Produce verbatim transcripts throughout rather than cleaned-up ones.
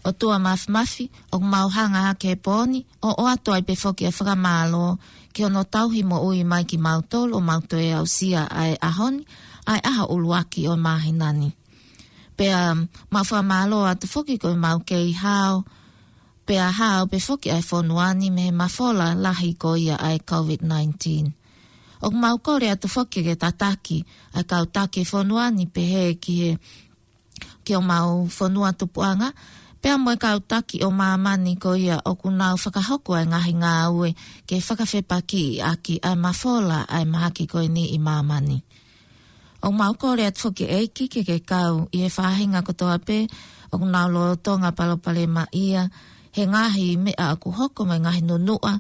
ʻOtua Māfimafi, ʻoku mau hanga hake he pō ni ʻo ʻoatu ai pē foki ʻa e fakamālō ki hono tauhi moʻui mai kimautolu ʻo mau toe aʻusia ʻa e ʻaho ni, ʻa e ʻaho ʻuluaki ʻo e māhina ni. Pea mau fakamālō atu foki ko e mau kei hao, pea hao pē foki ʻa e fonua ni mei he mafola lahi ko ia ʻa e COVID nineteen. ʻOku mau kole atu foki ke tataki ʻa e kau taki fonua ni pehē ki he, ki homau fonua tupuʻanga, pea mo e kau taki ʻo māmani ko ia ʻoku nau fakahoko ʻa e ngaahi ngāue ke fakafepakiʻi ʻaki ʻa e mafola ʻa e mahaki ko eni ʻi māmani. ʻOku mau kole atu foki ʻEiki ke ke kau ʻi he faʻahinga kotoa pē ʻoku nau lolotonga palopalemaʻia he ngaahi meʻa ʻoku hoko mo e ngaahi nunuʻa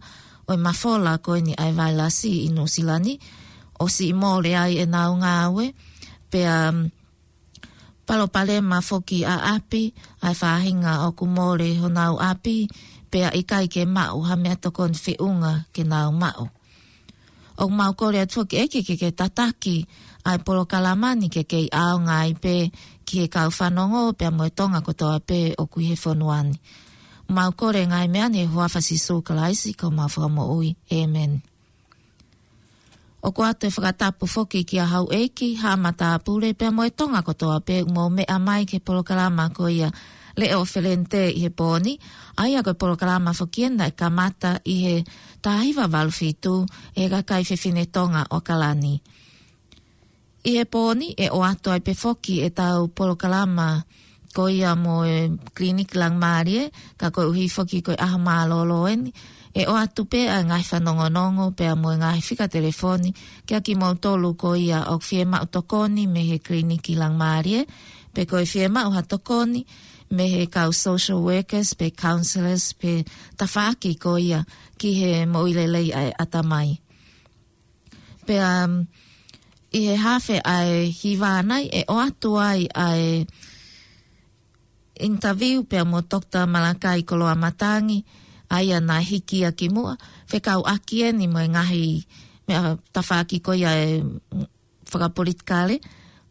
ʻo e mafola ko eni ʻa e vailasi ʻi Nuʻusila ni, ʻo siʻi mole ai ʻenau ngāue, pea palopalema foki ʻa ʻapi, ʻa e faʻahinga ʻoku mole honau ʻapi, pea ʻikai ke maʻu ha meʻatokoni feʻunga ke nau maʻu. ʻOku mau kole atu foki ʻEiki ke ke tataki ʻa e polokalama ni ke kei ʻaonga ai pē ki he kau fanongo pea mo e Tonga kotoa pē ʻoku ʻi he fonua ni. Mau kole ngaahi meʻa ni he huafa Sīsū Kalaisi ko homau Fakamoʻui. ʻĒmeni. ʻOku ʻoatu e fakatapu foki kia Houʻeiki, Haʻa Matāpule, pea mo e Tonga kotoa pē ʻoku mou meʻa mai ki he polokalama ko ia Leʻo Felente ʻi he pō ni, ʻa ia ko e polokalama foki ena naʻe kamata ʻi he taha hiva valu fitu ʻe he kakai fefine Tonga ʻo ʻAokalani. ʻI he pō ni ʻe ʻoatu ai pē foki ʻetau polokalama ko ia mo e Kiliniki Langimālie, ka koeʻuhi foki ko e ʻaho mālōlō eni, ʻe ʻoatu pē ʻa e ngaahi fanongonongo pea mo e ngaahi fika telefoni kia kimoutolu ko ia ʻoku fiemaʻu tokoni mei he Kiliniki Langimālie, pe ko e fiemaʻu ha tokoni mei he kau social workers pe counselors pe tafaʻaki ko ia ki he moʻui lelei ʻa e ʻatamai. Pea, um, ʻi he haafe ʻa e hiva ni ʻe ʻoatu ai ʻa e interview pea mo Doctor Malakai Koloamatangi, ʻa ia naʻe hiki ia ki muʻa, fekauʻaki eni mo e ngaahi meʻa tafaʻaki ko ia ʻe fakapolitikale,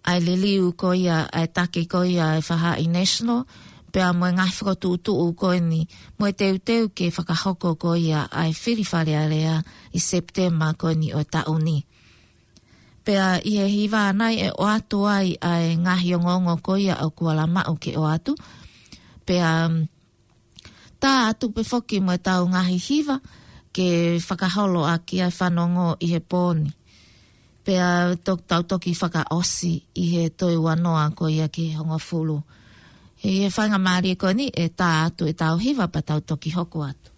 ʻa e liliu ko ia ʻa e taki ko ia ʻa e faʻahi National, pea mo e ngaahi fokotuʻutuʻu ko eni, mo e teuteu ke fakahoko ko ia ʻa e fili Fale Alea ʻi Sepitema ko eni ʻo e taʻu ni. Pea ʻi he hiva ni ʻe ʻoatu ai ʻa e ngaahi ongoongo ko ia ʻoku ala maʻu ke ʻoatu. Pea, um, tā atu pē foki mo ʻetau ngaahi hiva ke fakaholo ʻaki ʻa e fanongo ʻi he pō ni. Pea tok-, tau toki fakaʻosi ʻi he toe ua noa ko ia ki he hongofulu. ʻI he faingamālie ko eni ʻe tā atu ʻetau hiva pea tau toki hoko atu.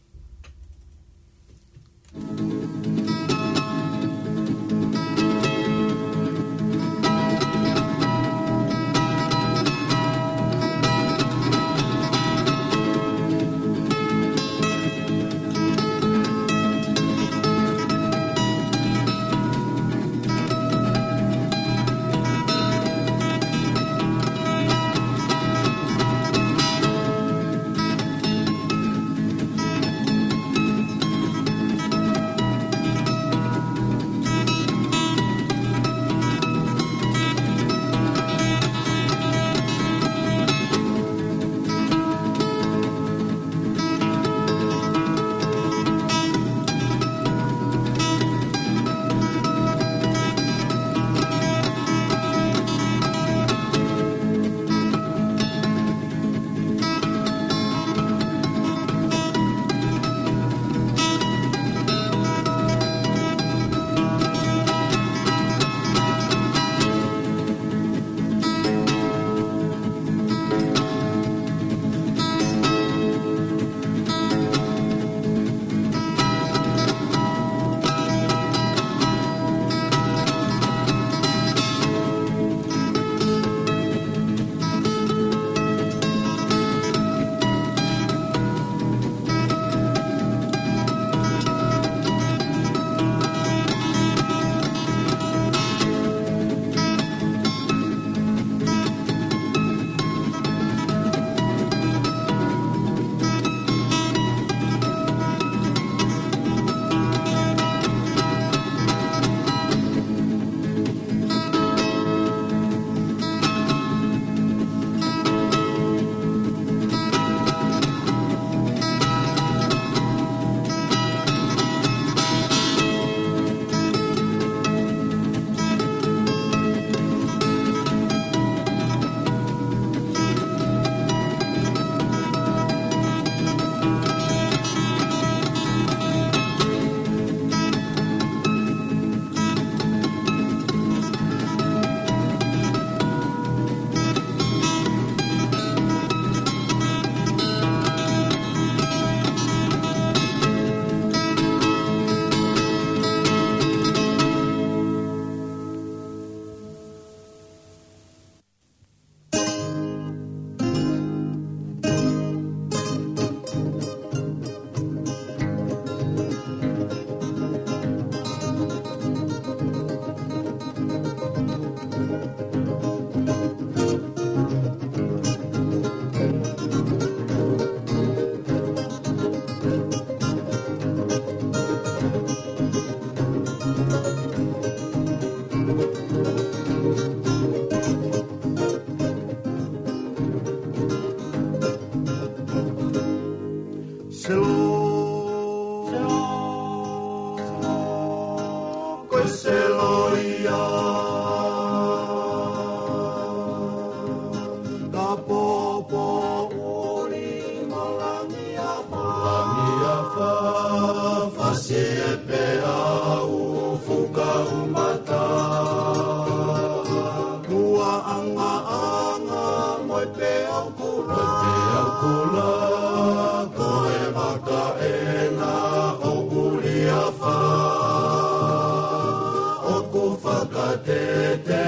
Te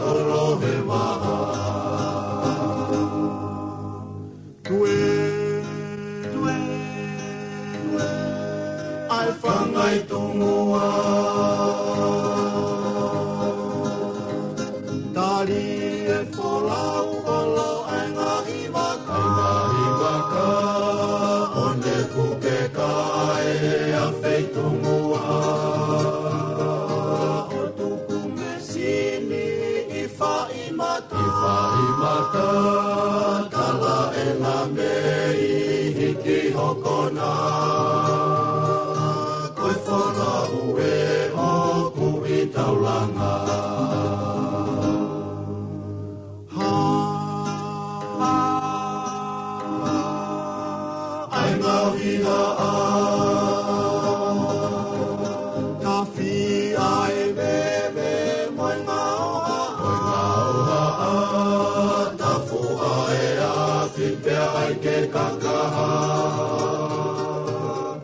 ʻolohe vaha. Tue, tue, tue. ʻAi fangai tungua. Tali e folau ʻolo ʻa e ngaahi vaka. ʻA e ngaahi vaka. ʻO ne kuke kae ʻa feitungua. ʻO tuku me sini ʻi faʻi mata. ʻI faʻi mata, tala ʻena mei hiki hokona. Ko e folau ē ʻoku ʻi taulanga. Ha, ha, ha. ʻAi ngaahi haʻa. Tafi ʻa e veve mo e ngaahi haʻa. Mo e ngaahi haʻa. Tafu ʻa e afi pea ʻai ke kakaha.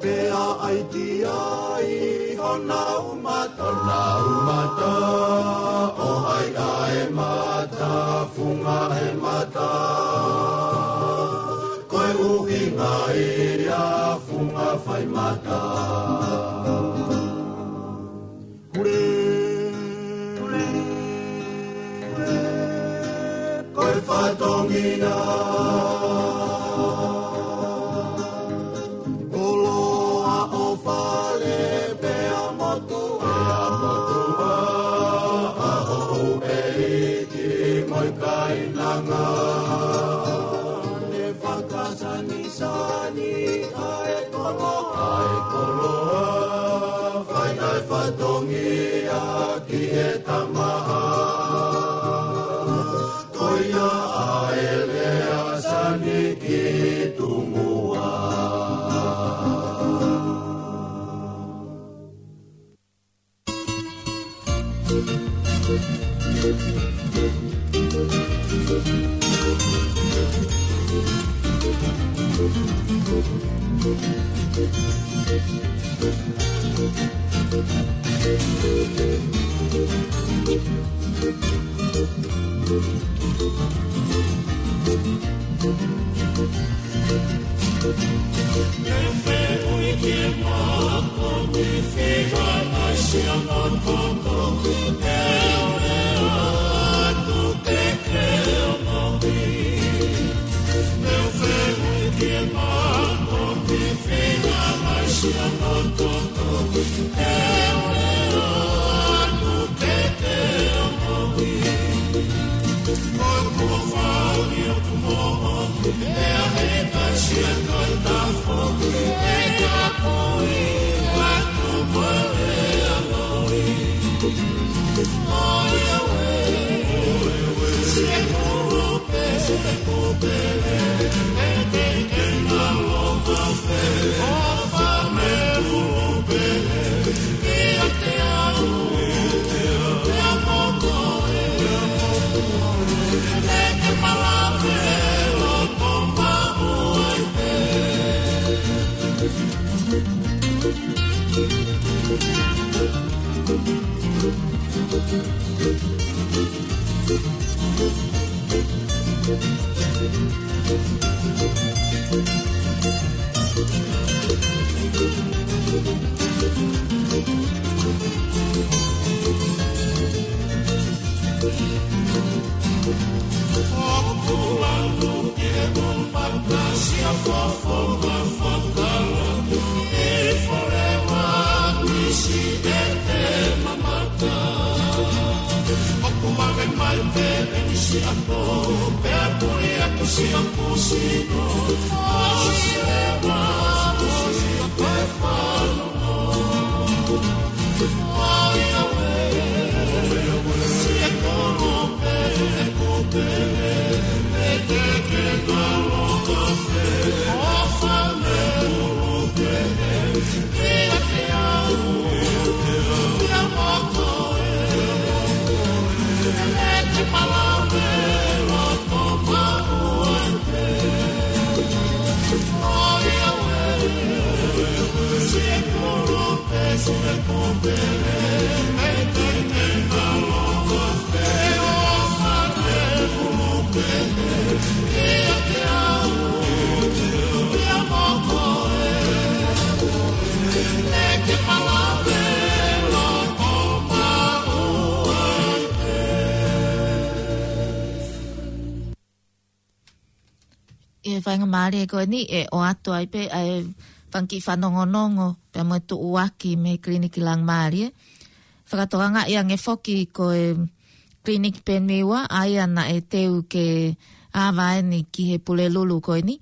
Pea ʻai ki ai honau mata. Honau mata. ʻO ʻai ʻa e mata. Funga he mata. Ko e ʻuhinga ia funga fai mata. Kule, kule, kule, ko e fatongia. Koloa ʻo fale pea motuʻa. Pea motuʻa, ʻa hoʻo ʻeiki mo e kainanga. Ne fakasanisani ʻa e koloa. ʻA e koloa, fai ʻa e fatongia ki he tamaha. Ko ia ʻa e lea sani ki tungua. Te u fehuʻi ki he mako ni, fika mai siʻa mako, te u lea atu ke ke ʻomi. Te u fehuʻi ki he mako ni, fika mai siʻa mako, te u lea atu ke ke ʻomi. Ko e kuo fau ni ʻoku moʻoni, ʻe ʻi ai ha kasia kai tafoki, ʻe kapui atu mo e lea loi. ʻOiauē, siʻi kulupe, siʻi kupe, ʻe ke ke ngalo kafe, ʻo fame kulupe. ʻOku ʻalu ke mo patasia fofo ma fakala, ʻi forewa nisi ʻe te mamata. ʻOku vave mai pē ʻe nisi apo, pea puli atu siʻa pusino. ʻOsi leva, ʻosi leva, ʻosi leva. ʻI he faingamālie ko eni ʻe ʻoatu ai pē ʻa e fanga kiʻi fanongonongo pea mo e tuʻuaki mei he Kiliniki Langimālie. Fakatokangaʻi ange foki ko e Kiliniki Peniua ʻa ia naʻe teu ke ava eni ki he Pulelulu ko eni.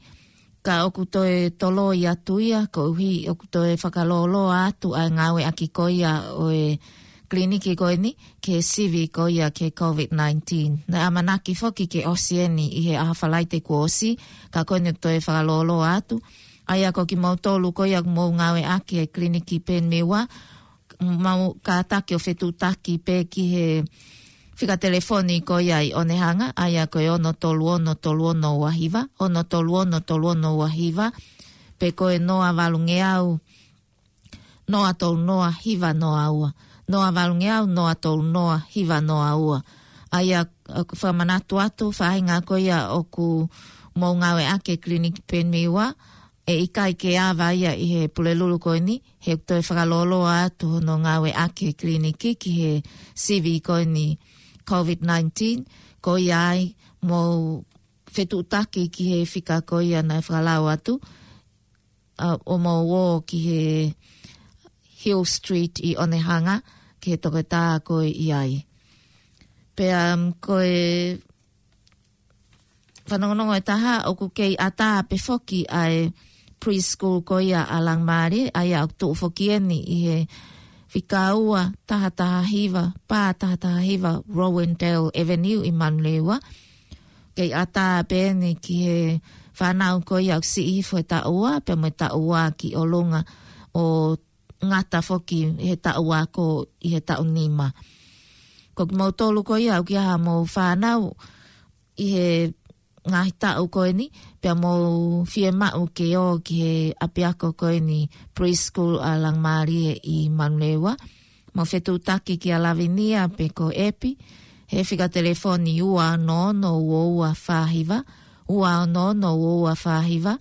Ka ʻoku toe toloi atu ia koeʻuhi ʻoku toe fakalōloa atu ʻa e ngāueʻaki ko ia ʻo e kiliniki ko eni ki he sivi ko ia ki he COVID nineteen. Naʻe ʻamanaki foki ke ʻosi eni ʻi he ʻaho Falaite kuo ʻosi, ka ko eni toe fakalōloa atu. ʻA ia ko kimoutolu ko ia ʻoku mou ngāueʻaki e Kiliniki Peniua, mau kātaki ʻo fetuʻutaki pē ki he fika telefoni ko ia ʻi ʻOnehanga, ʻa ia ko e ono tolu ono tolu ono ua hiva, ono tolu ono tolu ono ua hiva, pe ko e noa valungeau, noa tolu noa hiva noa ua. Noa valungeau, noa tolu noa hiva noa ua. ʻA ia, ʻoku fakamanatu atu, faʻahinga ko ia ʻoku mou ngāueʻaki e Kiliniki Peniua, ʻe ʻikai ke ava ia ʻi he Pulelulu ko eni, he ʻoku toe fakalōloa atu hono ngāueʻaki e kiliniki ki he sivi ko eni COVID nineteen, ko ia ai mou fetuʻutaki ki he fika ko ia naʻe fakalau atu, ʻa, ʻo mou ō ki he Hill Street ʻi ʻOnehanga, ki he toketā ko ē ʻi ai. Pea, um, ko e fanongonongo ʻe taha ʻoku kei ʻatā pē foki ʻa e preschool ko ia ʻa Langimālie, ʻa ia ʻoku tuʻu foki eni ʻi he fika ua taha taha hiva, pā taha taha hiva Rowandale Avenue ʻi Manurewa. Kei ʻatā pē eni ki he fānau ko ia ʻoku siʻi hifo he taʻu ua, pea mo e taʻu ua ki ʻolunga ʻo ngata foki he taʻu ako ʻi he taʻu nima. Ko kimoutolu ko ia ʻoku ʻi ai haʻamou fānau ʻi he ngaahi taʻu ko eni, pea mou fiemaʻu ke ō ki he ʻapiako ko eni preschool ʻa Langimālie ʻi Manurewa, mou fetuʻutaki kia Lavinia pe ko Epi, he fika telefoni ua ono ono ua ua fā hiva, ua ono ono ua ua fā hiva,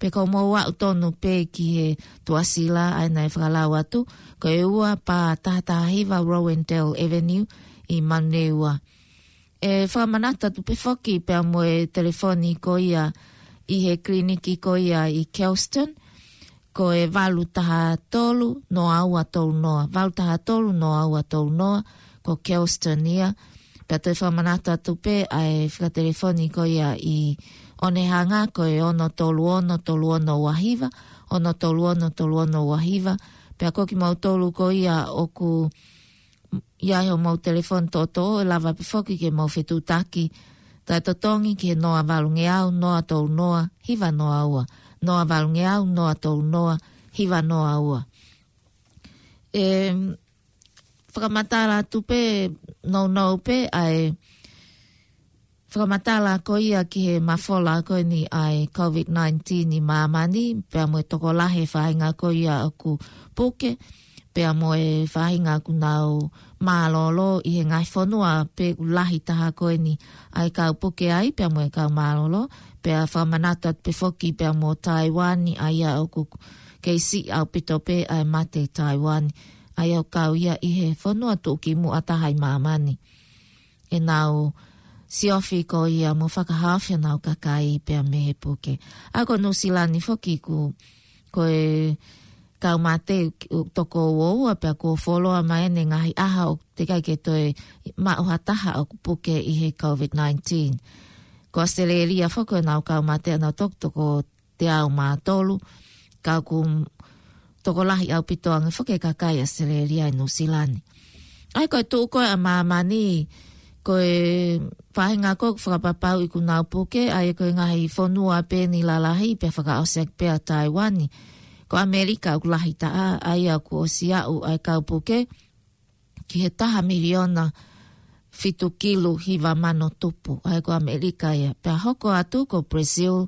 pe ko mou aʻu tonu pē ki he tuʻasila ʻa ia naʻe fakalau atu, ko e ua pā taha taha hiva Rowandale Avenue ʻi Manurewa. ʻE fakamanatu atu pē foki pea mo e telefoni ko ia ʻi he kiliniki ko ia ʻi Kelston, ko e valu taha tolu noa ua tolu noa, valu taha tolu noa ua tolu noa, ko Kelston ia. Pea toe fakamanatu atu pē ʻa e fika telefoni ko ia ʻi ʻOnehanga, ko e ono tolu ono tolu ono ua hiva, ono tolu ono tolu ono ua hiva. Pea ko kimoutolu ko ia ʻoku ʻi ai homou telefoni toʻotoʻo, ʻe lava pē foki ke mou fetuʻutaki taʻetotongi ki he noa valungeau, noa tolu noa hiva noa ua, noa valungeau, noa tolu noa hiva noa ua. ʻE fakamatala atu pē, nounou pē ʻa e fakamatala ko ia ki he mafola ko eni ʻa e COVID nineteen ʻi māmani, pea mo e tokolahi e faʻahinga ko ia ʻoku puke, pea mo e faʻahinga ʻoku nau mālōlō ʻi he ngaahi fonua pē ʻoku lahi taha ko eni ʻa e kau puke ai, pea mo e kau mālōlō. Pea fakamanatu atu pē foki pea mo Taiwani, ʻa ia ʻoku kei siʻi ʻaupito pē ʻa e mate ʻi Taiwani, ʻa ia ʻoku kau ia ʻi he fonua tuʻukimuʻa taha ʻi māmani. ʻEnau siofi ko ia mo fakahaofi ʻenau kakai pea mei he puke. ʻA ia ko Nuʻusila ni foki ʻoku, ko e kau mate ʻoku toko ua ua pea kuo fuoloa mai ʻene ngaahi ʻaho ʻoku teʻeki ai ke toe maʻu ha taha ʻoku puke ʻi he COVID nineteen. Ko ʻAositelēlia foki ko ʻenau kau mate ʻenau toko, toko teau mā tolu, ka ʻoku tokolahi ʻaupito ange foki e kakai ʻAositelēlia ʻi Nuʻusila ni. ʻA ia ko e tuʻu ko ē ʻa māmani, ko e faʻahinga ko ē ʻoku fakapapauʻi ʻoku nau puke, ʻa ia ko e ngaahi fonua pē eni lalahi, pea fakaʻosi ʻaki pē ʻa Taiwani. Ko ʻAmelika ʻoku lahi taha, ʻa ia ʻoku ʻosi aʻu ʻa e kau puke ki he taha miliona fitu kilu hiva mano tupu, ʻa ia ko ʻAmelika ia. Pea hoko atu ko Brazil,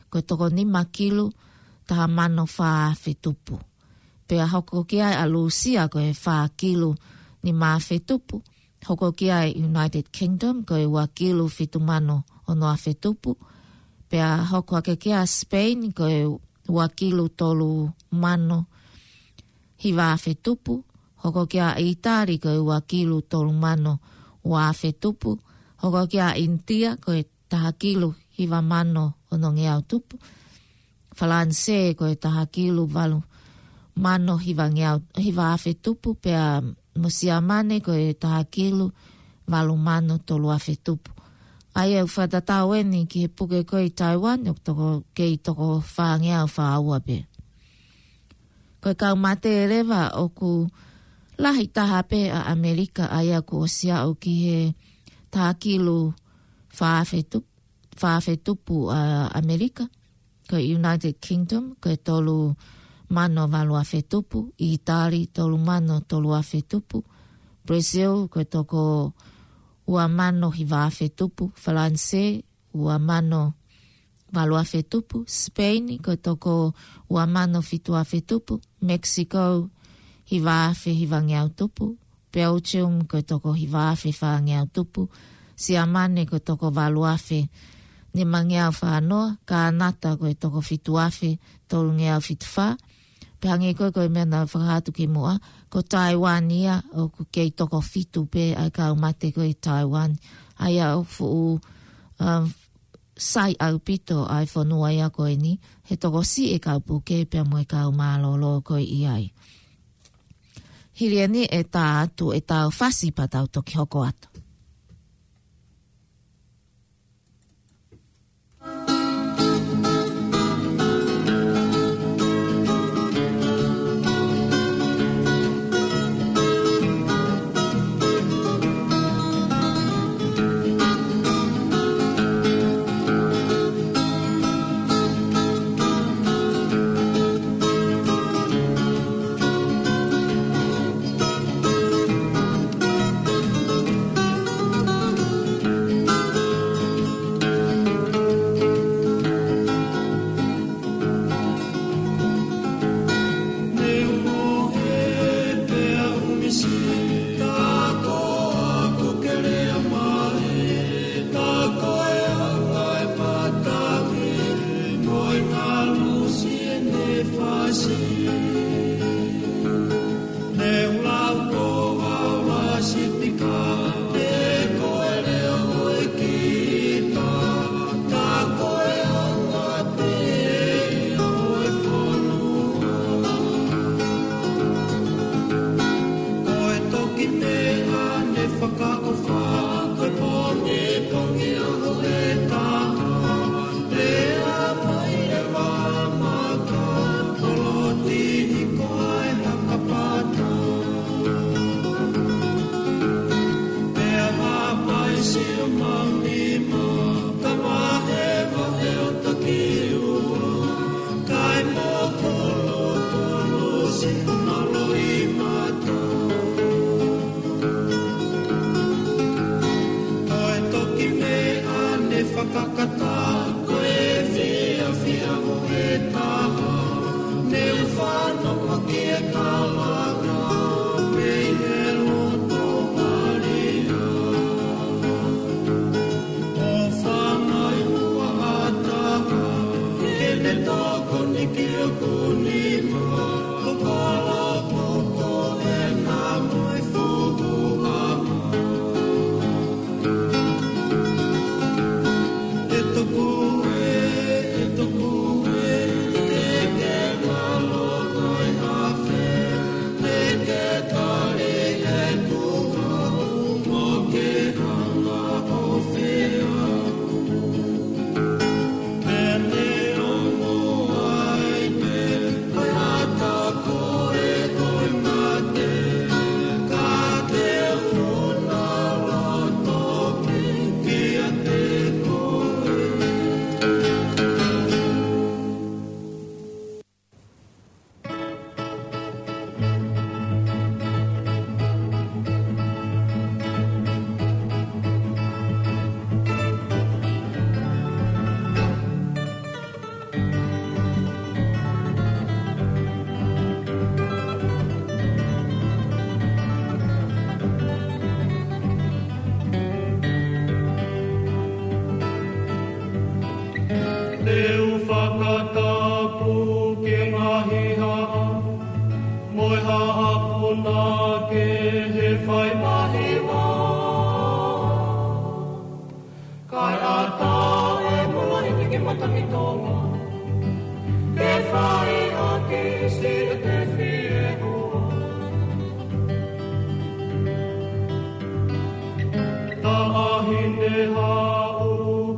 ko e toko nima kilu taha mano fā afe tupu. Pea hoko ki ai ʻa Lūsia ko e fā kilu nima afe tupu. Hoko ki ai United Kingdom ko e ua kilu fitu mano ono afe tupu. Pea hoko hake ki ai Spain ko e ua kilu tolu mano hiva afe tupu. Hoko ki ai ʻItali ko e ua kilu tolu mano ua afe tupu. Hoko ki ai ʻInitia ko e taha kilu hiva mano onongeau tupu. Falanisē ko e taha kilu valu mano hivangeau, hiva afe tupu, pea mo Siamane ko e taha kilu valu mano tolu afe tupu. ʻA ia ʻoku fakatatau eni ki he puke ko ē ʻi Taiwan, ʻoku toko, kei toko fāngeau fā ua pē. Ko e kau mate leva ʻoku lahi taha pē ʻa ʻAmelika, ʻa ia kuo ʻosi aʻu ki he taha kilu fā afe tupu, fā afe tupu ʻa ʻAmelika. Ko e United Kingdom, ko e tolu mano valu afe tupu. ʻItali, tolu mano tolu afe tupu. Brazil, ko e toko ua mano hiva afe tupu. Falanisē, ua mano valu afe tupu. Sipeini, ko e toko ua mano fitu afe tupu. Mexico, hiva afe hivangeau tupu. Belgium, ko e toko hiva afe fāngeau tupu. Siamane, ko e toko valu afe nimangeau fā noa. Kānata, ko e toko fitu afe tolungeau fitu fā. Pea hangē ko ē ko e meʻa naʻa ku fakahā atu kimuʻa, ko Taiwan ia ʻoku kei toko fitu pē ʻa e kau mate ko ē ʻi Taiwan. ʻA ia ʻoku fuʻu, um, sai ʻaupito ʻa e fonua ia ko eni, he tokosiʻi e kau puke pea mo e kau mālōlō ko ē ʻi ai. Hili eni ʻe tā atu ʻetau fasi pea tau toki hoko atu. Ko e toki meʻa ne fakaʻofa, ko e pongipongi ʻaho ʻe taha, lea mai e vā maka, koloti hiko ai ha kapata. Pea hapai sio mau nima, ka vahevahe ʻo toki ua. Kai mo kolo kolo si na loi mata. Ko e toki meʻa ne fakakata, ko e fiafia ʻo e taha, ne u fanongo ki he kalanga, mei he loto malia. ʻO fangai ua ata, ke ne tokoni ki hoku nima, ʻo kolo koko e na mo e fuku ama. E toku e, e toku e, e ke ngalo kai afe, e ke tali e kuha, mo ke hanga ʻo fea. Te u fakatapu ki he ngaahi haʻa, mo e haʻa puna ki he fai mahiva. Kae ʻatā e mola i ki matangi Ine haʻu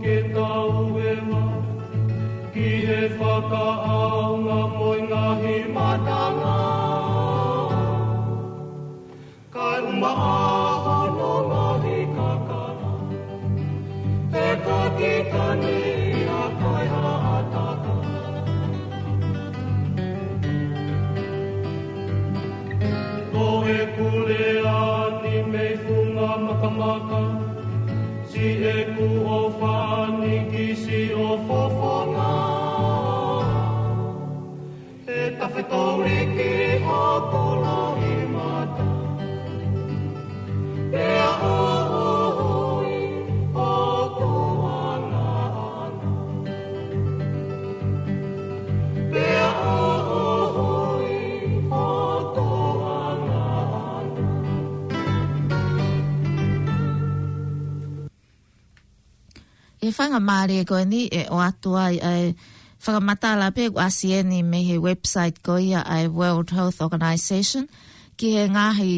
ke tau eva ki he fakaʻaonga mo e ngaahi matanga. Kae ʻumaʻā hono ngaahi kakala, he ko kita ni ia ko e haʻataka. Ko e kulea ni mei funga makamaka, si e kuo fani ki si o fofonga. E tafetoliki o tolo i mata. Pea o hoi o tuanga ana. Pea o hoi o tuanga ana. ʻI he faingamālie ko eni ʻe ʻoatu ai ʻa e fakamatala pē kuo ʻasi eni mei he website ko ia ʻa e World Health Organization ki he ngaahi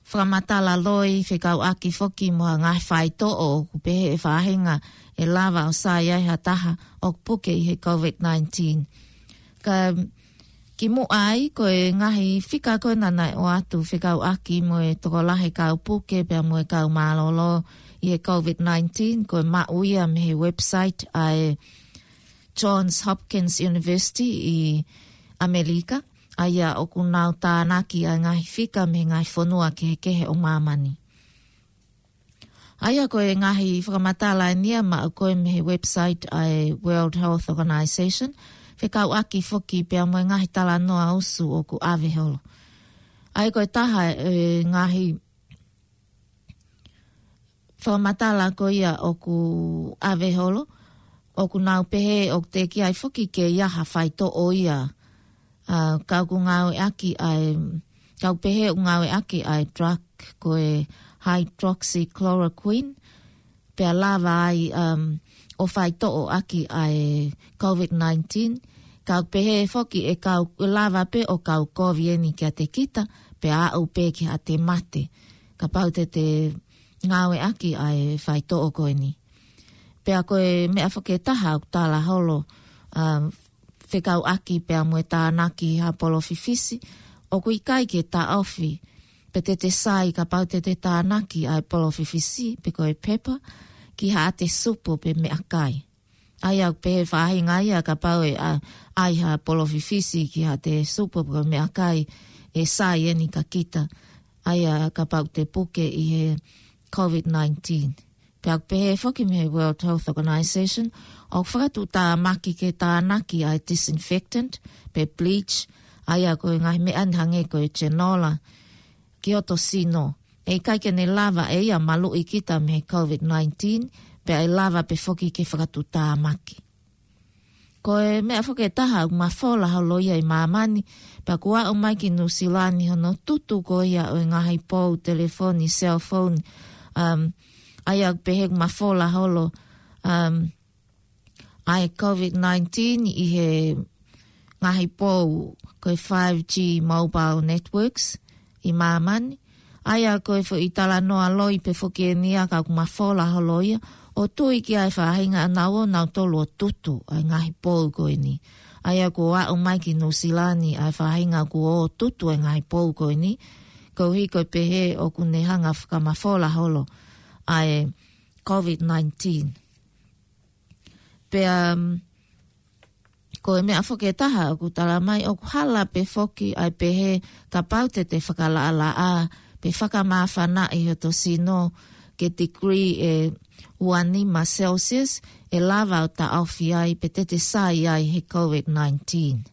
fakamatala loi fekauʻaki foki mo ha ngaahi faitoʻo ʻoku pehē ʻe he faʻahinga ʻe lava ʻo sai ai ha taha ʻoku puke ʻi he COVID nineteen. Ka kimuʻa ai ko e ngaahi fika ko ena naʻe ʻoatu fekauʻaki mo e tokolahi kau puke pea mo e kau mālōlō ʻi he COVID nineteen ko e maʻu ia mei he website ʻa e Johns Hopkins University ʻi ʻAmelika, ʻa ia ʻoku nau tānaki ʻa e ngaahi fika mei he ngaahi fonua kehekehe ʻo māmani. ʻA ia ko e ngaahi fakamatala eni ia maʻu ko ē mei he website ʻa e World Health Organization, fekauʻaki foki pea mo e ngaahi talanoa usu ʻoku ʻave holo. ʻA ia ko e taha e ngaahi fakamatala ko ia ʻoku ʻave holo, ʻoku nau pehē ʻoku teʻeki ai foki ke ʻi ai ha faitoʻo ia. ʻA, ka ʻoku ngāueʻaki ʻa e, ka ʻoku pehē ʻoku ngāueʻaki ʻa e drug ko e hydroxychloroquine, pea lava ai, um, ʻo faitoʻoʻaki ʻa e COVID nineteen. Ka ʻoku pehē foki ʻe kau, ʻe lava pē ʻo kau kovi eni kiate kita, pea aʻu pē ki haʻate mate. Kapau te te ngāueʻaki ʻa e faitoʻo ko eni. Pea ko e meʻa foki ʻe taha ʻoku tala holo, um, fekauʻaki pea mo e tānaki ha polofifisi, ʻoku ʻikai ke taʻofi, pe te te sai kapau te te tānaki ʻa e polofifisi, pe ko e pepa, ki haʻate supo pe meʻakai. ʻA ia ʻoku pehē faʻahinga ia kapau ʻe ʻa, ʻai ha polofifisi ki haʻate supo pe ko e meʻakai ʻe sai eni kia kita. ʻA ia kapau te puke ʻi he COVID nineteen. Pea ʻoku pehē foki mei he World Health Organization, ʻoku fakatuʻutāmaki ke tānaki ʻa e disinfectant, pe bleach, ʻa ia ko e ngaahi meʻa ni hangē ko e genola, ki hoto sino. ʻE ʻikai ke ne lava ʻe ia maluʻi kita mei he COVID nineteen, pea ʻe lava pē foki ke fakatuʻutāmaki. Ko e meʻa foki ʻe taha ʻoku mafola holo ia ʻi māmani, pea kuo aʻu mai ki Nuʻusila ni hono tutu ko ia ʻo e ngaahi pou telefoni, cell phone, um, ʻa ia ʻoku pehē ʻoku mafola holo, um, ʻa e COVID nineteen ʻi he ngaahi pou ko e five G mobile networks ʻi māmani. ʻA ia ko e foʻi talanoa loi pē foki eni ia ka ʻoku mafola holo ia, ʻo tui ki ai e faʻahinga ʻanaua ʻo nautolu ʻo tutu ʻa e ngaahi pou ko eni. ʻA ia kuo aʻu mai ki Nuʻusila ni ʻa e faʻahinga kuo tutu ʻa e ngaahi pou ko eni, koeʻuhi ko e pehē ʻoku ne hanga fakamafola holo ʻa e COVID nineteen. Pea, um, ko e meʻa foki ʻe taha ʻoku tala mai ʻoku hala pē foki ʻa e pehē kapau te te fakalaʻalaʻā pe fakamāfanaʻi hoto sino ki he degree ʻe uanima Celsius, ʻe lava ʻo taʻofi ai pe te te sai ai he COVID nineteen.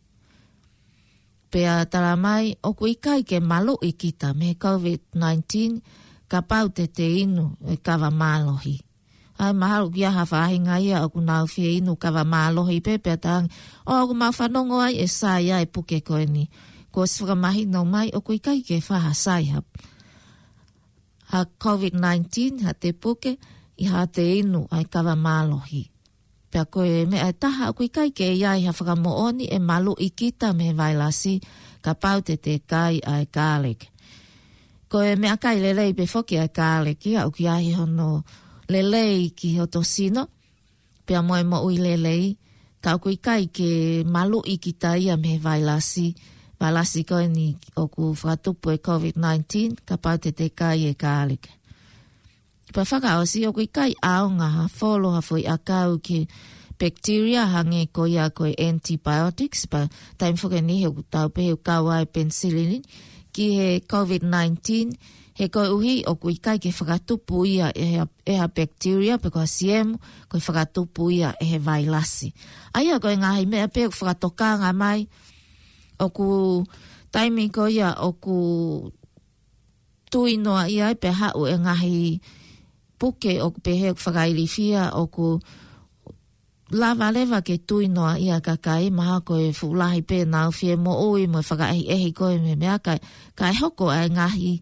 Pea tala mai ʻoku ʻikai ke maluʻi kita mei he COVID nineteen kapau te te inu e kava mālohi. ʻA ia mahalo ʻoku ʻi ai ha faʻahinga ia ʻoku nau fie inu kava mālohi pē pea talaange, ʻoku mau fanongo ai ʻe sai ʻa e puke ko eni. Kuo ʻosi fakamahino mai ʻoku ʻikai ke fai ha sai ha, ha COVID nineteen, haʻate puke, ʻi haʻate inu ʻa e kava mālohi. Pea ko e meʻa ʻe taha ʻoku ʻikai ke ʻi ai ha fakamoʻoni ʻe maluʻi kita mei he vailasi kapau te te kai ʻa e garlic. Ko e meʻakai lelei pē foki ʻa e garlic ia ʻoku ʻi ai hono lelei ki hoto sino, pea mo e moʻui lelei, ka ʻoku ʻikai ke maluʻi kita ia mei he vailasi, vailasi ko eni ʻoku fakatupu e COVID nineteen, kapau te te kai e kāleke. Pea fakaʻosi ʻoku ʻikai ʻaonga ha folo ha foʻi ʻakau ki he bacteria hangē ko ia ko e antibiotics, pea taimi foki eni he ʻoku tau pehē ʻoku kau ai penicillin ki he COVID nineteen, he koeʻuhi ʻoku ʻikai ke fakatupu ia ʻe ha, ʻe ha bacteria pe ko ha siemu, ko e fakatupu ia ʻe he vailasi. ʻA ia ko e ngaahi meʻa pē ʻoku fakatokanga mai, ʻoku taimi ko ia ʻoku tui noa ia ai pea haʻu e ngaahi puke ʻoku pehē ʻoku fakailifia ʻoku lava leva ke tui noa ia kakai, mahalo ko e fuʻu lahi pē ʻenau fie moʻui mo e fakaʻehiʻehi ko e meʻa, meʻa kae, kae hoko ai ngaahi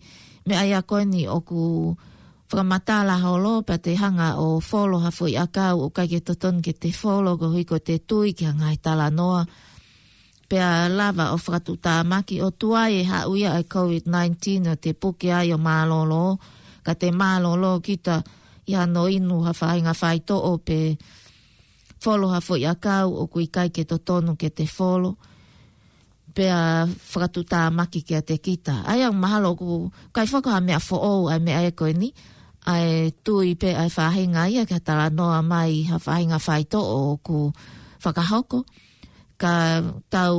meʻa ia ko eni ʻoku fakamatala holo pea te hanga ʻo folo ha foʻi ʻakau ʻoku ʻikai ke totonu ke te folo koeʻuhi ko ʻete tui ki ha ngaahi talanoa. Pea lava ʻo fakatuʻutāmaki ʻo tuai e haʻu ia ʻa e COVID nineteen ʻo te puke ai ʻo mālōlō, ka te mālōlō kita ʻi hano inu ha faʻahinga faitoʻo pe folo ha foʻi ʻakau ʻoku ʻikai ke totonu ke te folo. Pea fakatuʻutāmaki kiate kita. ʻA ia mahalo ʻoku ʻikai foki ha meʻa foʻou ʻa e meʻa ia ko eni, ʻa e tui pē ʻa e faʻahinga ia ki ha talanoa mai ha faʻahinga faitoʻo ʻoku fakahoko. Ka tau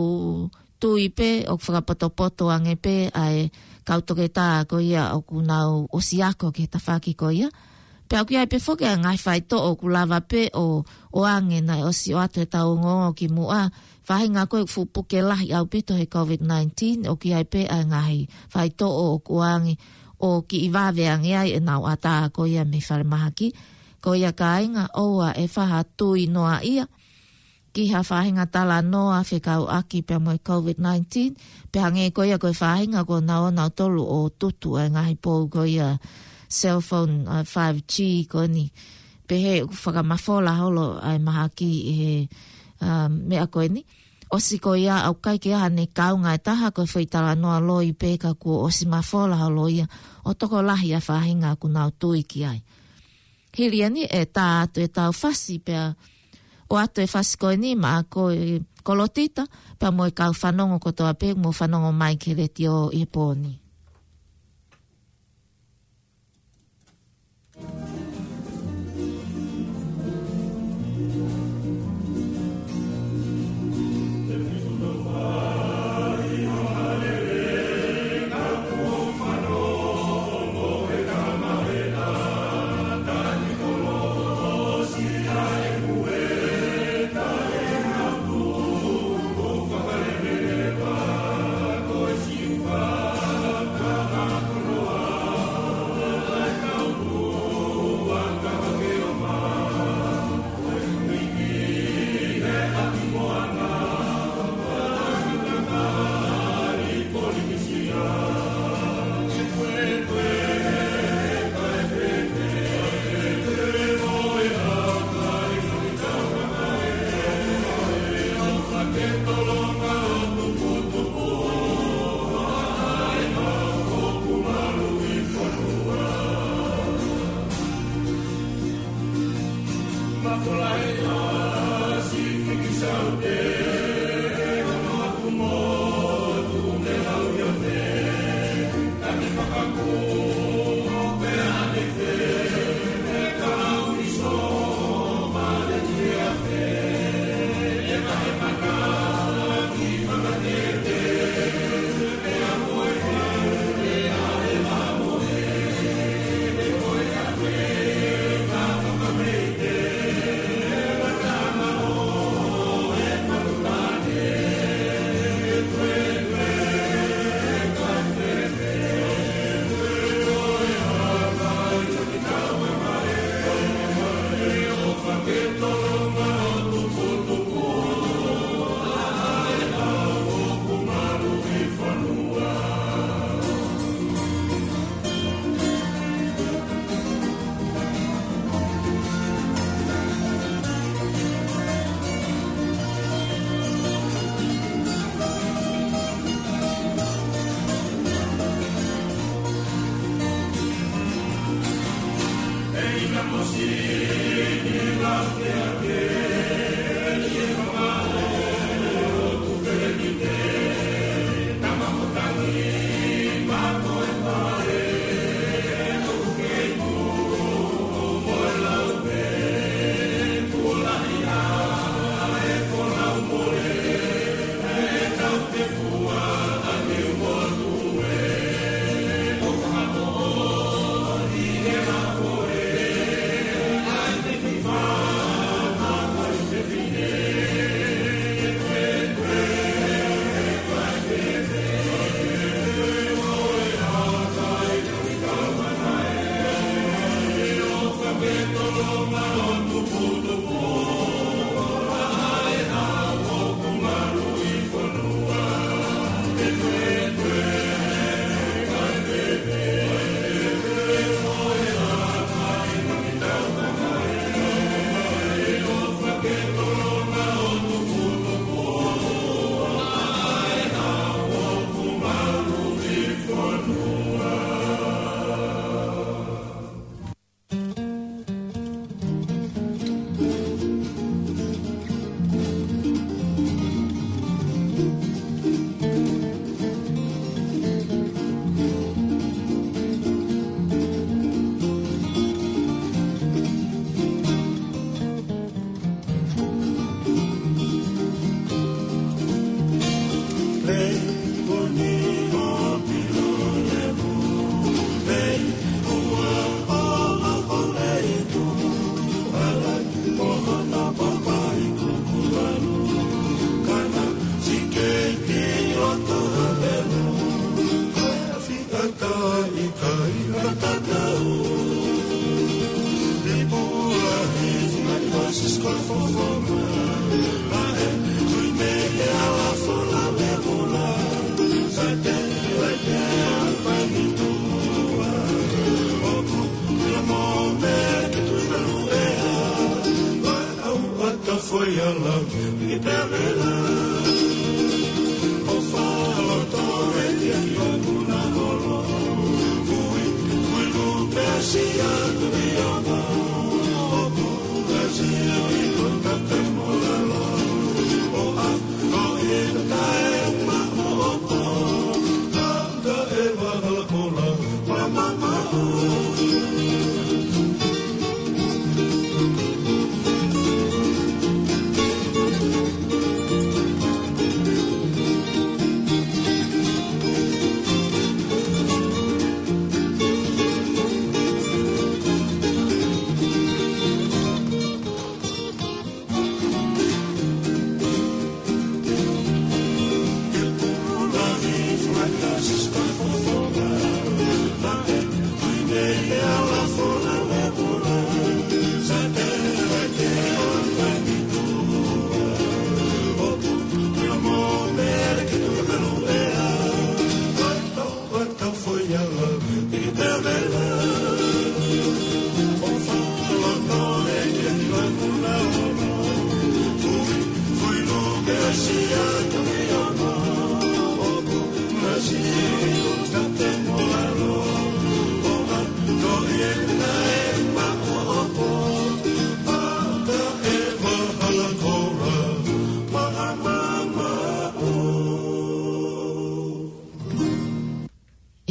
tui pē ʻoku fakapotopoto ange pē ʻa e kau toketā ko ia ʻoku nau ʻosi ako ki he tafaʻaki ko ia. Pea ʻoku ʻi ai pē foki ʻa e ngaahi faitoʻo ʻoku lava pē ʻo, ʻoange naʻe ʻosi ʻoatu ʻetau ongoongo kimuʻa. Faʻahinga ko e fuʻu puke lahi ʻaupito he COVID nineteen, ʻoku ʻi ai pē ʻa e ngaahi faitoʻo ʻoku ʻoange ʻo kiʻi vave ange ai ʻenau ʻatā ko ia mei falemahaki. Ko ia kāinga, ʻoua ʻe faʻa tui noa ia ki ha faʻahinga talanoa fekauʻaki pea mo e COVID nineteen, pea hangē ko ia ko e faʻahinga ko ē naʻa nau tolu ʻo tutu ʻa e ngaahi pou ko ia cell phone, ʻa e five G ko eni. Pehē ʻoku fakamafola holo ʻa e mahaki ʻi he, um, meʻa ko eni. ʻOsi ko ia ʻoku ʻikai ke ʻi ai haʻane kaunga ʻe taha, ko e foʻi talanoa loi pē ka kuo ʻosi mafola holo ia ʻo tokolahi ʻa e faʻahinga ʻoku nau tui ki ai. Hili eni ʻe tā atu ʻetau fasi pea ʻoatu e fasi ko eni maʻa koe Kolotita, pea mo e kau fanongo kotoa pē ʻoku mou fanongo mai ki he letiō ʻi he pō ni.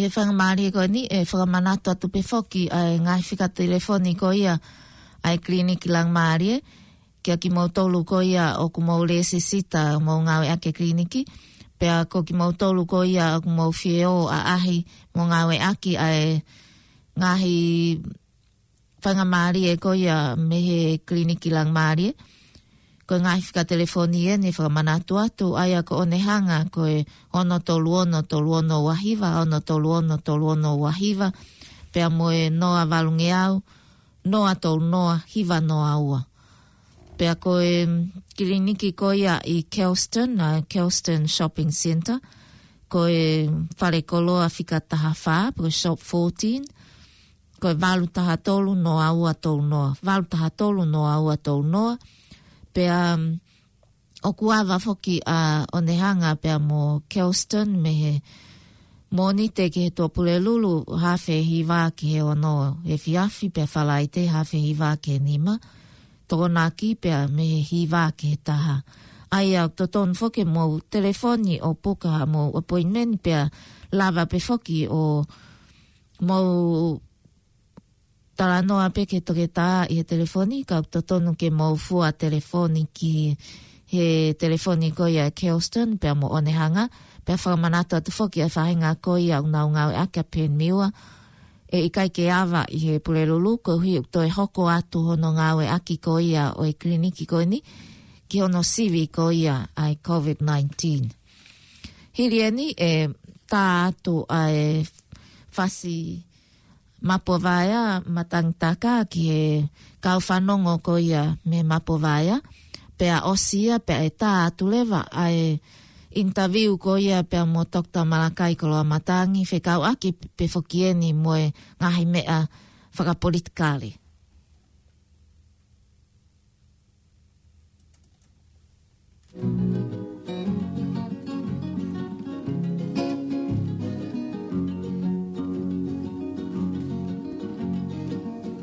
ʻI he faingamālie ko eni, ʻe fakamanatu atu pē foki ʻa e ngaahi fika telefoni ko ia ʻa e Kiliniki Laumālie, kia kimoutolu ko ia ʻoku mou lēsisita mo ngāueʻaki e kiliniki, pea ko kimoutolu ko ia ʻoku mou fie ō ʻaʻahi mo ngāueʻaki ʻa e ngaahi faingamālie ko ia mei he Kiliniki Laumālie. Ko e ngaahi fika telefoni eni ʻe fakamanatu atu, ʻa ia ko ʻene hanga ko e ono tolu ono tolu ono ua hiva, ono tolu ono tolu ono ua hiva, pea mo e noa valungeau, noa tolu noa hiva noa ua. Pea ko e kiliniki ko ia ʻi Kelston, ʻa Kelston Shopping Centre, ko e fale koloa fika taha fā, ko e shop fourteen, ko e valu taha tolu noa ua tolu noa, valu taha tolu noa ua tolu noa. Pea, um, ʻoku ava foki ʻa ʻene hanga pea mo Kelston mei he Mōnite ki he Tuʻapulelulu, haafe hiva ki he ono efiafi, pea Falaite haafe hiva ki he nima, Tokonaki pea mei he hiva ki he taha. ʻA ia ʻoku totonu foki ke mou telefoni ʻo puka haʻamou appointment, pea lava pē foki ʻo mou talanoa pē ki he toketā ʻi he telefoni, ka ʻoku totonu ke mou fua telefoni ki he telefoni ko ia ʻa Kelston pea mo ʻEne Hanga, pea fakamanatu atu foki ʻa e faʻahinga ko ia ʻoku nau ngāueʻaki ʻa Penmiua, ʻe ʻikai ke ava ʻi he Pulelulu, koeʻuhi ʻoku toe hoko atu hono ngāueʻaki ko ia ʻo e kiliniki ko eni ki hono sivi ko ia ʻa e COVID nineteen. Hili eni ʻe tā atu ʻa e fasi Mapuavaea Matangi Taka ki he kau fanongo ko ia mei Mapuavaea, pea ʻosi ia pea ʻe tā atu leva ʻa e interview ko ia pea mo Doctor Malakai Koloamatangi, fekauʻaki pē foki eni mo e ngaahi meʻa fakapolitikale.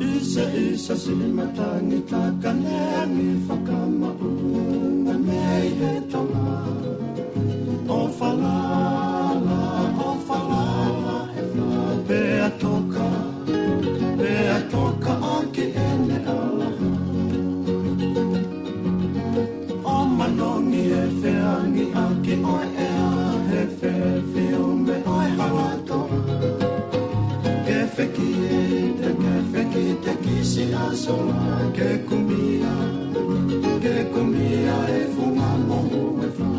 Isa, isa, siʻi matangi taka neangi fakamaʻunga mei he tonga. ʻO falala, ʻo falala, ʻe fā pea toka, pea toka ʻaki ʻene ʻalaha. ʻO manongi e feangi ʻaki ʻo e ʻea he fefiume ʻo e hala toa. Ke fekite, ke fekite ki siʻa sola, ke kumia, ke kumia e funga mohu ʻe fā.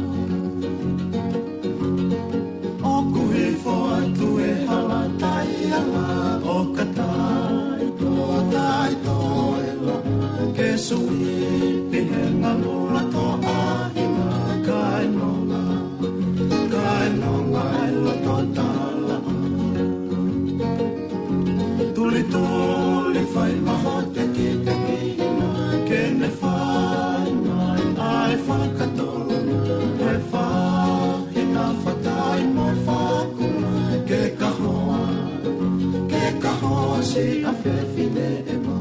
ʻOku hifo atu e hala taiala ʻo ka taito, taito e la, ke suipi he ngalu lato ʻa hina, kae nonga, kae nonga e loto tala. Tuli, tuli fai maho teki, teki hina, ke ne fai mai ʻa e fakatolo, ʻa e fā hina fatai mo e fakula, ke kahoa, ke kahoa siʻa fefine ʻe mā.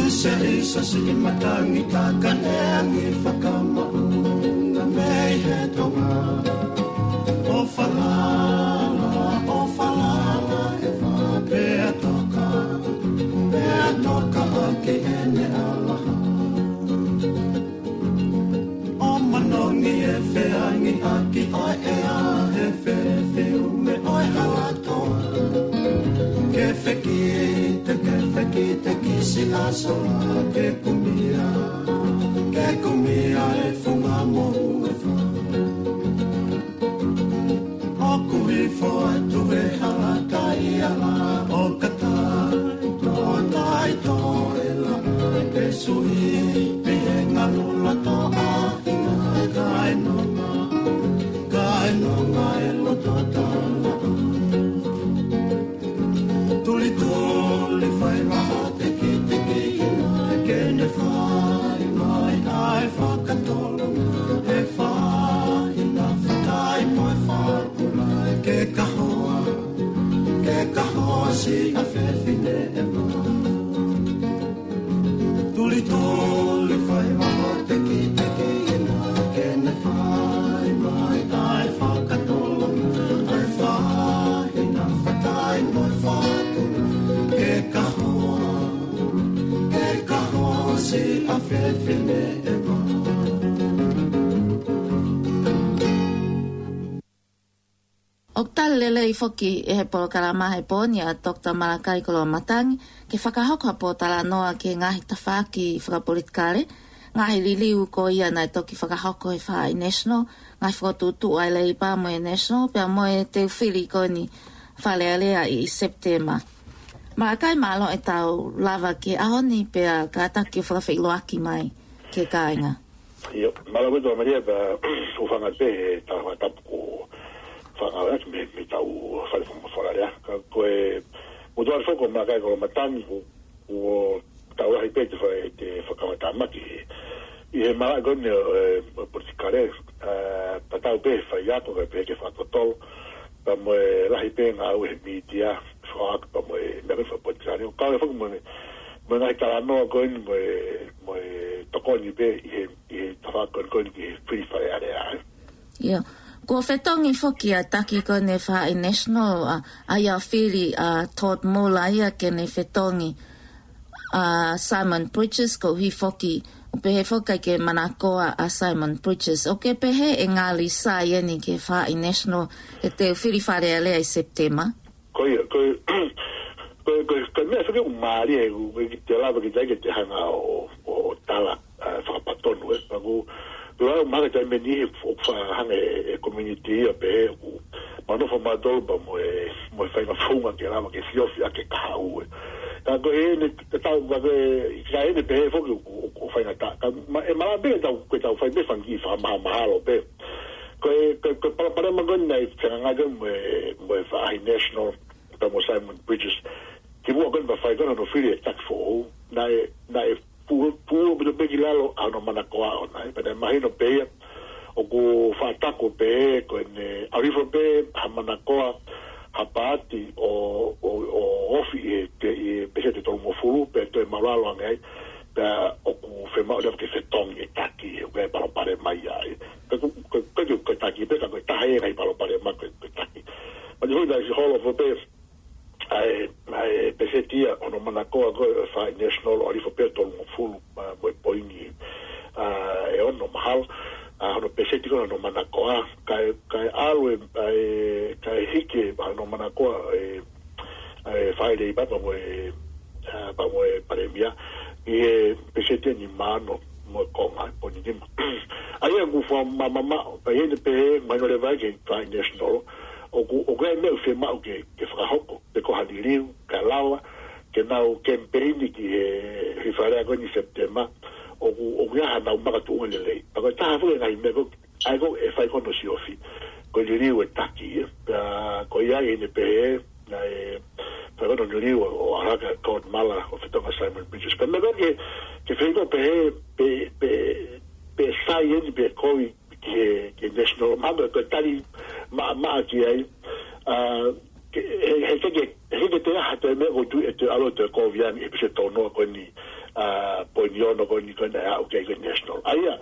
Isa, isa, siʻi matangi taka neangi fakamaʻunga mei he tonga. ʻO falala, ʻo falala, ʻe fā pea toka, pea toka ʻaki ʻene ʻalaha. ʻO manongi e feangi ʻaki ʻo e ʻea he fefiume ʻo e hala toa. Ke fekite, ke fekite ki siʻa sola, ke kumia, ke kumia e funga mohu ʻe fā. ʻOku hifo atu e hala taiala ʻo ka taito, taito e la, ke suipi he ngalu lato ʻa hina, kae nonga, kae nonga e loto tala. Tuli, tuli fai maho teki, teki hina, ke ne fai mai ʻa e fakatolo, ʻe fā hina fatai mo e fakula, ke kahoa, ke kahoa siʻa fefine ʻe mā. Tuli, tuli fai maho teki, teki hina, ke ne fai mai ʻa e fakatolo, ʻa e fā hina fatai mo e fakula, ke kahoa, ke kahoa siʻa fefine ʻe mā. ʻOku tali lelei foki ʻe he polokalama he pō ni ʻa Doctor Malakai Koloamatangi ke fakahoko ha pōtalanoa ki he ngaahi tafaʻaki fakapolitikale, ngaahi liliu ko ia naʻe toki fakahoko he Faʻahi National, ngaahi fokotuʻutuʻu ʻa e Leipa mo e National, pea mo e teu fili ko eni Fale Alea ʻi Sepitema. Malakai, mālō e tau lava ki he ʻaho ni pea kātaki ʻo fakafeʻiloaki mai. ki he kāinga. ʻIo, mālō ʻaupito Maria, pea ʻoku ou fakaʻamu pē he tala fakatapu kuo fakangāueʻaki mei, mei heʻetau fale fakamafola lea. Ka ko e, ʻoku ou tui foki ko Malakai Kolomatangi, kuo, kuo tau lahi pē te fa-, te fakamatamaki ʻi he malaʻe ko eni ʻo e, ʻo e politikale, ā, tatau pē he faiako, kae pehē ki he fakatotolo, pea mo e lahi pē ngāue he mītia, fakaako pea mo e meʻa ko eni fakapolitikale. ʻOku kau ai foki mo e, mo e ngaahi talanoa ko eni mo e, mo e tokoni pē ʻi he, ʻi he tafaʻaki ko eni ko eni ki he fili Fale Alea, ē. ʻIo. Kuo fetongi foki ʻa e taki ko eni ʻa e Faʻahi National, ʻa, ʻa ia ʻoku fili ʻa Todd Muller ia ke ne fetongi ʻa Simon Bridges, koeʻuhi foki, ʻoku pehē foki ʻikai ke manakoa ʻa Simon Bridges. ʻOku ke pehē ʻe ngali sai eni ki he Faʻahi National ʻi heʻetau fili Fale Alea ʻi Sepitema? Ko ia, ko, ko, ko, ko e meʻa foki ʻoku mālie, ʻoku, ʻoku ʻikai te lava ke tai ke te hanga ʻo, ʻo, ʻo tala, ā, fakapatonu, ē. Pea ʻoku, ʻoku ʻikai mahalo ke tai meni he, ʻoku fakahanga ʻe he community ia pē, ʻoku manofo mautolu pea mo e, mo e faʻahinga founga ke lava ke siofi ʻaki e kahaʻu, ē. Ka ko eni, te tau, ka ko e, ka eni pehē foki ʻoku, ʻoku, ʻoku faingataʻa. Ka ma-, ʻe malava pē ke tau, ke tau fai pē fanga kiʻi fakamahamahalo pē. Ko e, ko e, ko e palopalema ko eni naʻe fengāueʻaki mo e, mo e Faʻahi National, pea mo Simon Bridges. Kimuʻa ko eni pea fai ko eni hono fili e taki foʻou. Naʻe, naʻe pu-, puʻu ʻaupito pē ki lalo ʻa hono manakoa ʻoʻona. Pea naʻe mahino pē ia, ʻoku fakataku pē ko ʻene ʻalu hifo pē ha manakoa, ha paati ʻo, ʻo, ʻo ofi ʻi he, ʻi he peseti ʻe tolungofulu, pea toe māʻulalo ange ai, pea ʻoku fiemaʻu leva ke fetongi e taki, ʻoku ʻi ai e palopalema ia ai. Ka ko, ko, ko, ko, ko e taki pē, ka ko e taha ia e ngaahi palopalema ko e, ko e taki. Pea naʻe holo hifo pē ʻa e, ʻa e peseti ia hono manakoa ko e Faʻahi National ʻo ʻalu hifo pē ʻo tolungofulu, ā, mo e poini, ā, ʻe ono mahalo, ā, hono peseti ko ē hono manakoa, kae, kae ʻalu e, ʻa e, kae hiki e hono manakoa e, ʻa e Faʻahi Leipa pea mo e, ā, pea mo e Palēmia, ʻi he peseti ʻe nima ono mo e konga, poini nima. ʻA ia ʻoku fakamamaʻo, pea ʻi heʻene pehē, mahino leva ki he Faʻahi National, ʻoku, ʻoku ʻi ai e meʻa ʻoku fiemaʻu ke, ke fakahoko, pe ko ha liliu, kae lava ke nau kemipeini ki he, he Fale Alea ko eni Sepitema, ʻoku, ʻoku ʻi ai haʻanau makatuʻunga lelei. Pea ko e taha foki e ngaahi meʻa ko ē, ʻa ia ko ē ʻe fai ko ē hono siofi, ko e liliu e taki, ē. Pea ko ia ʻi heʻene pehē, naʻe fai ko ē hono liliu ʻo, ʻo ʻalu hake ʻa Todd Muller ʻo fetongi ʻa Simon Bridges. Pea meʻa ko ē ke, ke feinga ʻo pehē, pe, pe, pe sai eni pe kovi, ki he, ki he National, mahalo ko e tali maʻamaʻa ki ai, ā, ke, he, he, ke, ke, he, ke te aha te meʻa ʻoku ou tui ʻe toe ʻalu ʻo toe kovi ange he peseti ʻe tolu noa ko eni, ā, poini ono ko eni ko eni ʻe aʻu ki ai ko e National. ʻA ia,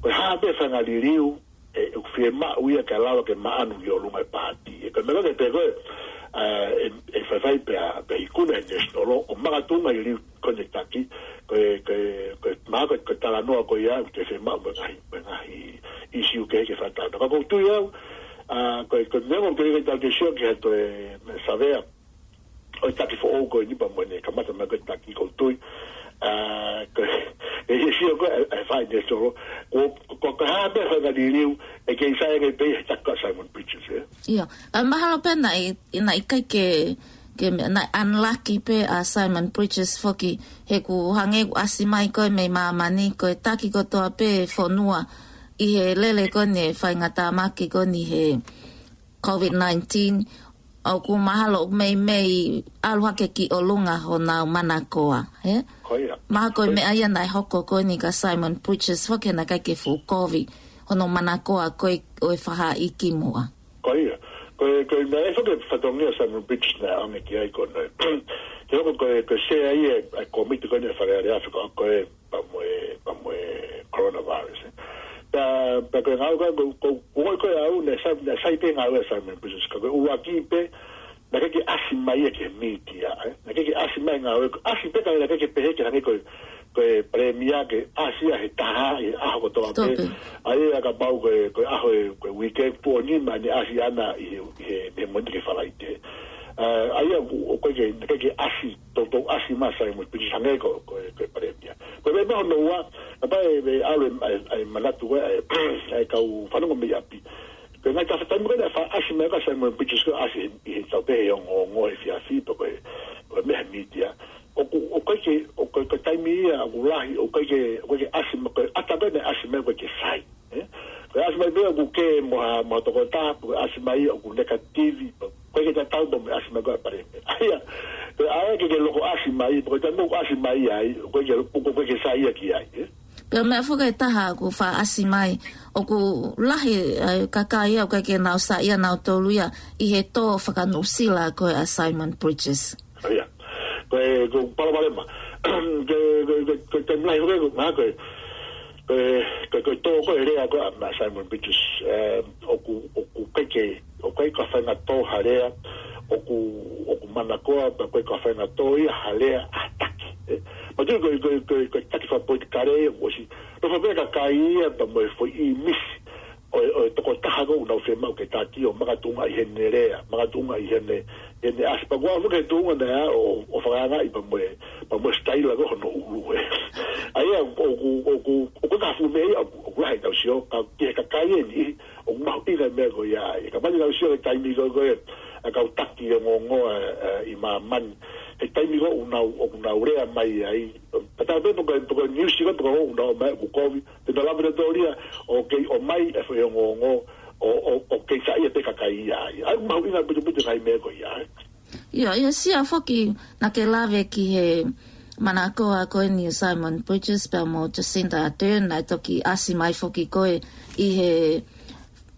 ko e hā pē faʻahinga liliu, ē, ʻoku fiemaʻu ia kae lava ke maʻanu ki ʻolunga e paati. Ē, ko e meʻa ko ē pē ko ē, ā, ʻe, ʻe faifai pea, pea ikuna e National, ʻo makatuʻunga e liliu ko eni e taki, ko e, ko e, ko e, mahalo ko e, ko e talanoa ko ia, ʻoku te fiemaʻu mo e ngaahi, mo e ngaahi ʻīsiu kehe ke fakatalanoa. Ka ʻoku ou tui au, ā, ko e, ko e meʻa ʻoku teʻeki ai ke tau toe sio ki ha toe savea ʻo e taki foʻou ko eni pea mo ʻene kamata mai ko e taki ʻoku ou tui. Ā, ko e, ʻe sio ko e, ʻe fai ne solo. Ko, ko, ko e hā pē faʻahinga liliu, ʻe kei sai ange pē he taki ko ē ʻa Simon Bridges, ē? ʻIo, ā, mahalo pē naʻe, naʻe ʻikai ke, ke me-, naʻe unlucky pē ʻa Simon Bridges foki, he ʻoku hangē ʻoku ʻasi mai ko ē mei māmani, ko e taki kotoa pē fonua ʻi he lele ko eni e faingatāmaki ko eni he COVID nineteen, ʻoku mahalo ʻoku meimei ʻalu hake ki ʻolunga honau manakoa, ē? Ko ia. Mahalo ko e meʻa ia naʻe hoko ko eni kia Simon Bridges foki naʻe ʻikai ke fuʻu kovi hono manakoa ko ē ʻo e faʻahi kimuʻa. Ko ia. Ko e, ko e meʻa ʻe foki e fatongia Simon Bridges naʻe ʻaonga ki ai ko ē. Ke hoko ko e, ko e sea ia e kōmiti ko eni e Fale Alea fekauʻaki ko ē pea mo e, pea mo e coronavirus, ē. Pea, pea ko e ngāue ko ē, ko, ko, ko, ko e au, naʻe sai, naʻe sai pē ngāue ʻa Simon Bridges, ka ko e ʻuluaki pē, naʻe ʻikai ke ʻasi mai ia ki he mītia, ē. Naʻe ʻikai ke ʻasi mai ngāue, ʻasi pē ka naʻe ʻikai ke pehē ke hangē ko e, ko e palēmia ke ʻasi ia he taha, he ʻaho kotoa pē. Kotoa pē. ʻA ia kapau ko e, ko e ʻaho e, ko e uike, tuʻo nima ʻene ʻasi ʻana ʻi he, ʻi he, ʻi he Mōnite ki he Falaite. Ā, ʻa ia ʻoku, ʻoku ʻikai ke, naʻe ʻikai ke ʻasi, toutou ʻasi mai Simon Bridges hangē ko, ko e, ko e palēmia. Ko e meʻa hono ua, kapau ʻe, ʻe ʻalu e, e, e manatu ko ē, e, e kau fanongo mei ʻapi. Ko e ngaahi tafaʻaki ko ē naʻe faʻa ʻasi mai ko ē ʻa Simon Bridges ko ē ʻasi he, he tau pehē he ongoongo he efiafi pe ko e, ko e meʻa he mītia. ʻOku, ʻoku ʻikai ke, ʻoku ko e, ko e taimi ia ʻoku lahi ʻoku ʻikai ke, ʻoku ʻikai ke ʻasi mai, ko e ʻata ko ē naʻe ʻasi mai ʻoku ʻikai ke sai. Ē? Ko e ʻasi mai pē ʻoku kē mo ha, mo ha tokotaha, ko e ʻasi mai ia ʻoku negative, ʻoku ʻikai ke tatau mo e ʻasi mai ko ē ʻa e palēmia. ʻA ia, ko e ʻai ke ke loko ʻasi mai, ko e taimi ʻoku ʻasi mai ai, ʻoku ʻikai ke, ʻoku ʻikai ke sai ia ki ai. Ē? Pea meʻa foki ʻe taha ʻoku faʻa ʻasi mai, ʻoku lahi, ē, kakai ia ʻoku ʻikai ke nau saiʻia nautolu ia ʻi he tō faka-Nuʻusila ko ē ʻa Simon Bridges. ʻA ia. Ko e, ko e palopalema. Ko e, ko e, ko e, ko e taimi lahi foki, ko e, ko e, ko e, ko e tō ko ē lea ko ē ʻa Simon Bridges, ē, ʻoku, ʻoku ʻikai ke, ʻoku ʻikai ko ha faʻahinga tō ha lea, ʻoku, ʻoku manakoa, pea ʻoku ʻikai ko ha faʻahinga tō ia ha lea ʻa ha taki. Ē, ma tu ko e, ko e, ko e, ko e taki fakapolitikale, ʻosi, nofo pē kakai ia, pea mo e foʻi ʻīmisi ʻo e, ʻo e tokotaha ko ē ʻoku nau fiemaʻu ke taki ʻo makatuʻunga ʻi heʻene lea, makatuʻunga ʻi heʻene, heʻene ʻasi. Pea ko au foki he tuʻunga naʻe ʻa ʻo, ʻo fakaangaʻi pea mo e, pea mo e sitaila ko ē hono ʻulu ē. ʻA ia, ʻoku, ʻoku, ʻoku, ʻoku ka fume ia, ʻoku, ʻoku lahi ʻetau sio, ka ki he kakai eni, ʻoku mahuʻinga e meʻa ko ia. ʻE ka mani ʻetau sio he taimi ko ē, ko ē, ʻa e kau taki ongoongo, ē, ē, ʻi māmani. He taimi ko ē ʻoku nau, ʻoku nau lea mai ai. Ka tau pē poko, poko niusi ko ē, poko ʻoku nau mai ʻoku kovi. Te nau lava pē ʻo tōlia, ʻoku kei ʻomai e foʻi ongoongo, ʻo, ʻo, ʻoku kei saiʻia pē kakai ia ai. ʻOku mahuʻinga putuputu ngaahi meʻa ko ia ai. ʻIo, ʻio, Sia foki naʻa ke lave ki he manakoa ko eni ʻo Simon Bridges pea mo Jacinda Ardern, naʻe toki ʻasi mai foki ko ē ʻi he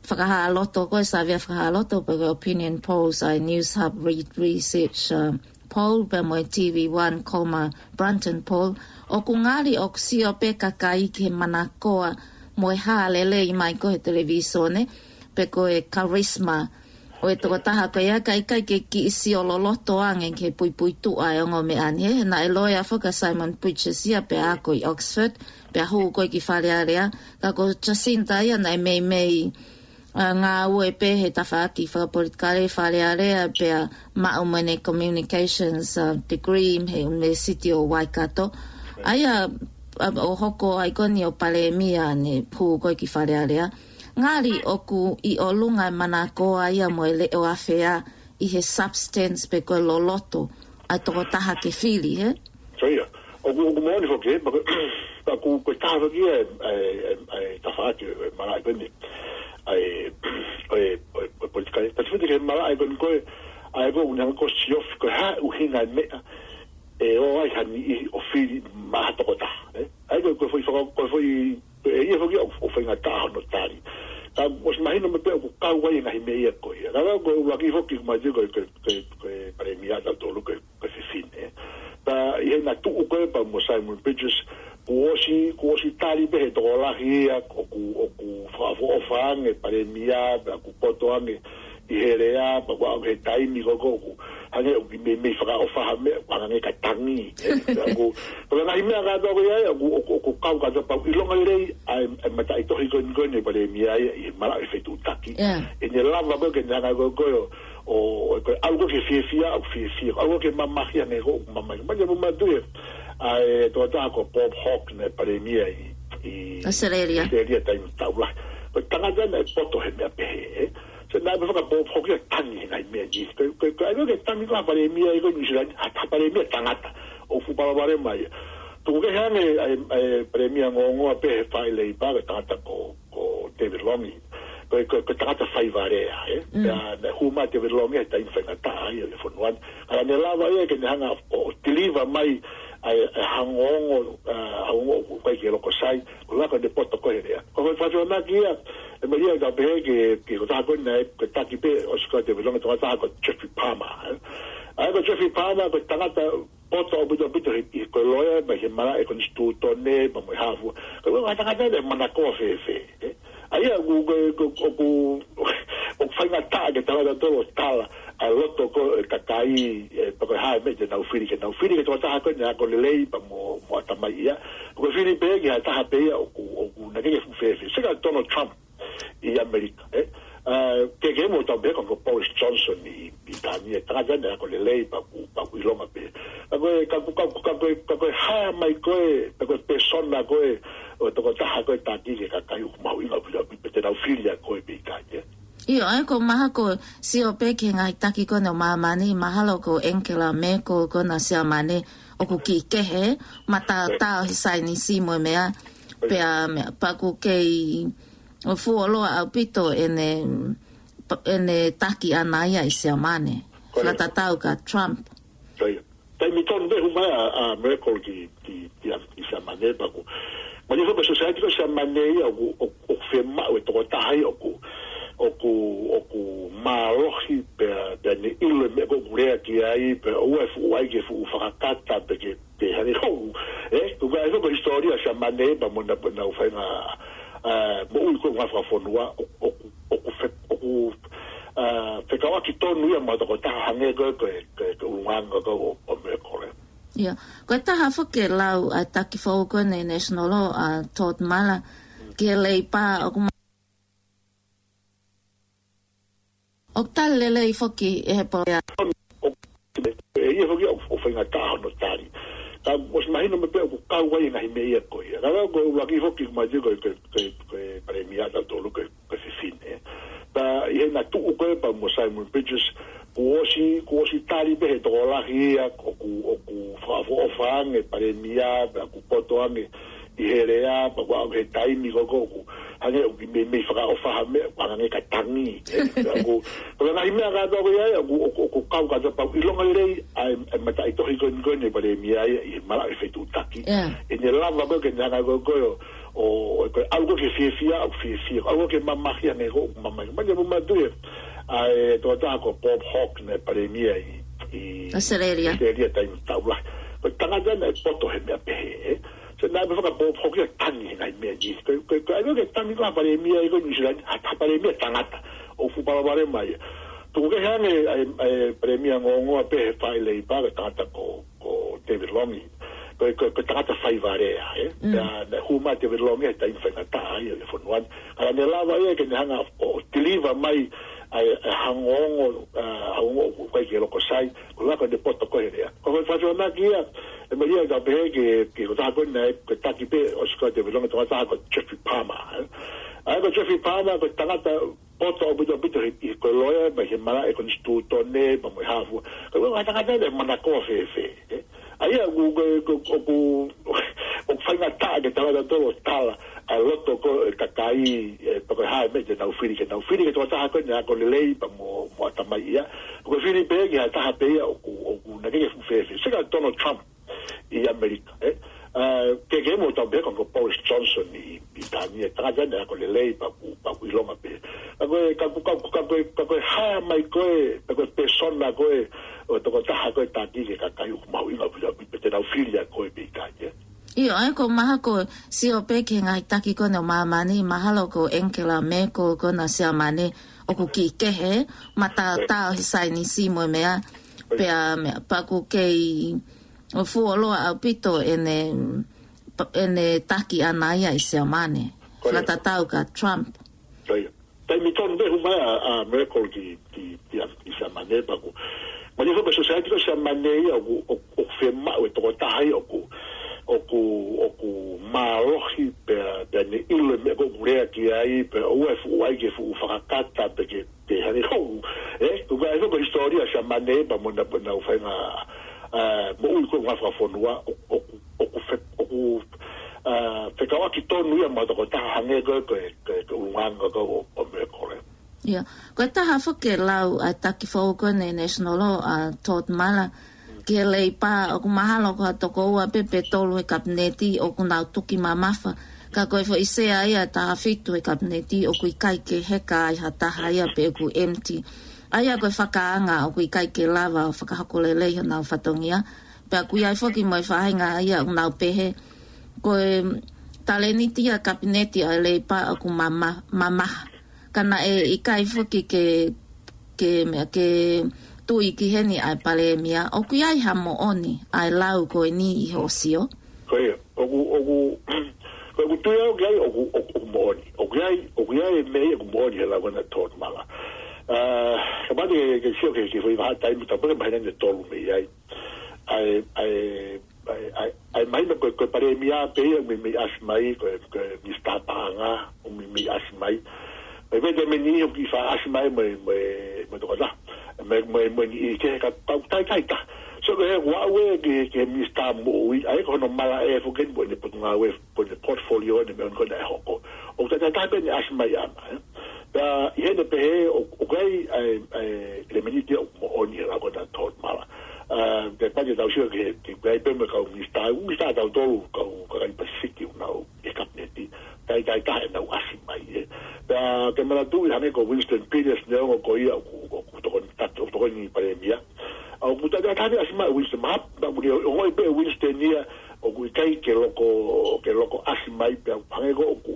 fakahāloto ko ē, savea fakahāloto pe ko e opinion polls ʻa e Newshub Reid Research, uh, poll pea mo e TV One, comma, Brunton poll. ʻOku ngali ʻoku sio pē kakai ki he manakoa mo e hā lelei mai ko ē he televīsone, pe ko e charisma ʻo e tokotaha ko ia, ka ʻikai ke kiʻi sio loloto ange ki he puipuituʻa e ongo meʻa ni. He naʻe loea foki ʻa Simon Bridges ia pea ako ʻi Oxford, pea hū ko ē ki Fale Alea, ka ko Jacinda ia naʻe meimei, ā, ngāue pē he tafaʻaki fakapolitikale Fale Alea pea maʻu mo ʻene communications, ā, degree he University ʻo Waikato. ʻA ia, ā, ʻo hoko ai ko eni ʻo palēmia ne hū ko ē ki Fale Alea. Ngali ʻoku ʻi ʻolunga e manakoa ia mo e leʻo afea ʻi he substance pe ko e loloto ʻa e tokotaha ke fili, he? So ia, ʻoku, ʻoku moʻoni foki, he, pea ko, pea ko, ko e taha foki ia, ē, ē, ē, tafaʻaki, ē, malaʻe ko eni. ʻA e, ʻo e, ʻo e, ʻo e politikale. Ka te fiti ke malaʻe ko eni ko ē, ʻa e ko ʻoku ne hanga ko ē ʻo siofi ko e hā ʻuhinga e meʻa, ʻe ō ai ha niʻihi ʻo fili maʻa ha tokotaha, ē? ʻA e ko, ko e foʻi faka-, ko e foʻi, ʻe ia foki ʻoku, ʻoku faingataʻa hono tali. Ka ʻosi mahino mai pē ʻoku kau ai e ngaahi meʻa ia ko ia. Ka ko e ʻuluaki foki ʻoku ma tui ko e, ko e, ko e, ko e palēmia ʻatautolu ko e, ko e fefine. Pea ʻi heʻena tuʻu ko ē pea mo Simon Bridges, kuo ʻosi, kuo ʻosi tali pē he tokolahi ia, ʻoku, ʻoku fakaʻofoʻofa ange palēmia, pea ʻoku poto ange ʻi he lea, pea ʻoku aʻu he taimi ko ē ʻoku hangē ʻoku meimei fakaʻofa ha meʻa, ʻoku hangē ka tangi. Ē, ʻoku, ko e ngaahi meʻa kātoa ko ia, ʻoku, ʻoku, ʻoku kau kātoa pea ʻoku ʻilonga lelei ʻa e, ʻa e mataʻitohi ko eni ko eni palēmia ia, ʻi he malaʻe fetuʻutaki. Yeah. ʻEne lava ko ē ke ne hanga ko ē ʻo, ʻo, ʻo, ko e ʻalu ko ē ke fiefia, ʻoku fiefia, ʻalu ko ē ke mamahi, hangē ko ē ʻoku mamahi. Mai ia mo ma tui, ʻa e tokotaha ko Bob Hawke naʻe palēmia ʻi, ʻi ʻAositelēlia. ʻAositelēlia taimi taʻu lahi. Ko e tangata naʻe poto he meʻa pehē, ē. So naʻe ʻikai pē faka-Bob Hawke ia tangi he ngaahi meʻa ni. Ko, ko, ko, ʻa e ko ē ke tangi ko ē ha palēmia ʻi ko ē New Zealand, ha, ha palēmia tangata. ʻOku fuʻu palopalema ia. Tuku kehe ange ʻa e, ʻa e palēmia ongoongoa pē he faʻē Leipa, ko e tangata ko, ko David Lange. Ko, ko, ko e tangata faiva lea, ē. Mm. Pea naʻe hū mai ʻa David Lange he taimi faingataʻa ia ʻo e fonua ni. Ka naʻa ne lava ia ke ne hanga ʻo, ʻo deliver mai ʻa e, ʻa e ongoongo, ā, ongoongo ʻoku ʻikai ke loko sai, ko e laka ʻene poto ko ē he lea. Ko e foʻi fatu anaki ia, ʻe meʻa ia ka pehē ke, ke ko e taha ko ē naʻe, ko e taki pē ʻosi ko ē ʻa David Lange, ko e taha ko Geoffrey Palmer, ē. ʻA ia ko Geoffrey Palmer, ko e tangata poto ʻaupito ʻaupito he, he ko e loea, mai he malaʻe konisitūtone, pea mo e hā fua. Ko e ʻuhinga tangata ia naʻe manakoa fēfē, ē. ʻA ia, ʻoku, ʻoku, ʻoku, ʻoku, ʻoku faingataʻa ke tala ʻatautolu ʻo tala ʻa e loto ko ē ʻo e kakai, ē, pe ko e hā e meʻa te nau fili, ke nau fili ki he tokotaha ko ē naʻe ako lelei pea mo, mo ʻatamai ia. Ko e fili pē ki ha taha pē ia ʻoku, ʻoku naʻe ʻikai ke fuʻu fēfē. Sio ki Donald Trump ʻi ʻAmelika, ē. Ā, ke, ke mo tau pehē ko, ko Boris Johnson ʻi, ʻi Pilitānia, tangata naʻe ako lelei pea ʻoku, pea ʻoku ʻilonga pē. Ka ko e, ka ko, ka ko, ka ko e, ka ko e hā mai ko ē, ka ko e pēsona ko ē ʻo e tokotaha ko ē taki ki he kakai ʻoku mahuʻinga ʻaupito ʻaupito pē te nau fili ʻa koe pe ʻikai, ē. ʻIo, ʻa ia ko e mahalo ko e sio pē ki he ngaahi taki ko ena ʻo māmani, mahalo ko Angela Merkel ko ena ʻo Siamane, ʻoku kiʻi kehe, mataotao he saienisi mo e meʻa, pea meʻa, pea ʻoku kei fuoloa ʻaupito ʻene, ʻene taki ʻaʻana ia ʻi Siamane. Fakatatau kia Trump. Taimi tonu pē hū mai ʻa, ʻa Merkel ki, ki, ki, ki Siamane pea ʻoku. Mai foki ko e society ko Siamane ia ʻoku, ʻoku, ʻoku fiemaʻu e tokotaha ia ʻoku, ʻoku, ʻoku mālohi pea, pea ne ʻilo e meʻa ko ē ʻoku lea ki ai, pea ʻoua ʻe fuʻu ʻai ke fuʻu fakakata pe ke, ke hane hou. ʻE, ʻoku ʻi ai foki ko e hisitōlia Siamane pea mo ʻenau, mo ʻenau faʻahinga, ʻa, moʻui ko ē ngaahi fakafonua, ʻoku, ʻoku, ʻoku fe-, ʻoku, ʻa, fekauʻaki tonu ia mo e tokotaha hangē ko e, ko e, ko e, ko e ʻulungaanga ko ē ʻo, ʻo Merkel. Ia, ko e taha foki e lau ʻa e taki foʻou ko eni National Law, ʻa Todd Muller, ki he Leipa ʻoku ma-, ʻoku tali lelei foki ʻe he polokalama. ʻE ia foki ʻoku, ʻoku faingataʻa hono tali. Ka ʻosi mahino mai pē ʻoku kau ai e ngaahi meʻa ia ko ia. Ka lau ko e ʻuluaki foki ʻoku mai ko e, ko e, ko e, ko e palēmia ʻatautolu ko e, ko e fefine. Pea ʻi heʻena tuʻu ko ē pea mo Simon Bridges, kuo ʻosi, kuo ʻosi tali pē he tokolahi ia ʻoku, ʻoku fakaʻofoʻofa ange palēmia, pea ʻoku poto ange ʻi he lea, pea kuo aʻu he taimi ko ē ʻoku hangē ʻoku meimei fakaʻofa ha meʻa, ʻoku hangē ka tangi. ʻE, ʻoku, ko e ngaahi meʻa kātoa ko ia, ʻoku, ʻoku, ʻoku kau kātoa pea ʻoku ʻilonga lelei ʻa e, ʻa e mataʻitohi ko eni ko eni palēmia ia ʻi he malaʻe fetuʻutaki. ʻEne lava ko ē ke ne hanga ko ē ʻo, ʻo, ʻo, ko e ʻalu ko ē ke fiefia, ʻoku fiefia. ʻAlu ko ē ke mamahi, hangē ko ē ʻoku mamahi. Mai ia mo matu e, ʻa e tokotaha ko Bob Hawke naʻe palēmia ʻi, ʻi ʻAositelēlia. ʻAositelēlia taimi taulahi. Ko e tangata naʻe poto he meʻa pehē, ʻe. So naʻe meʻa faka-Bob Hawke ia tangi he ngaahi meʻa ni. Ko, ko, ko, ʻai ko ē ke tangi ko ē ha palēmia ʻi ko New Zealand, ha, ha palēmia tangata. ʻOku fuʻu palopalema ia. Tuku kehe ange, ʻa e, ʻa e palēmia ongoongoa pē he faʻahi Leipa, ko e tangata ko, ko David Lange. Ko, ko, ko e tangata faivalea, ʻe. Naʻe, naʻe hū mai David Lange he taimi faingataʻa ia ʻo e fonua ni. Ka naʻe lava ia ke ne hanga ʻo, ʻo deliver mai ʻa e, ʻa e ongoongo, ʻa, ongoongo ʻoku ʻikai ke loko sai, ko e laka ʻene poto ko ē he lea. Ko e fakatonaki ia, ʻe meʻa ia ka pehē ke, ke ko e taha ko ē naʻe, ko e taki pē ʻosi ko ē David Lange, ko e taha ko Geoffrey Palmer, ʻe. ʻA ia ko Geoffrey Palmer, ko e tangata poto ʻaupito ʻaupito he, he ko e loea, mai he malaʻe konisitūtone, pea mo e hā fua. Ka ko e tangata naʻe manakoa fēfē, ʻe. ʻA ia, ʻoku, ʻoku, ʻoku, ʻoku, ʻoku faingataʻa ke tala ʻatautolu ʻo tala ʻa e loto ko ē ʻo e kakai, ʻe, pe ko e hā e meʻa te nau fili, ke nau fili ki he tokotaha ko ē naʻe ako lelei pea mo, mo ʻatamai ia. Ko e fili pē ki ha taha pē ia ʻoku, ʻoku naʻe ʻikai ke fuʻu fēfē. Seka Donald Trump ʻi ʻAmelika, ʻe. ʻA, ke, ke mo tau pehē ko, ko Boris Johnson ʻi, ʻi Pilitānia, tangata naʻe ako lelei pea ʻoku, pea ʻoku ʻilonga pē. Ka ko e, ka ko, ka ko, ka ko e, ka ko e hā mai ko ē, ka ko e pēsona ko ē ʻo e tokotaha ko ē taki ki he kakai ʻoku mahuʻinga ʻaupito ʻaupito, pe te nau fili ʻa ko ē pe ʻikai, ʻe. ʻIo, ʻa ia ko e mahalo ko e sio pē ki he ngaahi taki ko eni ʻo māmani, mahalo ko Angela Merkel ko ena ʻo Siamane, ʻoku kiʻi kehe, mataotao he saienisi mo e meʻa, pea meʻa, pea ʻoku kei fuoloa ʻaupito ʻene, ʻene taki ʻaʻana ia ʻi Siamane. Fakatatau kia Trump. Taimi tonu pē hū mai ʻa, ʻa Merkel ki, ki, ki, ki Siamane pea ʻoku. Mai foki ko e society ko Siamane ia ʻoku, ʻoku, ʻoku fiemaʻu e tokotaha ia ʻoku, ʻoku, ʻoku mālohi pea, pea ne ʻilo e meʻa ko ē ʻoku lea ki ai, pea ʻoua ʻe fuʻu ʻai ke fuʻu fakakata pe ke, ke hane hou. ʻE, ʻoku ʻi ai foki ko e hisitōlia Siamane pea mo ʻenau, mo ʻenau faʻahinga, ʻa, moʻui ko ē ngaahi fakafonua, ʻoku, ʻoku, ʻoku fe-, ʻoku, ʻa, fekauʻaki tonu ia mo e tokotaha hangē ko e, ko e, ko e, ko e ʻulungaanga ko ē ʻo, ʻo Merkel. Ia, ko e taha foki e lau ʻa e taki foʻou ko eni National Law, ʻa Todd Muller, ki he Leipa, ʻoku mahalo ko ha toko ua pē pe tolu he kapineti ʻoku nau tuki mamafa. Ka ko e foʻi sea ia ʻe taha fitu he kapineti ʻoku ʻikai ke heka ai ha taha ia pe ʻoku empty. ʻA ia ko e fakaanga ʻoku ʻikai ke lava ʻo fakahoko lelei honau fatongia. Pea ʻoku ʻi ai foki mo e faʻahinga ia ʻoku nau pehē, ko e talēniti ia kapineti ʻa e Leipa ʻoku mama-, mamaha. Ka naʻe ʻikai foki ke, ke meʻa, ke tui ki heni ʻa e palēmia. ʻOku ʻi ai ha moʻoni ʻa e lau ko eni ʻi hoʻo sio? Ko ia, ʻoku, ʻoku, ko ʻeku tui au ki ai ʻoku, ʻoku, ʻoku moʻoni. ʻOku ʻi ai, ʻoku ʻi ai e meʻa ia ʻoku moʻoni he lau ko ena ʻa Todd Muller. ʻA, kapau te ke, ke sio ki he, ki he foʻi vahaʻa taimi, tau pehē mahina ʻe tolu mei ai. ʻA e, ʻa e, ʻa e, ʻa e, ʻa e mahino ko e, ko e palēmia pē ia ʻoku meimei ʻasi mai, ko e, ko e Minisitā Paʻanga ʻoku meimei ʻasi mai. Mai pē taimi ni ʻoku kiʻi faʻa ʻasi mai mo e, mo e, mo e tokotaha. Mo e, mo e, mo e niʻihi kehe ka, ka ʻoku taʻetaʻetaha. So ko e ʻoku ou ʻai ki he, ki he minisitā moʻui, ʻa ia ko hono malaʻe foki eni mo ʻene potungāue, mo ʻene portfolio ʻene meʻa ko ena ʻe hoko. ʻOku tatau pē ʻene ʻasi mai ʻana, ē. Pea ʻi heʻene pehē ʻoku, ʻoku ʻi ai, ʻa e, ʻa e, ʻelemēniti ʻoku moʻoni he lau ko ena Tautomala. ʻA, te pati tau sio ki he, ki he ʻoku ʻi ai pē mo e kau minisitā, minisitā tautolu, kau, kakai Pasifiki ʻoku nau ʻi he kapineti, taitai taha ʻenau ʻasi mai, ē. Pea ke manatuʻi hangē ko Winston Peters neongo ko ia ʻoku, ʻoku tokoni, ʻoku tokoni palēmia. ʻA, ʻoku tatau pē ʻene ʻasi mai Winston mahalo, pea ʻoku ne ongoʻi pē Winston ia ʻoku ʻikai ke loko, ke loko ʻasi mai pea hangē ko ʻoku,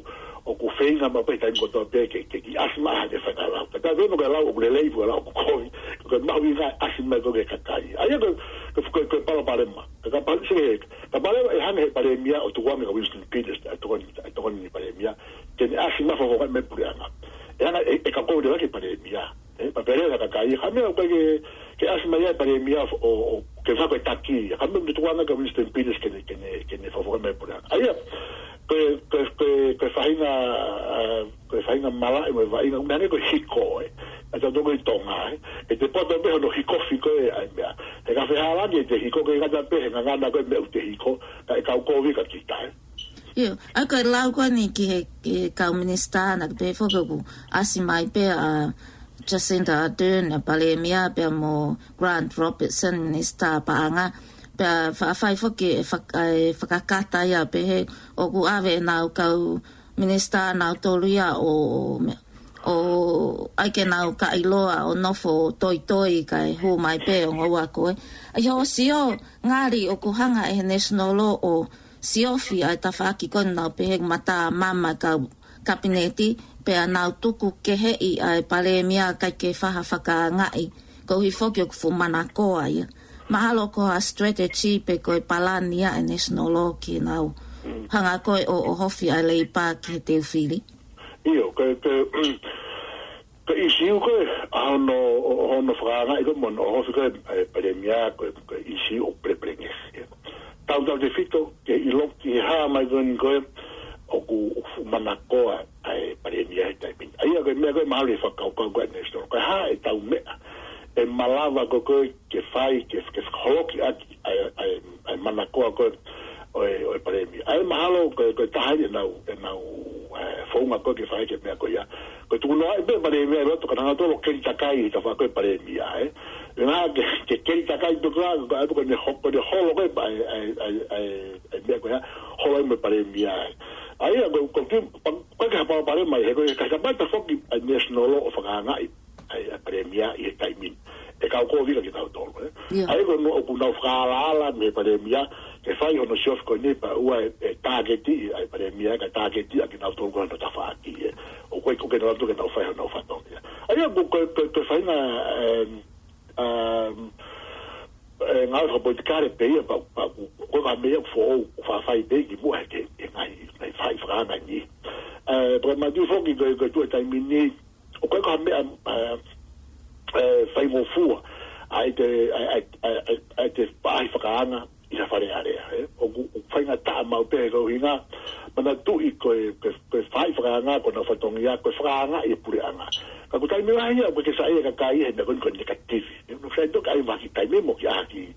ʻoku feinga mai pē taimi kotoa pē ke, ke kiʻi ʻasi mai hake fakalau. Tatau pē mo e lau ʻoku lelei, mo e lau ʻoku kovi, ko e mahuʻinga ʻasi mai ko e kakai. ʻA ia ko, ko, ko, ko e palopalema. Ka, ka pale, se, ka pale ʻe hanga he palēmia ʻo tukuange kia Winston Peters, ʻa e tokoni, ʻa e tokoni palēmia, ke ne ʻasi mai fakafofongaʻi mai puleʻanga. ʻE hanga, ʻe, ʻe ka kou lelaki palēmia. Ē, pea pehē leva kakai, ka meʻa ʻoku ʻikai ke, ke ʻasi mai ʻa e palēmia ʻo, ʻo, ke fai ko e taki. Ka meʻa ʻoku tukuange kia Winston Peters ke ne, ke ne, ke ne fakafofongaʻi mai puleʻanga. ʻA ia, ko e, ko e, ko e, ko e faʻahinga, ʻa, ko e faʻahinga malaʻe mo e faʻahinga, ʻoku ne hangē ko e hiko, ē. ʻA ia tau toko ʻi Tonga, ē. ʻE te poto pē hono hiko fiko ē, ʻa e meʻa. He ka fehālaaki ʻete hiko, ʻikai ngata pē he ngangana ko e meʻa ʻoku te hiko, ka ʻe kau kovi kia kita, ē. ʻIo, ʻa ia ko e lau ko eni ki he, ki he kau minisitā naʻa ke pehē foki ʻoku ʻasi mai pē ʻa Jacinda Ardern, ʻa e palēmia pea mo Grant Robertson, minisitā paʻanga, pea fa-, fai foki e fak-, ʻa e fakakata ia pehē ʻoku ʻave ʻenau kau minisitā nautolu ia ʻo, ʻo, ʻo ʻai ke nau ka ʻiloa ʻo nofo toitoi kae hū mai pē ʻo ngoua ko ē. ʻA ia ʻo sio, ngali ʻoku hanga ʻe he National Law ʻo siofi ʻa e tafaʻaki ko ena ʻoku pehē ʻoku matamama kau kapineti, pea nau tuku keheʻi ʻa e palēmia ʻikai ke fai ha fakaangaʻi, koeʻuhi foki ʻoku fuʻu manakoa ia. Mahalo ko ha strategy pe ko e palani ia ʻa e National Law ke nau hanga ko ē ʻo, ʻo ʻohofi ʻa e Leipa ki he teu fili. ʻIo, ko e, ko e, ko e ʻisiū ko ē, ʻa hono, ʻo, hono fakaangaʻi ko ē mo hono ʻohofi ko ē ʻa e palēmia ko e, ko e ʻisiū ʻoku pelepelengesi. Tautautefito ke ʻilo ki he hā mai ko eni ko ē ʻoku, ʻoku fuʻu manakoa ʻa e palēmia he taimi ni. ʻA ia ko e meʻa ko ē mahalo ʻe fakakaukau ko ē ʻa e National Law. Ko e hā ʻetau meʻa ʻe malava ko ē ke fai, ke, ke fakaholoki ʻaki ʻa e, ʻa e, ʻa e manakoa ko ē ʻo e, ʻo e palēmia. ʻA ia mahalo ko e, ko e taha ʻenau, ʻenau, ē, founga ko ē ke fai ki he meʻa ko ia. Ko e tukunoaʻi pē palēmia ʻi loto ka nau tolo keli takai ʻi he tafaʻaki ko ē palēmia, ē. ʻE ngā ke, ke keli takai pē ko ā, ko ā pē ko ʻene ho-, ko ʻene holo ko ē ʻa e, ʻa e, ʻa e, ʻa e, ʻa e meʻa ko ia, holo ai mo e palēmia, ē. ʻA ia ko, ko ki, pa-, ko e ke hapa palēmia, he ko e ka hapa ta foki ʻa e National Law ʻo fakaangaʻi ʻa e, ʻa e palēmia ʻi he taimi ni. ʻE kau kovi kia kitautolu, ē. ʻIo. ʻA ia ko ena ʻoku nau fakaalaala mei he palēmia, ke fai hono siofi ko eni pea ʻoua ʻe, ʻe tāketi ʻa e palēmia, ka tāketi ʻa kinautolu ko ē hono tafaʻaki, ē. ʻOku ʻikai ko ē ke nau loto ke nau fai honau fatongia. ʻA ia ko, ko, ko, ko e faʻahinga, em, em, e ngāue fakapolitikale pē ia, pea, pea ko, ko e meʻa foʻou, ʻoku faʻa fai pē ki muʻa he, he ngaahi, ngaahi faʻahi fakaanga ni. Ē, pea manatuʻi foki ko, ko e tuʻu he taimi ni, ʻoku ʻikai ko ha meʻa, ē, ē, faingofua ʻa ʻete, ʻa, ʻa, ʻa, ʻa, ʻa ʻete faʻahi fakaanga ʻi ha Fale Alea, ē. ʻOku, ʻoku faingataʻa maʻu pē he ko e ʻuhinga, manatuʻi ko e, ko e, ko e faʻahi fakaanga ko honau fatongia, ko e fakaanga ʻi he puleʻanga. Ka ko e taimi lahi ia, ʻoku ke saiʻia e kakai he meʻa ko eni ko e negative. Ē, ʻoku sai toki ʻai mai ha kiʻi taimi mo e kiʻi ʻai ha kiʻi,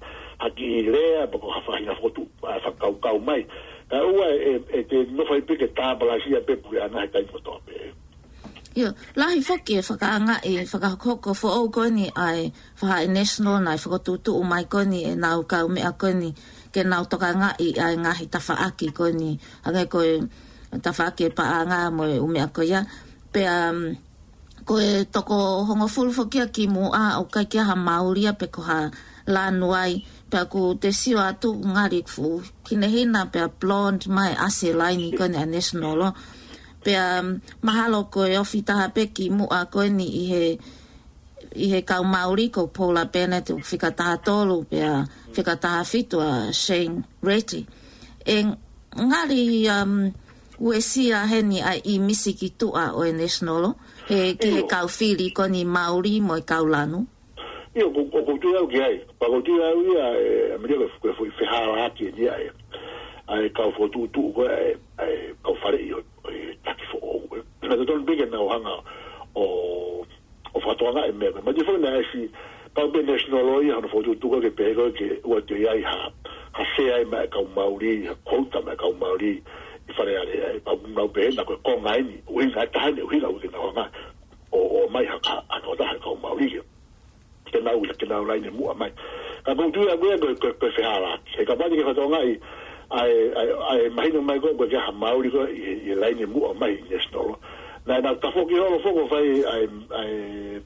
ha kiʻi lea, pe ko ha faʻahinga fokotuʻu, ʻa, fakakaukau mai. Kae ʻoua ʻe, ʻe te nofo ai pē ke tāpalasia pē puleʻanga he taimi kotoa pē. ʻIo, lahi foki e fakaangaʻi, fakahokohoko foʻou ko eni ʻa e faʻahi National naʻe fokotuʻutuʻu mai ko eni ʻenau kaumeʻa ko eni ke nau tokangaʻi ʻa e ngaahi tafaʻaki ko eni, hangē ko e tafaʻaki e paʻanga mo e ʻū meʻa ko ia. Pea, um, ko e toko hongofulu foki ia ki muʻa ʻoku ʻikai ke ʻi ai ha mauli ia pe ko ha lanu ai, pea ʻoku te sio atu ngali fuʻu hinehina pea blonde mai ʻasi e laini ko eni ʻa e National Law. Pea, um, mahalo ko e ofi taha pē ki muʻa ko eni ʻi he, ʻi he kau mauli ko Paula Bennett ʻoku fika taha tolu, pea fika taha fitu ʻa Shane Reti. ʻE ngali, um, uesia heni ʻa e ʻīmisi ki tuʻa ʻo e National Law, he ki he ʻIo. kau fili ko eni mauli mo e kau lanu. ʻIo, ko, ko, ʻoku ou tui au ki ai. Pea ʻoku ou tui au ia, ē, ʻa Mele ko e, ko e foʻi fehālaaki eni ia, ē. ʻA e kau fokotuʻutuʻu ko ē, ē, ʻa e kau faleʻi ʻo, ʻo e taki foʻou, ē. Naʻe totonu pē ke nau hanga ʻo, ʻo fakatokangaʻi e meʻa ko ē. Manatuʻi foki naʻe ʻasi, Kau pē National Law ia, hono fokotuʻutuʻu ko ē ke pehē ko ē ke ʻoua toe ʻi ai ha, ha sea ia maʻa e kau Mauli, ha quota maʻa e kau Mauli ʻi Fale Alea. Pea ʻoku nau pehē na ko e konga eni, ʻuhinga ʻe taha eni, ʻuhinga ʻoku ʻikai ke nau hanga ʻo, ʻomai ha, ha, ha tokotaha ʻa e kau Mauli ke, ke nau, ke nau laine muʻa mai. Ka ʻoku ou tui au ia ko e, ko e, ko e fehālaaki. He kapau te ke fakatokangaʻi ʻa e, ʻa e, ʻa e mahino mai ko ē, ko e ke ha Mauli ko ē ʻi, ʻi he laine muʻa mai ʻi National Law. Naʻa nau tafoki holo foki ʻo fai ʻa e, ʻa e,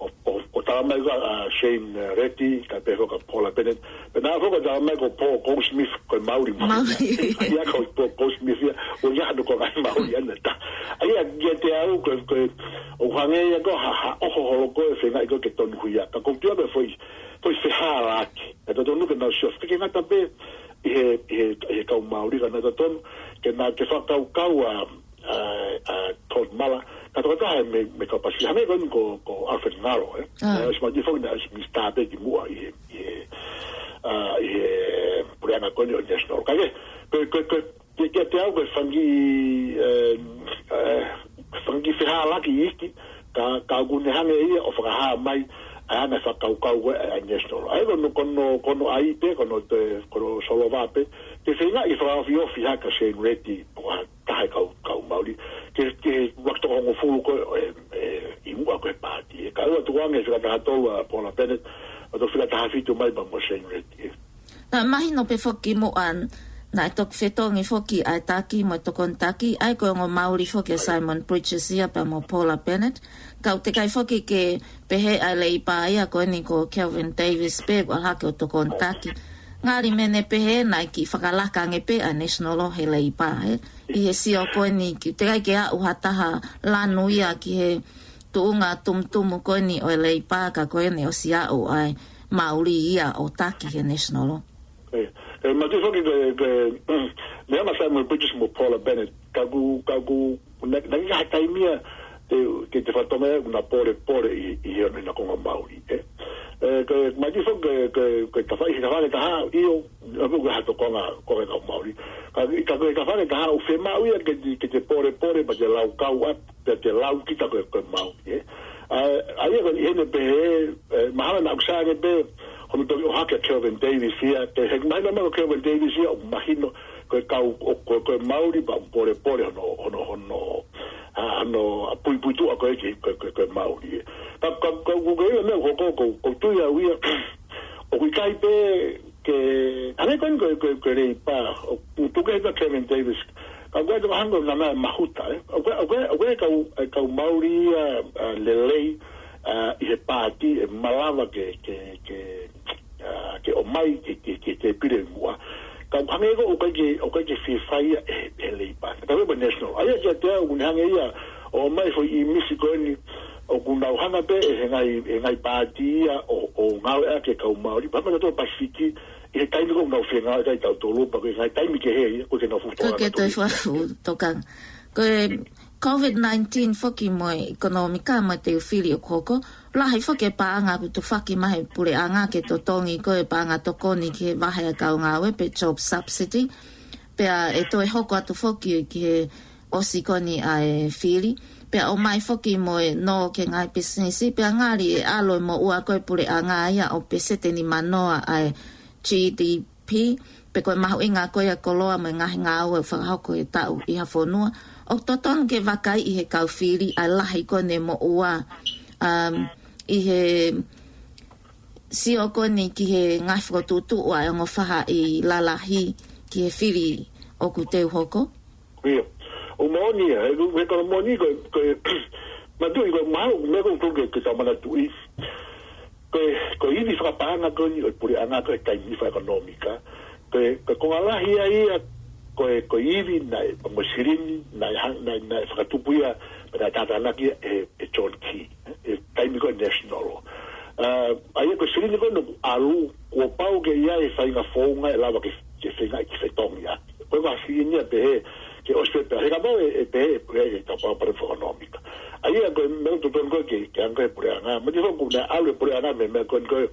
ʻo, ʻo, ʻo tala mai ko ē ʻa Shane, uh, Reti, kae pehē foki ʻa Paula Bennett. Pea naʻe foki ʻo tala mai ko Paul Goldsmith ko e Mauli mai. Mauli. ʻA ia ko Paul Goldsmith ia, ʻoku ʻikai hano ko e ngaahi Mauli ʻana ta. ʻA ia kiate au ko e, ko e, ʻoku hangē ia ko ha, ha ʻoho holo ko ē feingaʻi ko ē ke tonuhia. Ka ʻoku ou tui au ko e foʻi, foʻi fehālaaki. ʻE totonu ke nau sio, ke ngata pē ʻi he, ʻi he, ʻi he kau Mauli ka naʻe totonu ke nau, ke fakakaukau ʻa, ʻa, ʻa Todd Muller, ka tokotaha mei, mei he kau Pasifiki, hangē ko eni ko, ko Alfred Ngalo, ē? ʻA. ʻE, ʻosi mati foki naʻe ʻosi minisitā pē kimuʻa ʻi he, ʻi he, ʻa, ʻi he puleʻanga ko eni ʻo National. Ka ke, ko, ko, ko, ke, kiate au ko e fanga kiʻi, ē, ē, fanga kiʻi fehālaaki iiki, ka, ka ʻoku ne hanga ia ʻo fakahā mai ʻa e anga e fakakaukau ko ē ʻa, ʻa National. ʻA ia ko hono, ko hono, ko hono ʻai pē, ko hono te, ko hono solova pē, ke feingaʻi ke fakaofiofi hake ʻa Shane Reti, ko ha taha ʻi he kau, kau Mauli, ke, ke ʻuluaki toko hongofulu ko ē, ē, ʻi muʻa ko ē he paati. Ē, ka ʻoua tukuange fika taha tolu ʻa Paula Bennett, ʻo toki fika taha fitu mai pea mo Shane Reti, ē. Naʻe mahino pē foki muʻa, naʻe toki fetongi foki ʻa e taki mo e tokoni taki, ʻa ia ko e ongo Mauli foki ʻa Simon Bridges ia pea mo Paula Bennett. Ka ʻoku teʻeki ai foki ke pehē ʻa e Leipa ia ko eni ko Kelvin Davis pē ʻoku ʻalu hake ʻo tokoni taki. Ngali meʻa ne pehē naʻe kiʻi fakalaka ange pē ʻa National Law he Leipa, ē. ʻI he sio ko eni ʻoku teʻeki ai ke aʻu ha taha lanu ia ki he tuʻunga tumutumu ko eni ʻo e Leipa ka ko eni ʻosi aʻu ʻa e Mauli ia ʻo taki he National Law. ʻE, ʻe, matu foki ko e, ko e, meʻa mai Simon Bridges mo Paula Bennett, ka ʻoku, ka ʻoku, naʻe, naʻe ʻikai ha taimi ia, te, ke te fakatokangaʻi ʻoku na pōlepole ʻi, ʻi he ʻenau konga Mauli, ē. ʻE, ko e, matu foki ko e, ko e, ko e tafaʻaki, tafaʻaki ʻe taha, ʻio, ʻa ʻoku ʻikai ha toe konga, konga kau Mauli. Ka, ka ko e tafaʻaki ʻe taha, ʻoku fiemaʻu ia ke te, ke te pōlepole, pea te laukau atu, pea te lau kita ko e, ko e Mauli, ē. ʻA, ʻa ia ko eni ʻi heni pehē, ē, mahalo naʻa ʻoku sai ange pē, hono toki ʻohake ʻa Kelvin Davis ia, ke he mahino mai ko Kelvin Davis ia, ʻoku mahino ko e kau, ʻo, ko, ko e Mauli pea ʻoku pōlepole hono, hono, hono, ʻa, hono, ʻa, puipuituʻa ko ē ki, ko, ko, ko e Mauli. Ka, ka, ka, ko, ko e meʻa ko, ko, ko, ʻoku ou tui au ia, ʻoku ʻikai pē ke, hangē ko eni ko, ko, ko e Leipa, ʻoku tuku hifo ʻa Kelvin Davis, ka ʻoku ʻikai te u hanga ʻo ngana e mahuta, ē. ʻOku, ʻoku, ʻoku kau, e kau Mauli ia, ʻa, lelei, ʻa, ʻi he paati ʻe malava ke, ke, ke, ʻa, ke ʻomai, ke, ke, ke, ke pile muʻa. Ka ʻoku hangē ko ʻoku ʻikai ke, ʻoku ʻikai ke fie fai ia ʻe, ʻe Leipa. Ka ko e National. ʻA ia kiate au, ʻoku ne hanga ia ʻo ʻomai foʻi ʻīmisi ko eni, ʻoku nau hanga pē ʻe he ngaahi, ʻe he ngaahi paati ia ʻo, ʻo ngāueʻaki e kau Mauli. Pea mo tautolu Pasifiki, ʻi he taimi ko ē ʻoku nau fengāueʻaki ai tautolu, pea ko e ngaahi taimi kehe ia, ʻoku ʻikai ke nau fuʻu tokanga. ʻIkai ke toe fuʻu tokanga. Ko e COVID nineteen foki mo e ʻekonōmika mo e teu fili ʻoku hoko, lahi foki e paʻanga ʻoku tufaki mai ʻe he puleʻanga ke totongi ko e paʻanga tokoni ki he vahe ʻa e kau ngāue pe job subsidy. Pea ʻe toe hoko atu foki ki he ʻosi ko eni ʻa e fili. Pea ʻomai foki mo e nō ki he ngaahi pisinisi, pea ngali ʻe ʻalu e moʻua ko e puleʻanga ia ʻo peseti nimanoa ʻa e G D P, pe ko e mahuʻinga ko ia e koloa mo e ngaahi ngāue ʻoku fakahoko he taʻu ʻi ha fonua. ʻOku totonu ke vakaiʻi ʻe he kau fili ʻa e lahi ko eni e moʻua, um, ʻi he sio ko eni ki he ngaahi fokotuʻutuʻu ʻa e ongo fahaʻi lalahi ki he fili ʻoku teu hoko. ʻIo. ʻOku moʻoni ia, he, he ko e moʻoni ko e, ko e, matuʻi ko e mahalo, meʻa ʻoku ou tui ke, ke tau manatuʻi. Ko e, ko e ivi fakapaʻanga ko eni ʻo e puleʻanga ko e taimi fakaʻekonōmika. Ko e, ko e konga lahi ia ia, ko e, ko e ivi naʻe, mo e silini, naʻe hang-, naʻe, naʻe fakatupu ia, pea naʻe tātānaki ia ʻe, ʻe John Key, ē, he taimi ko e National. ʻA, ʻa ia ko e silini ko ē naʻe ʻalu, kuo pau ke ʻi ai e faʻahinga founga ʻe lava ke, ke feinga ke fetongi ʻaki. Ko e silini ia pehē, ke ʻosi pē, he kapau ʻe, ʻe pehē, ʻe pehē, ʻe kapau pare fakaʻekonōmika. ʻA ia ko e meʻa totonu ko ē ke, ke hanga ʻe he puleʻanga. Matuʻi foki naʻe ʻalu e puleʻanga mei he meʻa ko eni ko e,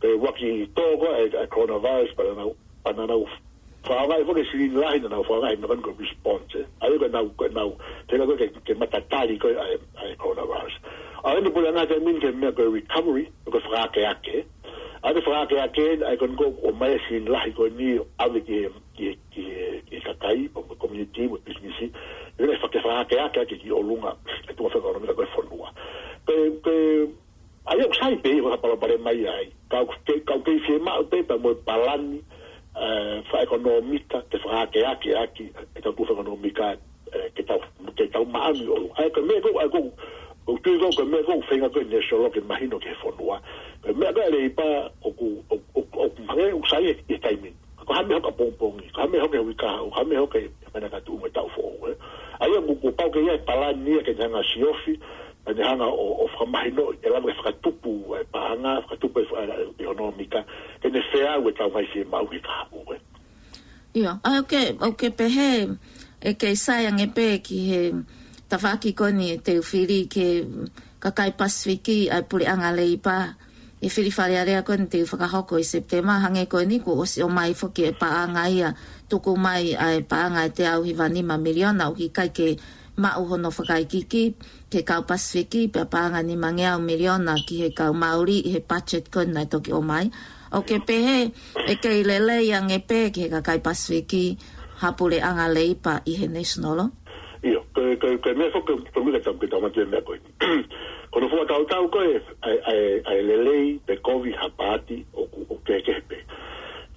ko e uaki tō ko ē ʻa e, ʻa e coronavirus, pea naʻa nau, pea naʻa nau fakaʻaongaʻi foki e silini lahi, naʻa nau fakaʻaongaʻi e meʻa ko eni ko e response, ē. ʻA ia ko ʻenau, ko ʻenau, te nau ko ē ke, ke matatali ko ē ʻa e, ʻa e coronavirus. ʻA eni puleʻanga taimi ni ki he meʻa ko e recovery, ko e fakaakeake. ʻA e fakaakeake, ʻa e ko eni ko e ʻomai e sini lahi ko eni ʻave ki he, ki he, ki he, ki he kakai, ʻo mo e community, mo e business. ʻE faka-, fakaakeake ʻaki ki ʻolunga, e tuʻunga fakaʻekonōmika ko e fonua. Ko e, ko e, ʻa ia ʻoku sai pē, ʻoku palopalema ia ai. Ka ʻoku ke, ka ʻoku kei fiemaʻu pē pea mo e palani, ē, fakaʻekonōmika, ke fakaakeake ʻaki, e tau tuʻunga fakaʻekonōmika, ē, ke tau, ke tau maʻanu ʻi ʻolunga. ʻA ia ko e meʻa ko ē, ʻa ia ko e, ʻoku tui ko ē, ko e meʻa ko ē, feinga ko ē National ke mahino ki he fonua. Ko e meʻa ko ē Leipa ʻoku, ʻoku, ʻoku, ʻoku hangē ʻoku sai ʻi he taimi ni. Ko ha meʻa hoko ʻapongipongi, ko ha meʻa hoko he uike kahaʻu, ko ha meʻa hoko he meʻa ka tuʻu mo e taʻu foʻou, ē. ʻA ia ʻoku, kuo pau ke ʻi ai e palani ia ke ne hanga siofi, ke ne hanga ʻo, ʻo fakamahino, ʻe lava ke fakatupu e paʻanga, fakatupu e fa-, e ʻekonōmika, ke ne feau e tau ngaahi fiemaʻu ki he kahaʻu, ē. ʻIo, ʻa ia ʻoku ke, ʻoku ke pehē, ʻe kei sai ange pē ki he tafaʻaki ko eni ʻe teu fili ki he kakai Pasifiki ʻa e puleʻanga Leipa, ʻi he fili Fale Alea ko eni te u fakahoko ʻi Sepitema, hangē ko eni kuo ʻosi ʻomai foki e paʻanga ia, tuku mai ʻa e paʻanga ʻe teau hiva nima miliona ʻoku ʻikai ke maʻu hono fakaikiiki ki he kau Pasifiki, pea paʻanga nimangeau miliona ki he kau Mauli ʻi he budget ko eni naʻe toki ʻomai. ʻOku ke pehē, ʻe kei lelei ange pē ki he kakai Pasifiki ha puleʻanga Leipa ʻi he National? ʻIo, ko e, ko e, ko e meʻa foki ko e meʻa tau ke tau mate meʻa ko eni. Ko hono fakatautau ko ē, ʻa e, ʻa e, ʻa e lelei pe kovi ha paati ʻoku, ʻoku kehekehe pē.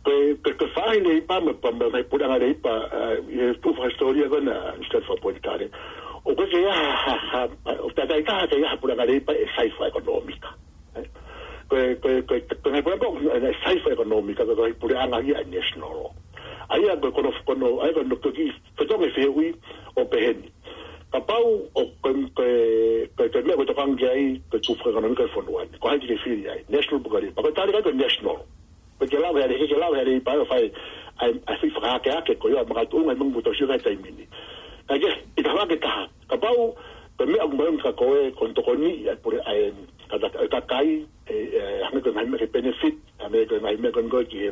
Ko e, ko e, ko e faʻahi Leipa mo e pa-, mo e puleʻanga Leipa, ē, ʻi he tuʻu fakahisitōlia ko ena, Stratford Point Kare. ʻOku ʻikai ke ʻi ai ha, ha, ha, ʻo takai taha ke ʻi ai ha puleʻanga Leipa ʻe sai fakaʻekonōmika. Ē? Ko e, ko e, ko e, ko e ngaahi puleʻanga ko ē, ʻe sai fakaʻekonōmika, ko e puleʻanga ia ʻa e National. ʻA ia ko e ko hono, ko hono, ʻa ia ko hono kiʻi fetongi fehuʻi ʻoku pehē ni. Kapau ʻoku, ko e, ko e, ko e, ko e meʻa ʻoku tokanga ki ai, ko e tuʻunga fakaʻekonōmika ʻo e fonua ni. Ko hai te ke fili ai, National pe ko e Leipa? Ko e tali ko ē ko e National. Pe ke lau he ale, ke lau he ale i pae ʻo fai, ʻa e, ʻa e fai fakaakeake ko ia, makatuʻunga ʻi he meʻa ʻoku tau sio ki ai he taimi ni. Ka ke, ʻi he tafaʻaki ʻe taha. Kapau, ko e meʻa ʻoku mahuʻinga kia koe, ko hono tokoniʻi ʻa e pule, ʻa e, ka, ka, kakai, ē, ē, hangē ko e ngaahi meʻa ke benefit, hangē ko e ngaahi meʻa ko ē ki he,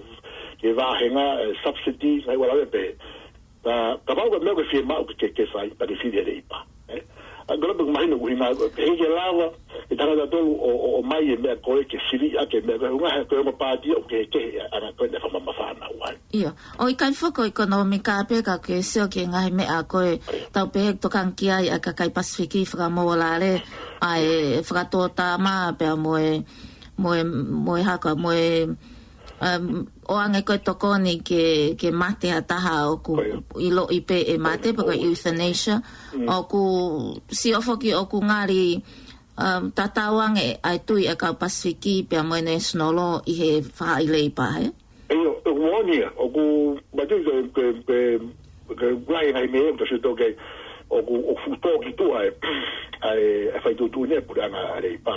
ki he vāhenga, ē, subsidy, ngaahi ua lave pē. Ka, kapau ko e meʻa ʻoku ke fiemaʻu ke, ke, ke fai, pea ke fili he Leipa. Ē? ʻA ia ko e lau pē mahino ʻuhinga, ʻe ʻikai ke lava, ʻe tangata tolu ʻo, ʻo, ʻomai e meʻa ko ē ke sili ʻaki e meʻa ko ē, ʻuhinga he ko e ongo paati ʻoku kehekehe ʻa e anga ko ē ʻene fakamamafa ʻana ʻoku ʻi ai. ʻIo, ʻoku ʻikai foki ko e ʻekonōmika pē ka ke sio ki he ngaahi meʻa ko ē tau pehē ʻoku tokanga ki ai ʻa e kakai Pasifiki, fakamōlale, ʻa e fakatōtama pea mo e, mo e, mo e haka, mo e, um, ʻoange ko e tokoni ke, ke mate ha taha ʻoku ʻiloʻi pē ʻe mate, pe ko e euthanasia. ʻOku sio foki ʻoku ngali, um, tatau ange ʻa e tui ʻa e kau Pasifiki pea mo e National ʻi he faʻahi Leipa, ē? ʻIo, ʻoku moʻoni ia, ʻoku mate ke, ke, ke, ke lahi ngaahi meʻa, ʻoku tau sio ki ai, ʻoku, ʻoku fuʻu tō ki tuʻa ē, ʻa e, ʻa e faituʻutuʻuni ʻa e puleʻanga Leipa.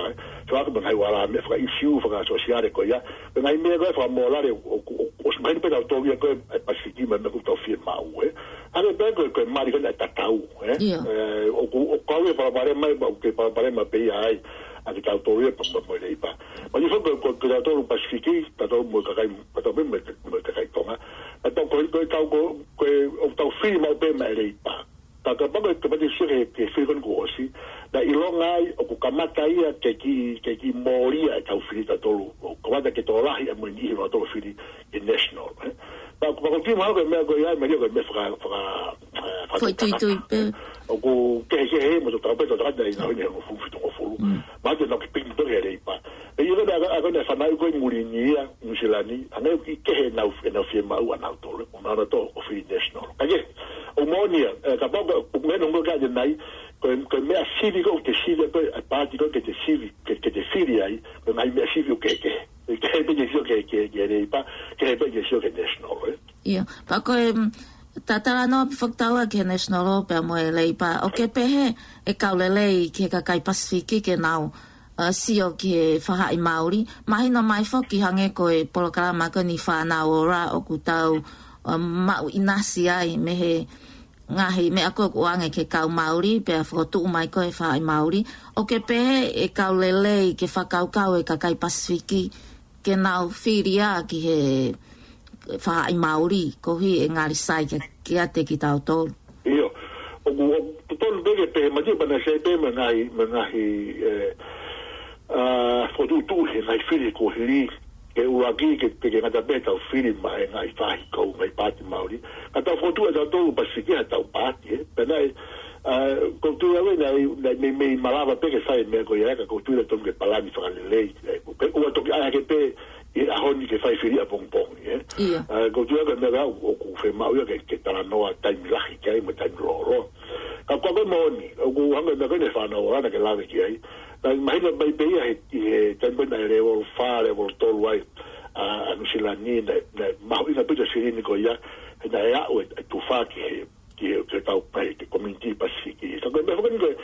So ʻoku ʻi ai mo e ngaahi ua lave meʻa fakaʻīsiu, fakasōsiale ko ia. Ko e ngaahi meʻa ko ē fakamōlale, ʻoku, ʻoku, ʻoku ʻosi mahino pē ʻetau tō ia ko ē, ʻa e Pasifiki mo e meʻa ʻoku tau fiemaʻu, ē. Hangē pē ko e, ko e mali ko eni ʻa e tatau, ē. ʻIo. Ē, ʻoku, ʻoku kau ia palopalema, ʻoku kei palopalema pē ia ai, ʻa kitautolu ia pea mo, mo e Leipa. Mahino foki ko, ko, ko kitautolu Pasifiki, tautolu mo e kakai, tautolu mo e, mo e kakai Tonga. Ka tau ko, ko, tau ko, ko e, ʻoku tau fili maʻu pē maʻa e Leipa. Ka, kapau ko e, kapau te ke sio ki he, ki he fili ko eni kuo ʻosi, naʻe ʻilonga ai ʻoku kamata ia ke kiʻi, ke kiʻi mōlia ʻetau fili tautolu. ʻOku kamata ke tokolahi ʻa e moʻui ʻi loto ʻo fili ʻi he National, ē. Pea, pea ʻoku ou tui mahalo ko e meʻa ko ia, meʻa ko e meʻa faka-, faka-, ē, faka-, foʻi tuitui pē. ʻOku kehekehe mo e tau pē, tau tangata ʻi he ngaahi ʻaho ni he hongofulu, fitungofulu. Mahalo te nau kiʻi piki toki he Leipa. ʻE, ʻio, ko e, ko e, ko e fanauʻi ko ē muli ni ia, Nuʻu Sila ni, hangē ʻoku kehe ʻenau, ʻenau fiemaʻu ʻanautolu, ʻo nau ō atu ʻo fili National. Ka ke, ʻoku moʻoni ia, ē, kapau ko, ʻoku meʻa nongo ka te nai, ko e, ko e meʻa sivi ko ē ʻoku te sivi, ko e paati ko ē ke te sivi, ke, ke te fili ai, ko e ngaahi meʻa sivi ʻoku kehekehe. ʻIkai pē ke sio ki he, ki he, ki he Leipa, ʻikai pē ke sio ki he National, ē? ʻIo, pea ko e, mm, ta talanoa pē foki taua ki he National pea mo e Leipa, ʻoku ke pehē ʻe kau lelei ki he kakai Pasifiki ke nau, ē, sio ki he faʻahi Mauli. Mahino mai foki hangē ko e polokalama ko eni Fānau Ora ʻoku tau, ē, maʻu ʻinasi ai mei he ngaahi meʻa ko ē ʻoku ʻoange ki he kau Mauli, pea fokotuʻu mai ko ē faʻahi Mauli. ʻOku ke pehē ʻe kau lelei ke fakakaukau e kakai Pasifiki ke nau fili ia ki he faʻahi Mauli, koeʻuhi ʻe ngali sai ke, kiate kitautolu. ʻIo, ʻoku, ʻoku totonu Peke pē, mati pana se pē mo e ngaahi, mo e ngaahi, ē, ʻa, fokotuʻutuʻu he ngaahi fili kuo hili, ke ʻuluaki, ke, ke, ke ngata pē ʻetau fili maʻa e ngaahi faʻahi kau ngaahi paati Māori. Ka tau fokotuʻu ʻe tautolu Pasifiki haʻatau paati, ē. Pea naʻe, ʻa, ʻoku ou tui au ē naʻe, naʻe meimei malava pē ke fai e meʻa ko ia, ka ʻoku ou tui ʻe tonu ke palani fakalelei, ē. Ke ʻoua toki ʻai hake pē ʻi he ʻaho ni ke fai fili ʻapongipongi, ē. ʻIo. ʻA, ʻoku ou tui au ko e meʻa ʻoku, ʻoku fiemaʻu ia ke, ke talanoa taimi lahi ki ai mo e taimi lōloa. Ka ko e meʻa moʻoni, ʻoku hangē ko e meʻa ko eni ʻa e fānau ʻa Lana ke lave ki ai. Naʻe mahino mai pē ia he, ʻi he taimi naʻe level fā, level tolu ai, ʻa, ʻa Nuʻu Sila ni, naʻe, naʻe mahuʻinga pē ʻa e silini ko ia, he naʻe aʻu e, e tufa ki he, ki he, ki he tau, ki he community Pasifiki. Ka ko e meʻa foki eni ko e,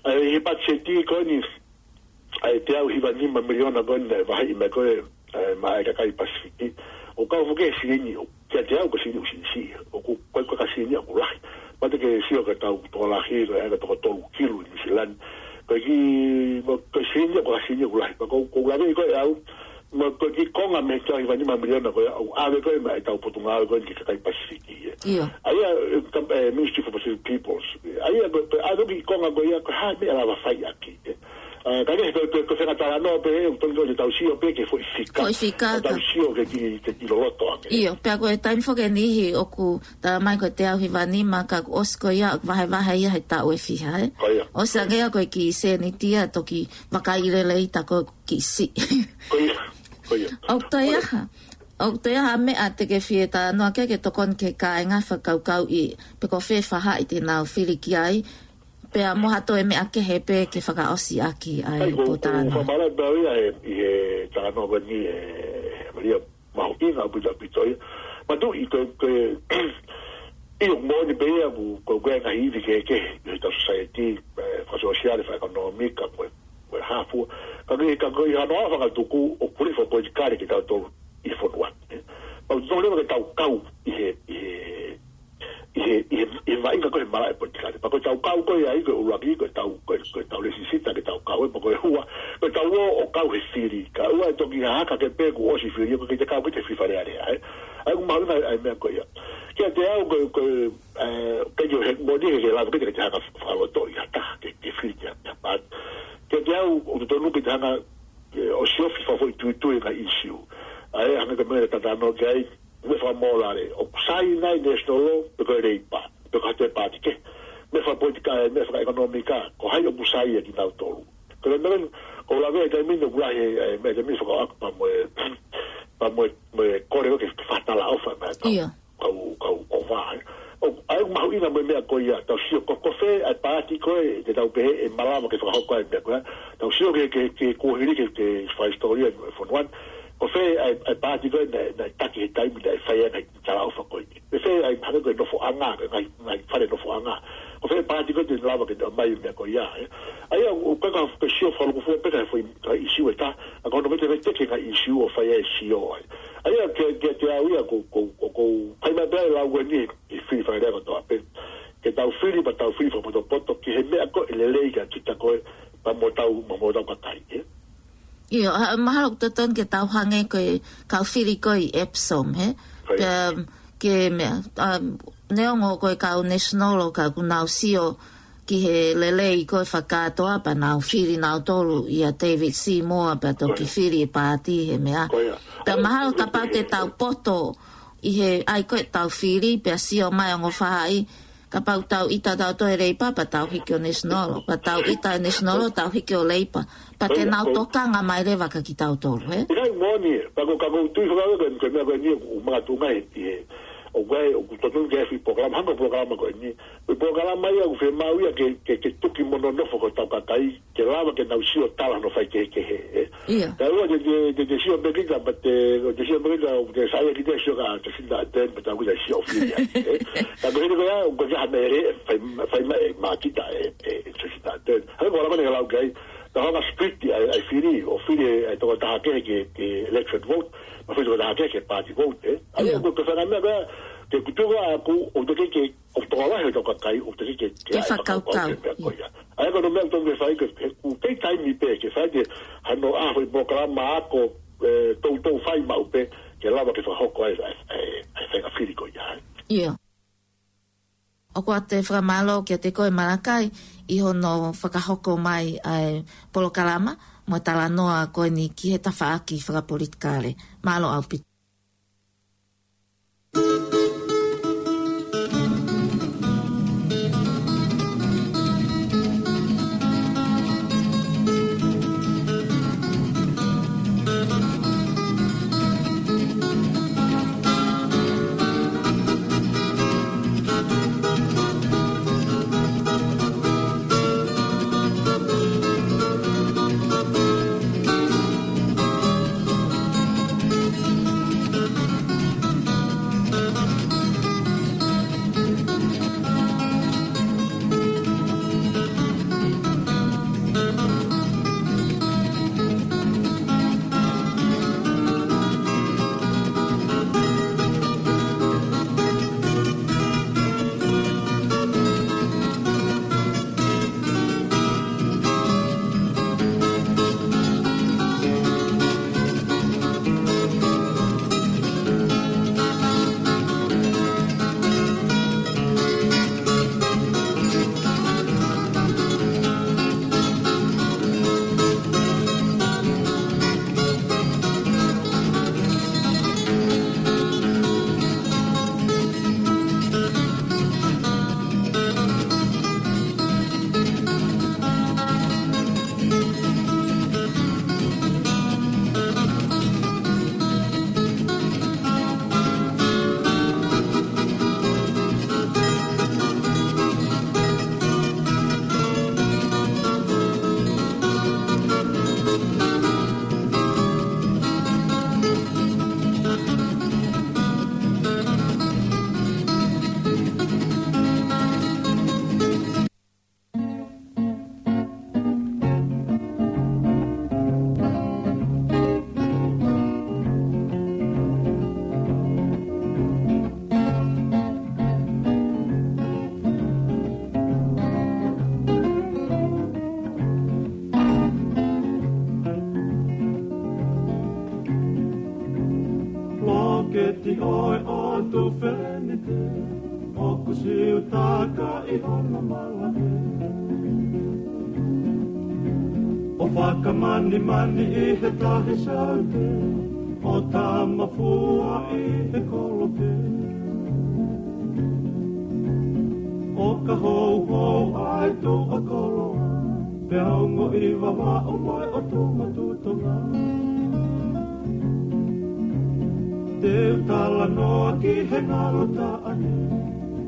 ʻa, ʻi he patiseti ko eni, ʻa e teau hiva nima miliona ko eni naʻe vaheʻi mai ko ē, ē, maʻa e kakai Pasifiki. ʻOku kau foki he silini, ʻo, kiate au ko e silini ʻoku siʻisiʻi. ʻOku, ko e, ko e ka silini ʻoku lahi. Pea te ke sio ki he tau tokolahi, ko e ʻa e toko tolu kilu ʻi Nuʻu Sila ni. Ko e kiʻi, mo, ko e silini ʻoku ka silini ʻoku lahi. Pea ʻoku, ʻoku ou lave ko ē au, mo e kiʻi konga mei he teau hiva nima miliona ko ē, ʻoku ʻave ko ē maʻa e tau potungāue ko ē ki he kakai Pasifiki, ē. ʻIo. ʻA ia, ē, ka, ē, Ministry for Pacific Peoples. ʻA ia, ko, ko e ʻave kiʻi konga ko ia, ko e hā e meʻa ʻe lava fai ʻaki, ē. ʻA, ka ke, ko, ko, ko e fenga talanoa pē, ʻoku tonu ke tau sio pē ki he foʻi fika. Foʻi fika, ʻa, tau ka sio ki he kiʻi, ki he kiʻi loloto ange. ʻIo, pea ko e taimi foki ʻe niʻihi ʻoku talamai ko e teau hiva nima ka kuo ʻosi ko ia, ʻoku vahevahe ia he taʻu ʻe fiha, ē? Ko ia. ʻOsi ange ia ko e kiʻi sēniti ia toki vakai lelei ta ko e kiʻi siʻi. Ko ia, ko ia. ʻOku toe ʻi ai ha, ʻoku toe ʻi ai ha meʻa te ke fie talanoa ki ai ke tokoni ki he kāinga fakakaukauʻi, pe ko fē faʻahi te nau fili ki ai, pea mo ha toe meʻa kehe pē ke fakaʻosi ʻaki ʻa e pōtalanoa. ʻAi, ko, ko e fakamālō pē au ia he, ʻi he talanoa ko eni ē, Malia, mahuʻinga ʻaupito ʻaupito ia. Matuʻi ko, ko, ʻio, moʻoni pē ia ʻoku, ko, ko e ngaahi ivi kehekehe, ʻi he tau society, ē, fakasōsiale, fakaʻekonōmika, ko e, ko e hā fua. Ka ko e, ka ko e hano ʻa e fakatuku ʻoku pule fakapolitikale kitautolu ʻi he fonua, ē. Pea ʻoku totonu leva ke tau kau ʻi he, ʻi he, ʻi he, ʻi he, ʻi he vaʻinga ko ē he malaʻe politikale. Pea ko e tau kau ko ē ai, ko e ʻuluaki, ko e tau, ko e, ko e tau lēsisita ke tau kau, ē, pea ko e ua, ko e tau ō ʻo kau he fili. Ka ʻoua ʻe toki hahaka ke pehē kuo ʻosi fili, ʻoku ʻikai te kau kita he fili Fale Alea, ē. ʻA ia ʻoku mahuʻinga ʻa e meʻa ko ia. Kiate au ko e, ko e, ē, ke ke he moʻoni ke ke lava ke te, ke te hanga fakalotoʻi ha taha ke, ke fili ki ha, ki ha paati. Kiate au ʻoku totonu ke te hanga, ē, ʻo siofi fakafoʻituitui e ngaahi issue. ʻA ia hangē ko e meʻa naʻe talanoa ki ai, meʻa fakamōlale, ʻoku sai nai National Law, pe ko e Labour, pe ko ha toe paati kehe. Meʻa fakapolitikale, meʻa fakaʻekonōmika, ko hai ʻoku sai ʻa kinautolu. Ko e meʻa, ʻoku ou lave he taimi ni ʻoku lahi, ē, meʻa taimi ni fakaʻaku pea mo e, pea mo e, mo e kole ko ē ke fakatalaʻofa mai ʻa e tau. ʻIo. Kau, kau ʻova, ē. ʻO, ʻa ia ʻoku mahuʻinga mo e meʻa ko ia, tau sio ko, ko fē ʻa e paati ko ē, te tau pehē ʻe malava ke fakahoko ai e meʻa ko ia. Tau sio ki he, ki he, ki he kuohili ki he, ki he fakahisitōlia ʻo e fonua ni. Ko fē ʻa e, ʻa e paati ko ē naʻe, naʻe taki he taimi naʻe fai ai e ngaahi talaʻofa ko ē. Ko fē ʻa e hangē ko e nofoʻanga, ko e ngaahi, ngaahi fale nofoʻanga. Ko fē paati ko ē te ne lava ke ne ʻomai e meʻa ko ia, ē. ʻA ia, ʻoku, ʻoku ʻikai ke u sio fakalūkufua pē ki he foʻi, ki he issue ʻe taha, ka ko hono vetevete ki he ngaahi issue ʻoku fai ai e sio ai. ʻA ia, ke, kiate au ia, ʻoku, ʻoku, ʻoku, ʻoku ou fai mai pē ʻa e lau ko eni, ʻi he fili Fale Alea kotoa pē. Ke tau fili, pea tau fili fakapotopoto, ki he meʻa ko ē ʻe lelei kia kita ko ē, pea mo hotau, mo, mo hotau kakai, ē? ʻIo, ʻa, mahalo ʻoku totonu ke tau hangē ko e kau fili ko ē ʻi Epsom, hē? Ko ia. Pea, ke meʻa, ʻa, neongo ko e kau National ʻoku nau sio ki he lelei ko ē fakakātoa pea nau fili nautolu ʻia David Seymour pea toki Ko ia. fili e paati he meʻa. Ko ia. Pea mahalo kapau te tau poto ʻi he ʻai ko ē ʻetau fili pea sio mai ongo faʻahi, kapau tau ʻita tautolu he Labour pea tau hiki ʻo National, pea tau ʻita he National tau hiki ʻo Labour. Pea te Ko ia, nau ko tokanga mai leva kia kitautolu, hē? ʻIkai moʻoni, pea ko ka ʻoku ou tui fakau ko e, ko e meʻa ko eni ʻoku makatuʻunga ʻi he, ʻoku ʻi ai, ʻoku totonu ke ʻi ai e foʻi polokalama, hangē ko e polokalama ko eni. Ko e polokalama ia ʻoku fiemaʻu ia ke, ke, ke tuki mo nonofo ko hotau kakai, ke lava ke nau sio tala hono faikehekehe, ē. ʻIo. Ka ʻoua te, te, te, te sio pē kita, pea te, te sio pē kita, ʻoku te saiʻia kita sio kia Jacinda Ardern, pea tau kita sio fili ai, ē. Ka ko e hili ko ia, ʻoku ʻikai ha meʻa ʻe fai, fai mai ʻe Makita ʻe, ʻe, ʻe Jacinda Ardern. Hangē ko e lau ko eni ʻoku lau ki ai, ka hanga split ʻa e, ʻa e fili, ʻo fili ʻa e tokotaha kehe ki he, ki he electorate vote, mo e fili tokotaha kehe ki he party vote, ē. ʻA ia, ʻIo. ko, ko e faʻahinga meʻa ko ia, ke kutu ko ē ʻoku, ʻoku teʻeki ke, ʻoku tokolahi hotau kakai, ʻoku teʻeki ke, ke Ke ʻai fakakaukau. fakakaukau ki he meʻa ko ia. ʻA ia ko hono meʻa ʻoku totonu ke fai ke, ke, ʻoku kei taimi pē, ke fai ke hano ʻaho e polokalama ako, ē, toutou fai maʻu pē, ke lava ke fakahoko ai, ʻa e, ʻa e, ʻa e faʻahinga fili ko ia, ē. ʻIo. Ko ʻete fakamālō kiate koe Malakai ʻi hono fakahoko mai ʻa e polokalama mo e talanoa ko eni ki he tafaʻaki fakapolitikale. Mālō ʻaupito. Loketi ʻo e ʻOtu Felenite, ʻoku siutaka ʻi hono malaʻe. ʻO fakamanimani ʻi he tahi saute, ʻo tamafua ʻi he kolope. ʻO ka houhou ʻa e tuʻa koloa, pea ongoʻi Vavaʻu mo e ʻOtu Motu Tonga. Te u talanoa ki he ngalo taʻane,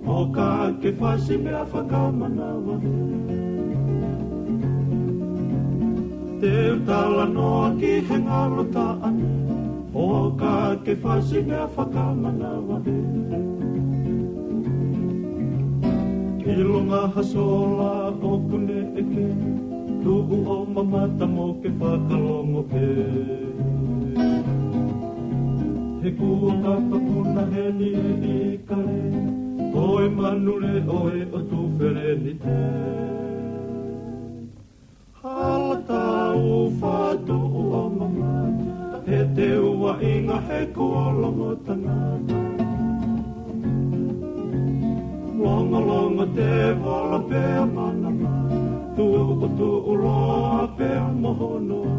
ʻo ka ke fasi meʻa fakamanavahē. Te u talanoa ki he ngalo taʻane, ʻo ka ke fasi meʻa fakamanavahē. ʻIlonga ha sola ʻoku ne ʻeke, tuʻu ʻo mamata mo ke fakalongo pē. He kuo kapakuna heni e ʻikale, ko e manu leʻo e ʻOtu Felenite. Hala tau fatu ʻo mamata, he te u vaʻinga he kuo longo tangata. Longolongo tēvolo pea manamana, tuʻutuʻu loa pea moho noa.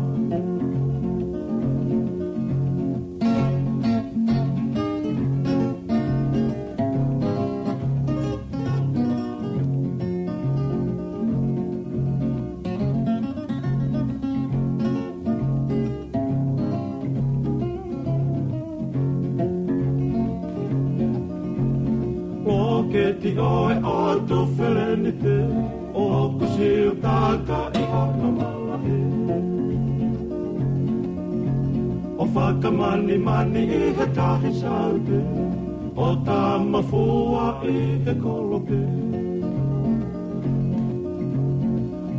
Loketi ʻo e ʻOtu Felenite, ʻoku siutaka ʻi hono malaʻe. ʻO fakamanimani ʻi he tahi saute, ʻo tamafua ʻi he kolope.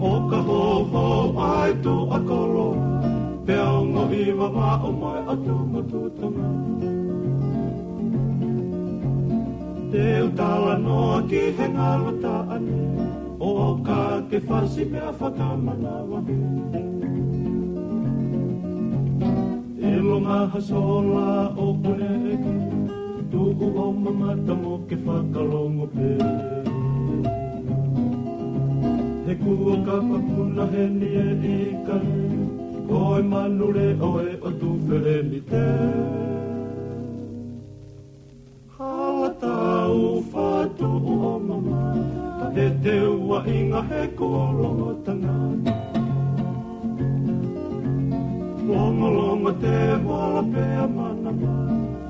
ʻO ka houhou ʻa e tuʻa koloa, pea ongoʻi Vavaʻu mo e ʻOtu Motu Tonga. Te u talanoa ki he ngalo taʻane, ʻo ka ke fasi meʻa fakamanavahē. ʻIlonga ha sola ʻoku ne ʻeke, tuʻu ʻo mamata mo ke fakalongo pē. He kuo kapakuna heni e ika, ko e manule ʻo e ʻotu felemite. Hala tau fatu o mama, he te ua inga he kuo longo tanga. Longo longo te wala pea manama,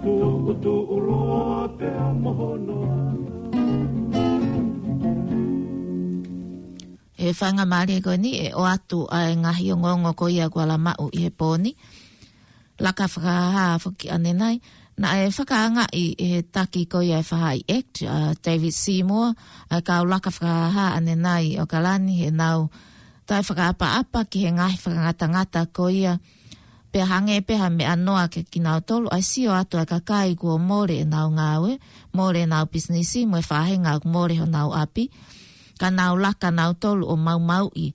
tuʻu tuʻu loa pea mohono. E faingamālie ko eni e ʻoatu ʻa e ngaahi ongoongo ko ia kuo ala maʻu ʻi he pō ni. Laka fakahā foki ʻanenai, naʻe fakaangaʻi ʻe he taki ko ia e Fahaʻi Act, ʻa David Seymour, ʻa e kau laka fakahā ʻanenai ʻo ʻAokalani he nau taʻe fakaʻapaʻapa ki he ngaahi fakangatangata ko ia. Pea hangē pē ha meʻa noa kiate kinautolu, ʻa e sio atu ʻa e kakai kuo mole ʻenau ngāue, mole ʻenau pisinisi, mo e faʻahinga ʻoku mole honau ʻapi. Ka nau laka nautolu ʻo maumauʻi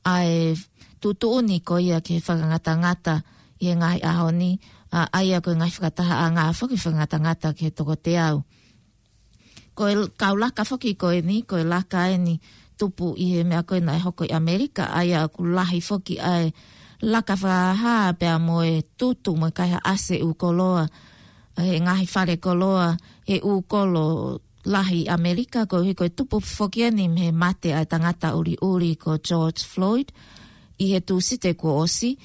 ʻa e tuʻutuʻuni ko ia ki he fakangatangata ʻi he ngaahi ʻaho ni, ʻa, ʻa ia ko e ngaahi fakatahaʻanga foki fakangatangata ki he toko teau. Ko e kau laka foki ko eni, ko e laka eni tupu ʻi he meʻa ko ē naʻe hoko ʻi ʻAmelika, ʻa ia ʻoku lahi foki ʻa e laka fakahā pea mo e tutu mo e kaihaʻasi ʻū koloa, he ngaahi fale koloa, he ʻū kolo lahi ʻAmelika, koeʻuhi ko e tupu foki eni mei he mate ʻa e tangata ʻuliʻuli ko George Floyd, ʻi he Tūsite kuo ʻosi,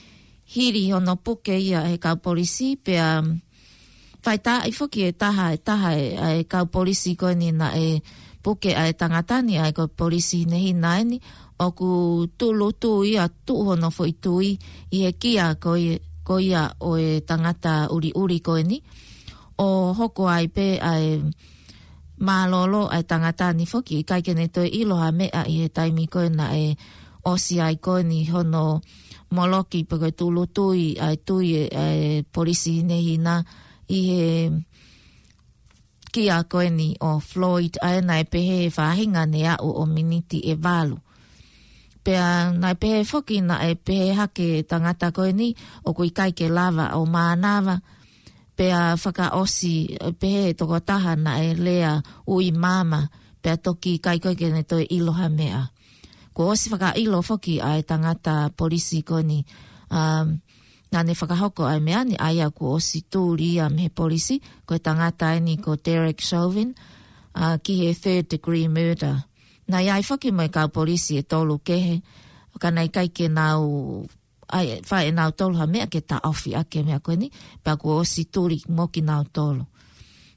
hili hono puke ia ʻe he kau polisi, pea faitaaʻi foki e taha, e taha e, ʻa e kau polisi ko eni naʻe puke ʻa e tangata ni, ʻa ia ko e polisi hinehina eni, ʻoku tūʻulutui ʻa tuʻu hono foʻi tui ʻi he kia ko ia, ko ia ʻo e tangata ʻuliʻuli ko eni, ʻo hoko ai pē ʻa e mālōlō ʻa e tangata ni foki, ʻikai ke ne toe ʻilo ha meʻa ʻi he taimi ko ē naʻe ʻosi ai ko eni hono moloki pe ko e tūʻulutui ʻa e tui e, ʻa e polisi hinehina ʻi he kia ko eni ʻo Floyd, ʻa ia naʻe pehē he faʻahinga ne aʻu ʻo miniti ʻe valu. Pea naʻe pehē foki naʻe pehē hake tangata ko eni ʻoku ʻikai ke lava ʻo mānava, pea fakaʻosi, pehē he tokotaha naʻe lea ui māmā, pea toki ʻikai ko ē ke ne toe ʻilo ha meʻa. Kuo ʻosi fakaʻilo foki ʻa e tangata polisi ko eni, um, naʻa ne fakahoko ʻa e meʻa ni, ʻa ia kuo ʻosi tuli ia mei he polisi, ko e tangata eni ko Derek Chauvin, ʻa, ki he third degree murder. Naʻe ʻi ai foki mo e kau polisi ʻe tolu kehe, ka naʻe ʻikai ke nau ʻai, fai ʻe nautolu ha meʻa ke taʻofi ʻaki e meʻa ko eni, pea kuo ʻosi tuli mo kinautolu.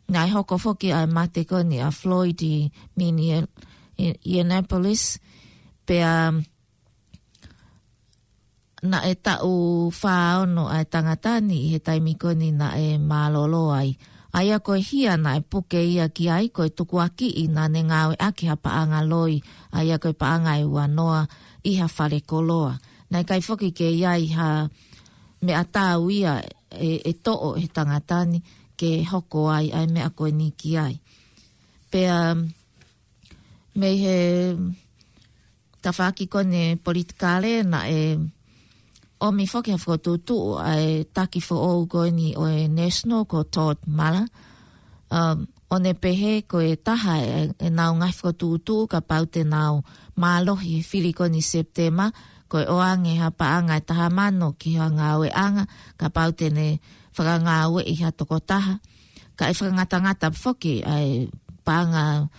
Naʻe hoko foki ʻa e mate ko eni ʻa Floyd ʻi Minneapolis, pea naʻe taʻu fā ono ʻa e tangata ni ʻi he taimi ko eni naʻe mālōlō ai. ʻA ia ko e hia naʻe puke ia ki ai, ko e tukuakiʻi naʻa ne ngāueʻaki ha paʻanga loi, ʻa ia ko e paʻanga ʻe ua noa ʻi ha fale koloa. Naʻe ʻikai foki ke ʻi ai ha meʻa tau ia ʻe, ʻe toʻo he tangata ni ke hoko ai ʻa e meʻa ko eni ki ai. Pea mei he tafaʻaki ko eni politikale naʻe ʻomi foki ha fokotuʻutuʻu ʻa e taki foʻou ko eni ʻo e National ko Todd Muller. Um, ʻo ne pehē ko e taha e, ʻenau ngaahi fokotuʻutuʻu kapau te nau mālohi he fili ko eni Sepitema, ko e ʻoange ha paʻanga ʻe taha mano ki ha ngāueʻanga, kapau te ne fakangāueʻi ha tokotaha. Ka ʻe fakangatangata foki ʻa e paʻanga,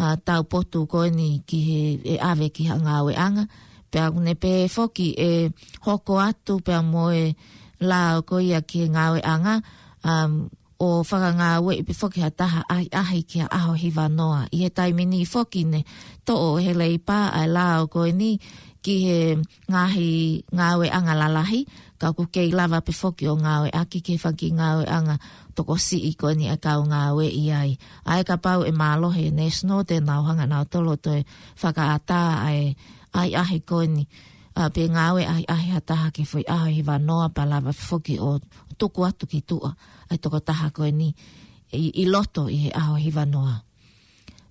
ʻa, taupotu ko eni ki he, ʻe ʻave ki ha ngāueʻanga. Pea ʻoku ne pehē foki ʻe hoko atu pea mo e lao ko ia ki he ngāueʻanga, um, ʻo fakangāueʻi pē foki ha taha ʻahiʻahi ki ha ʻaho hiva noa. ʻI he taimi ni foki ne toʻo ʻe he Leipa ʻa e lao ko eni ki he ngaahi ngāueʻanga lalahi, ka ʻoku kei lava pē foki ʻo ngāueʻaki ki he fanga kiʻi ngāueʻanga tokosiʻi ko eni ʻa e kau ngāueʻi ai. ʻA ia kapau ʻe mālohi e National te nau hanga nautolu ʻo toe fakaʻatā ʻa e ʻahiʻahi ko eni, ʻa, pe ngāue ʻahiʻahi ha taha ki he foʻi ʻaho hiva noa pea lava pē foki ʻo tuku atu ki tuʻa ʻa e tokotaha ko eni ʻi, ʻi loto ʻi he ʻaho hiva noa.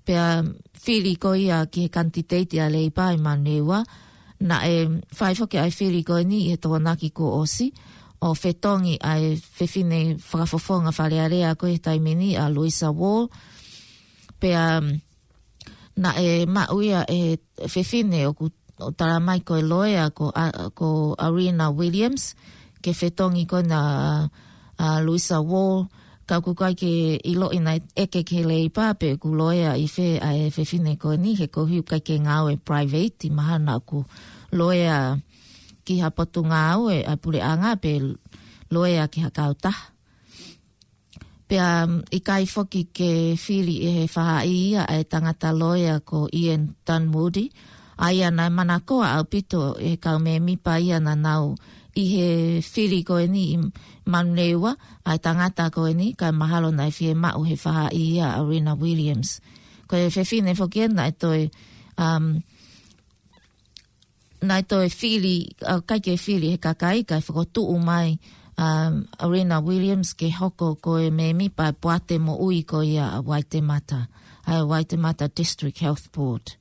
Pea fili ko ia ki he kanititeiti ʻa Leipa ʻi Manurewa, naʻe fai foki ʻa e fili ko eni ʻi he Tokonaki kuo ʻosi, ʻo fetongi ʻa e fefine fakafofonga Fale Alea ko e taimi ni ʻa Louisa Wall. Pea naʻe maʻu ia ʻe he fefine ʻoku ʻo tala mai ko e loea ko, a, ko Arena Williams, ke fetongi ko ena ʻa Louisa Wall, ka ʻoku ʻikai ke ʻiloʻi naʻe ʻeke ki he Leipa pe ʻoku loea ʻi fē ʻa e fefine ko eni, he koeʻuhi ʻoku ʻikai ke ngāue private, mahalo naʻa ʻoku loea ki ha potungāue ʻa e puleʻanga pe loea ki ha kautaha. Pea, um, ʻikai foki ke fili ʻe he faʻahi ia ʻa e tangata loea ko Ian Dunwoodie, ʻa ia naʻe manakoa ʻaupito ʻe he kau mēmipa ia naʻa nau ʻi he fili ko eni ʻi Manurewa, ʻa e tangata ko eni, kae mahalo naʻe fiemaʻu ʻe he faʻahi ia ʻa Arena Williams. Ko e fefine foki ena naʻe toe, um, naʻe toe fili, ʻa, ʻikai ke fili ʻe he kakai, kae fokotuʻu mai, um, Arena Williams ke hoko ko e mēmipa ʻo e poate moʻui ko ia ʻa Waitemata, ʻa e Waitemata District Health Board.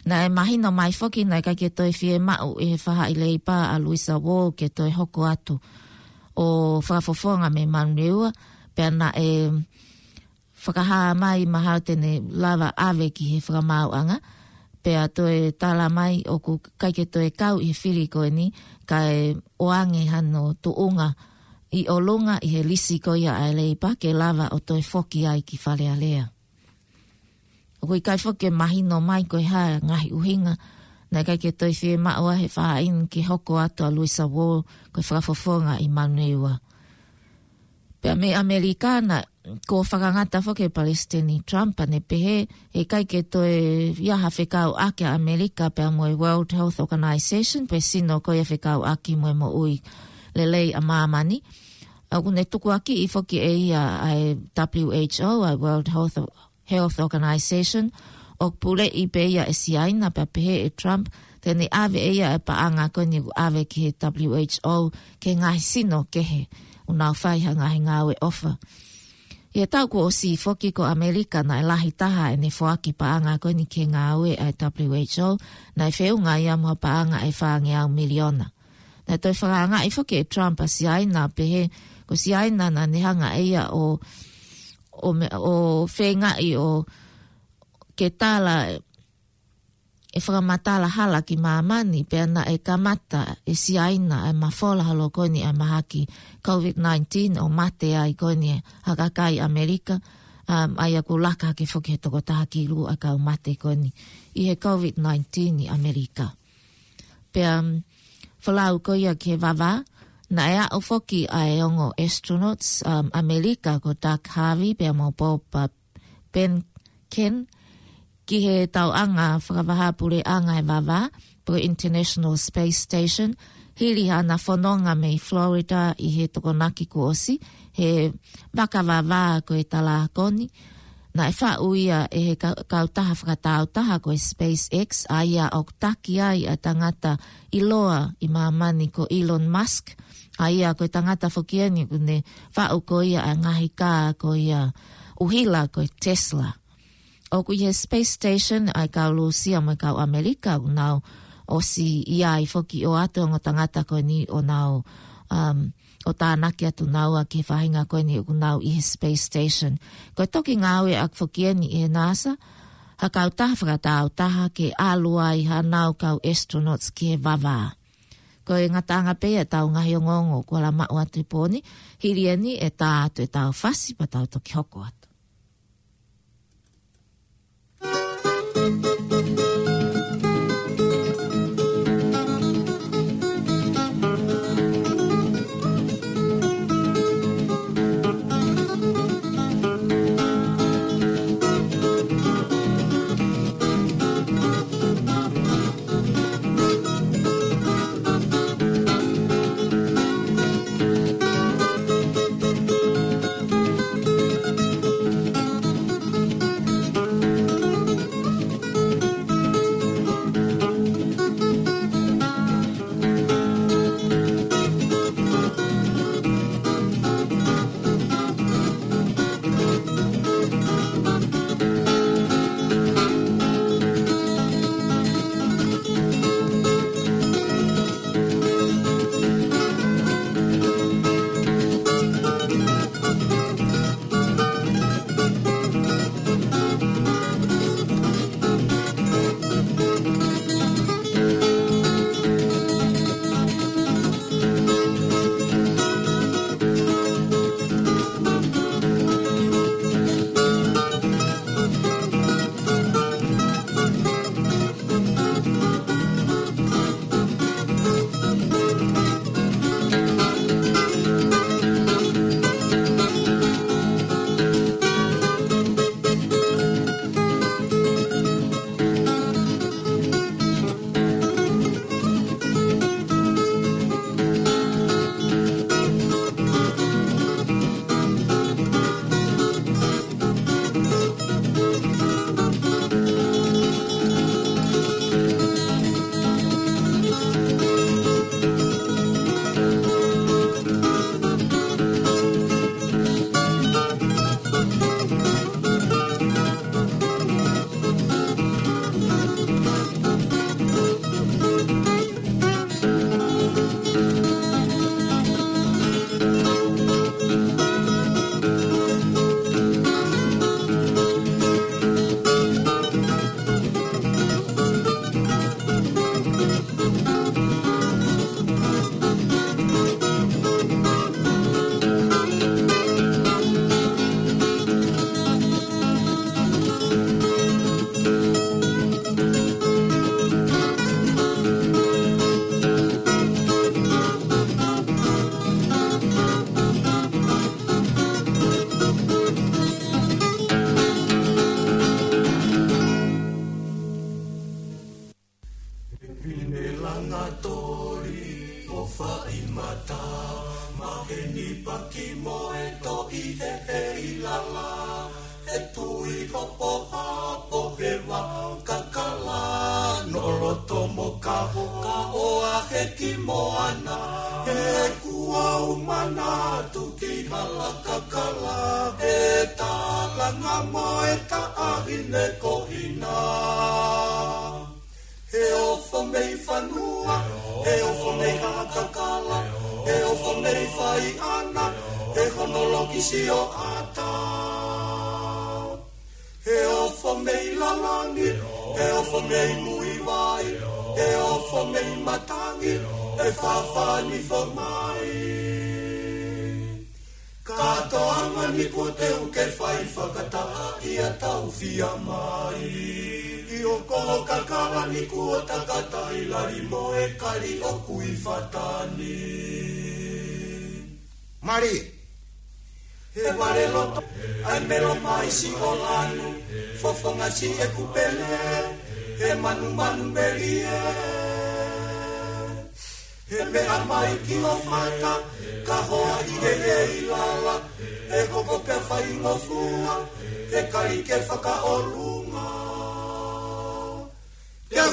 Naʻe mahino mai foki naʻe ʻikai ke toe fiemaʻu ʻe he faʻahi Leipa ʻa Louisa Wall ke toe hoko atu ʻo fakafofonga mei Manurewa, pea naʻe fakahā mai mahalo te ne lava ʻave ki he fakamaauʻanga, pea toe tala mai ʻoku ʻikai ke toe kau ʻi he fili ko eni, kae ʻoange hano tuʻunga ʻi ʻolunga ʻi he lisi ko ia ʻa e Leipa ke lava ʻo toe foki ai ki Fale Alea. ʻOku ʻikai foki ke mahino mai ko e hā e ngaahi ʻuhinga naʻe ʻikai ke toe fiemaʻu ʻe he faʻahi ni ke hoko atu ʻa Louisa Wall ko e fakafofonga ʻi Manurewa. Pea mei ʻAmelika naʻe, kuo fakangata foki ʻe Palesiteni Trump, pea ne pehē ʻe ʻikai ke toe ʻi ai ha fekauʻaki ʻa ʻAmelika pea mo e World Health Organization, pe sino ko ia fekauʻaki mo e moʻui lelei ʻa māmani. ʻOku ne tukuakiʻi foki ʻe ia ʻa e W H O, ʻa e World Health, Health Organization, ʻoku puleʻi pē ia ʻe Siaina, pea pehē ʻe Trump te ne ʻave ʻe ia e paʻanga ko eni ʻoku ʻave ki he W H O ki he ngaahi sino kehe ʻoku nau fai ha ngaahi ngāue ʻofa. ʻI he taʻu kuo ʻosi foki ko ʻAmelika naʻe lahi taha ʻene foaki paʻanga ko eni ki he ngāue ʻa e W H O, naʻe feʻunga ia mo ha paʻanga ʻe fāngeau miliona. Naʻe toe fakaangaʻi foki ʻe Trump ʻa Siaina, pehē ko Siaina naʻa ne hanga ʻe ia ʻo, ʻo me-, ʻo feingaʻi ʻo ke tala e fakamatala hala ki māmani, pea naʻe kamata ʻe Siaina ʻa e mafola holo ko eni ʻa e mahaki COVID nineteen ʻo mate ai ko eni ha kakai ʻAmelika, um, ʻa ia kuo laka hake foki he toko taha kilu ʻa e kau mate ko eni ʻi he COVID nineteen ʻi ʻAmelika. Pea, um, folau ko ia ki he vavā, naʻe aʻu foki ʻa e ongo astronauts, um, ʻAmelika ko Doug Harvey pea mo Bob, uh, Behnken ki he tauʻanga fakavahaʻapuleʻanga ʻo e vavā, pe ko e International Space Station, hili haʻana fononga mei Florida ʻi he Tokonaki kuo ʻosi, he vaka vavā ko e Talākoni. Naʻe faʻu ia ʻe he ka-, kautaha fakatāutaha ko e SpaceX, ʻa ia ʻoku taki ai ʻa e tangata ʻiloa ʻi māmani ko Elon Musk, ʻa ia ko e tangata foki eni ʻoku ne faʻu ko ia ʻa e ngaahi kā ko ia ʻuhila ko e Tesla. ʻOku ʻi he Space Station ʻa e kau Lūsia mo e kau ʻAmelika ʻoku nau ʻosi ʻi ai foki ʻo ʻoatu e ongo tangata ko eni ʻo nau, um, ʻo tānaki atu naua ki he faʻahinga ko eni ʻoku nau ʻi he Space Station. Ko e toki ngāueʻaki foki eni ʻe he NASA ha kautaha fakatāutaha ke ʻalu ai haʻanau kau astronauts ki he vavā. Ko e ngataʻanga pē ia ʻetau ngaahi ongoongo kuo lava maʻu atu he pō ni, hili eni ʻe tā atu ʻetau fasi pea tau toki hoko atu. Popo hapo he vā kakala, nolo tomo kaho, ka ʻoa he ki moana. He kuo umana atu ki hala kakala, he talanga mo e taʻahine ko Hina. He ofo mei fanua, he ofo mei hala kakala, he ofo mei faiʻana, he hono loki sio ata. He ofo mei lalani, he ofo mei Muivai, he ofo mei matangi, he fafani fo mai. Ka toanga ni kuo teu ke fai fakataha ia tau fia mai. ʻI ʻo ko kakala ni kuo takata ʻi lali mo e kali ʻo Kuifatani. Mali. He vale loto, ʻai melo mai si o lanu, fofonga si e kupele, he manumanu melie. He meʻa mai ki ʻo fata, ka hoa ʻi he he ʻi lala, he koko ke fai ngofua, he kali ke fakaʻolunga. Teu!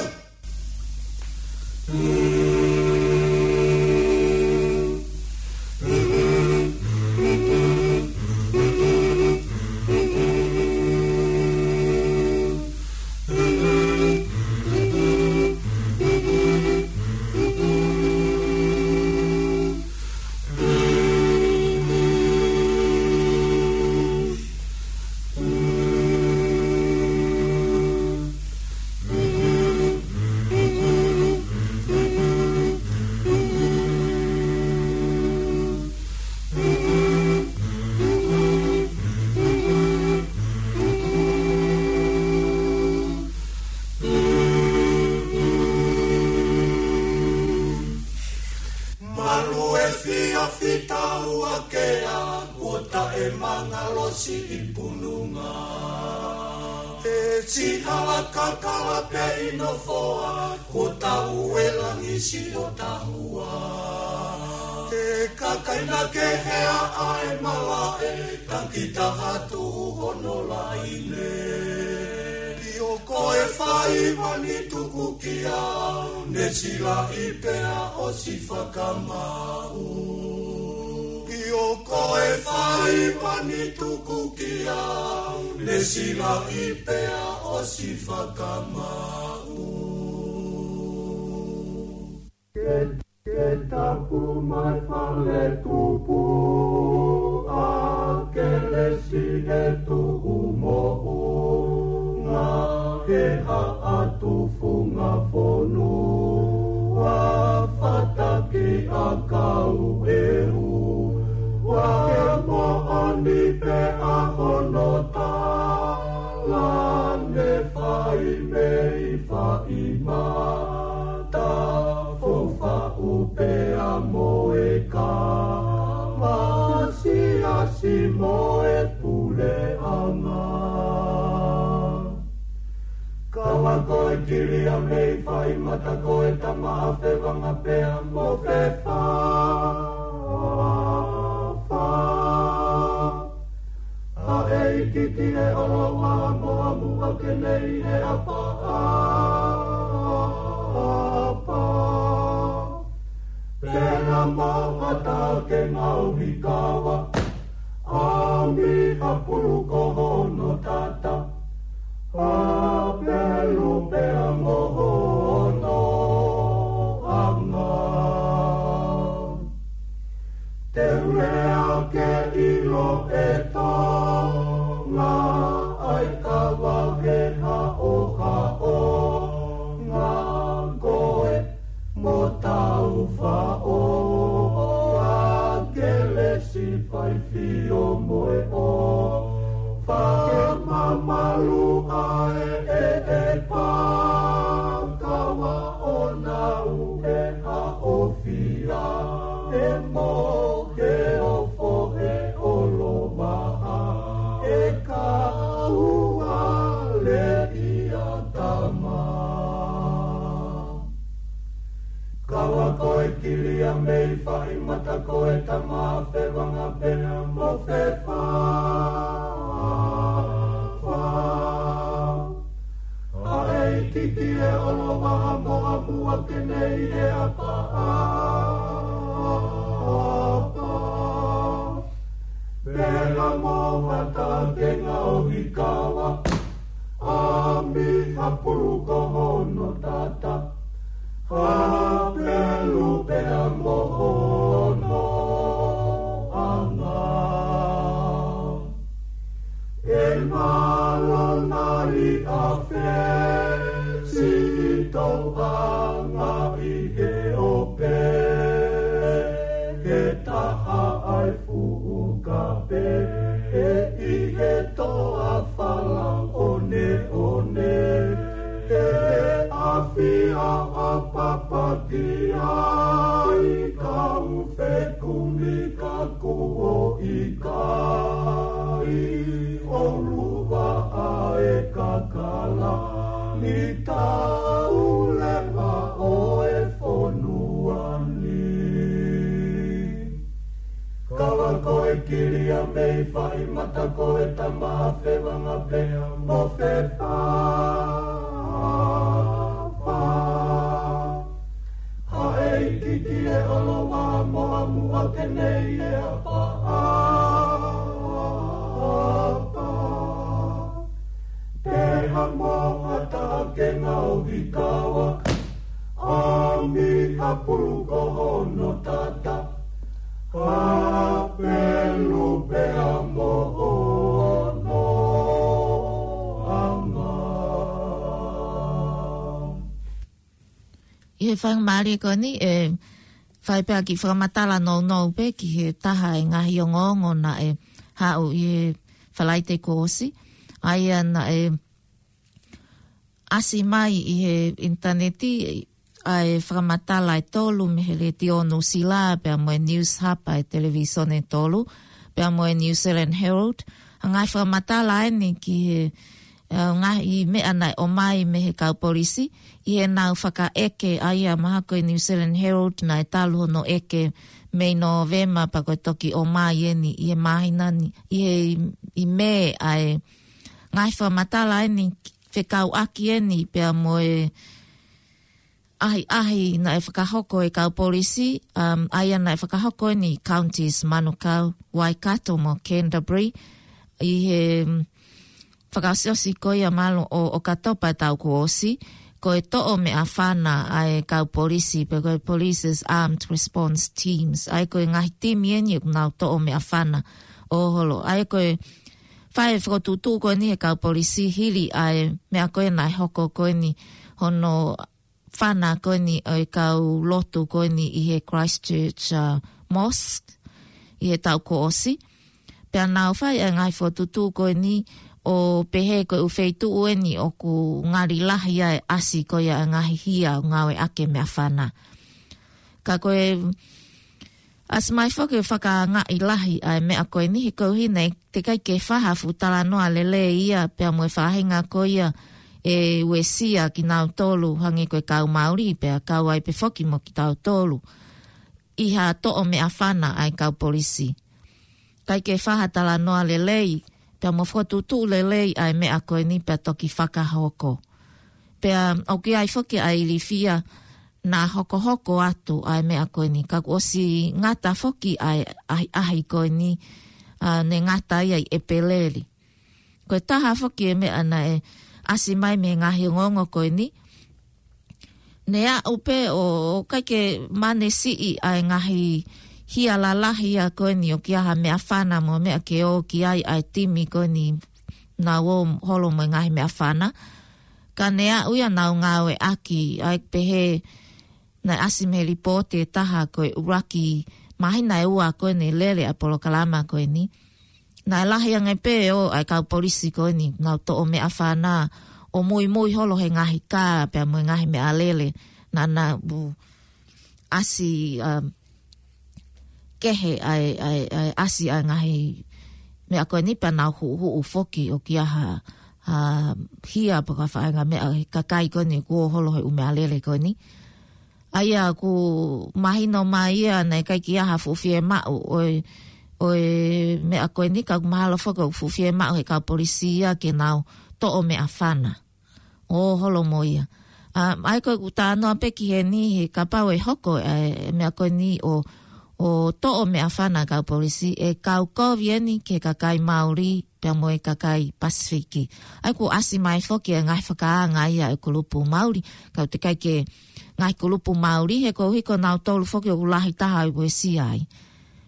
Malu e fia fita ua ke a kuo taʻe mangalosi ʻi pununga. He si hala kakala pe ʻi nofoa, kuo tau e langi si o tahua. He kakaina ke hea ʻa e malaʻe, taki taha tu hono laine. ʻI ʻo ko e faiva ni tuku ki au, ne silaʻi pea ʻosi fakamaʻu. ʻI ʻo ko e faiva ni tuku ki au, ne silaʻi pea ʻosi fakamaʻu. Ke, ke tapu mai fale tupu, ʻa Kelesi he tuʻu moʻunga, he haʻa tufunga fonua, fataki ʻakau e ua, ke moʻoni pē ʻa hono tala, ne fai mei fai mata, fou faʻu pea mo e kama, siasi mo e puleʻanga. Kau ako e kili a mei fai mata ko e tama a Fevanga pea mo Fefa. Fa. ʻA e ʻikiʻiki e ʻoloʻola mo amuʻa ke nei he apa, apa. Pena mo ata ke ngau hikawa, ʻa mi ha pulu ko hono tata, ʻa pelu pea mo hono anga. Te u lea ke ʻilo e Tonga, ʻa e kava he haʻohaʻonga ko e mo tau faʻo, ʻa Kelesi fai fio mo e ʻo. Fakamamalu ʻa e ʻe e pā, kava ʻo nau e haʻofia, e mo ke ofo e ʻolovaha, e kaua le ia tama. Kau ako e kili a mei fai mata ko e tama a Fevanga pea mo Fefa. Ke nei e apa, apa. Pela mo mata ke ngau hikawa. A mi a pulu ko hono tata. A pelu pea mo hono anga. E malo nali a fesi i tou anga i he ope. He taha ai fuʻu kape. He i he toa fala one one. He afi a a papati ai kau fekumi ka kuo i kai. O luva a e kakala ni tau leva o e fonua ni. Kala ko e kili a mei fai mata ko e tama a fevanga pea mo fefa. Haʻe i kiki e olowa mo a mua ke nei e apa, apa. Pea mo a ta ke ngau hikawa. A mi a pulu ko hono tata. A pelu pea mo hono anga. ʻI he faingamālie ko eni, e, fai pē ha kiʻi fakamatala nounou pē ki he taha e ngaahi ongoongo naʻe haʻu ʻi he Falaite kuo ʻosi. ʻA ia naʻe ʻasi mai ʻi he ʻinitaneti ʻa e fakamatala ʻe tolu mei he Letiō Nuʻusila, pea mo e News Hub ʻa e Televisone ʻe tolu, pea mo e New Zealand Herald. ʻA e ngaahi fakamatala eni ki he, ʻa e ngaahi meʻa naʻe ʻomai mei he kau polisi, ʻi heʻenau fakaʻeke ʻa ia mahalo ko e New Zealand Herald naʻe talu hono ʻeke mei Nōvema pea ko e toki ʻomai eni ʻi he māhina ni, ʻi he, ʻi Mē ʻa e ngaahi fakamatala eni fekauʻaki eni pea mo e ʻahiʻahi naʻe fakahoko ʻe he kau polisi, um, ʻa ia naʻe fakahoko eni ʻi counties Manukau, Waikato mo Canterbury, ʻi he, um, fakaʻosiʻosi ko ia mahalo ʻo, ʻo ʻOkatopa taʻu kuo ʻosi, ko e toʻo meʻafana ʻa e kau polisi, pe ko e Police's Armed Response Teams, ʻa ia ko e ngaahi timi eni ʻoku nau toʻo meʻafana ʻo holo. ʻA ia ko e fai e fokotuʻutuʻu ko eni ʻe he kau polisi hili ʻa e meʻa ko ē naʻe hoko ko eni hono fana ko eni ʻo e kau lotu ko eni ʻi he Christchurch, uh, Mosque ʻi he taʻu kuo ʻosi. Pea nau fai e ngaahi fokotuʻutuʻu ko eni ʻo pehē ko e ʻū feituʻu eni ʻoku ngali lahi ai e ʻasi ko ia e ngaahi hia ʻoku ngāueʻaki e meʻafana. Ka ko e ʻasi mai foki e fakaangaʻi lahi ʻa e meʻa ko eni he koeʻuhi naʻe teʻeki ai ke fai ha fuʻu talanoa lelei ia pea mo e faʻahinga ko ia ʻe uesia kinautolu hangē ko e kau Māori pea kau ai pē foki mo kitautolu ʻi ha toʻo meʻafana ʻa e kau polisi. ʻIkai ke fai ha talanoa lelei, pea mo fokotuʻutuʻu lelei ʻa e meʻa ko eni pea toki fakahoko. Pea ʻoku ʻi ai foki ʻa e ilifia naʻa hokohoko atu ʻa e meʻa ko eni, ka kuo ʻosi ngata foki ʻa e ʻahiʻahi ko eni, ʻa, ne ngata ia ʻi ʻEpeleli. Ko e taha foki e meʻa naʻe ʻasi mai mei he ngaahi ongoongo ko eni, ne aʻu pē ʻo, ʻo ʻikai ke manesiʻi ʻa e ngaahi hia lalahi ia ko eni ʻoku ʻi ai ha meʻafana mo e meʻa ke ō ki ai ʻa e timi ko eni naʻa nau holo mo e ngaahi meʻafana. Ka ne aʻu ia ʻo nau ngāueʻaki, ʻa ia pehē naʻe ʻasi mei he lipooti ʻe taha ko e ʻuluaki māhina ʻe ua ko eni lele ʻa e polokalama ko eni. Naʻe lahi ange pē ʻo ʻai kau polisi ko eni, nau toʻo meʻafana ʻo muimui holo he ngaahi kā, pea mo e ngaahi meʻalele, naʻa nau ʻasi, um, kehe ʻa e, ʻa e, ʻa e ʻasi ʻa e ngaahi meʻa ko eni pea nau huʻuhuʻu foki ʻoku ʻi ai ha, ha hia pe ko ha faʻahinga meʻa he kakai ko eni kuo holo he ʻū meʻalele ko eni. ʻA ia ʻoku mahino mai ia naʻe ʻikai ke ʻi ai ha fuʻu fiemaʻu ʻo e, ʻo e meʻa ko eni ka ʻoku mahalo foki ʻoku fuʻu fiemaʻu he kau polisi ia ke nau toʻo meʻafana ʻo holo mo ia. ʻA, ʻa ia ko ʻeku talanoa pē ki heni he kapau ʻe hoko ʻa e meʻa ko eni ʻo, ʻo toʻo meʻafana kau polisi, ʻe kau kovi eni ki he kakai Mauli pea mo e kakai Pasifiki. ʻA ia kuo ʻasi mai foki e ngaahi fakaanga ia e kulupu Mauli, kau teʻeki ke ngaahi kulupu Mauli, he ko e ʻuhi ko nautolu foki ʻoku lahi taha ʻi uesia ai.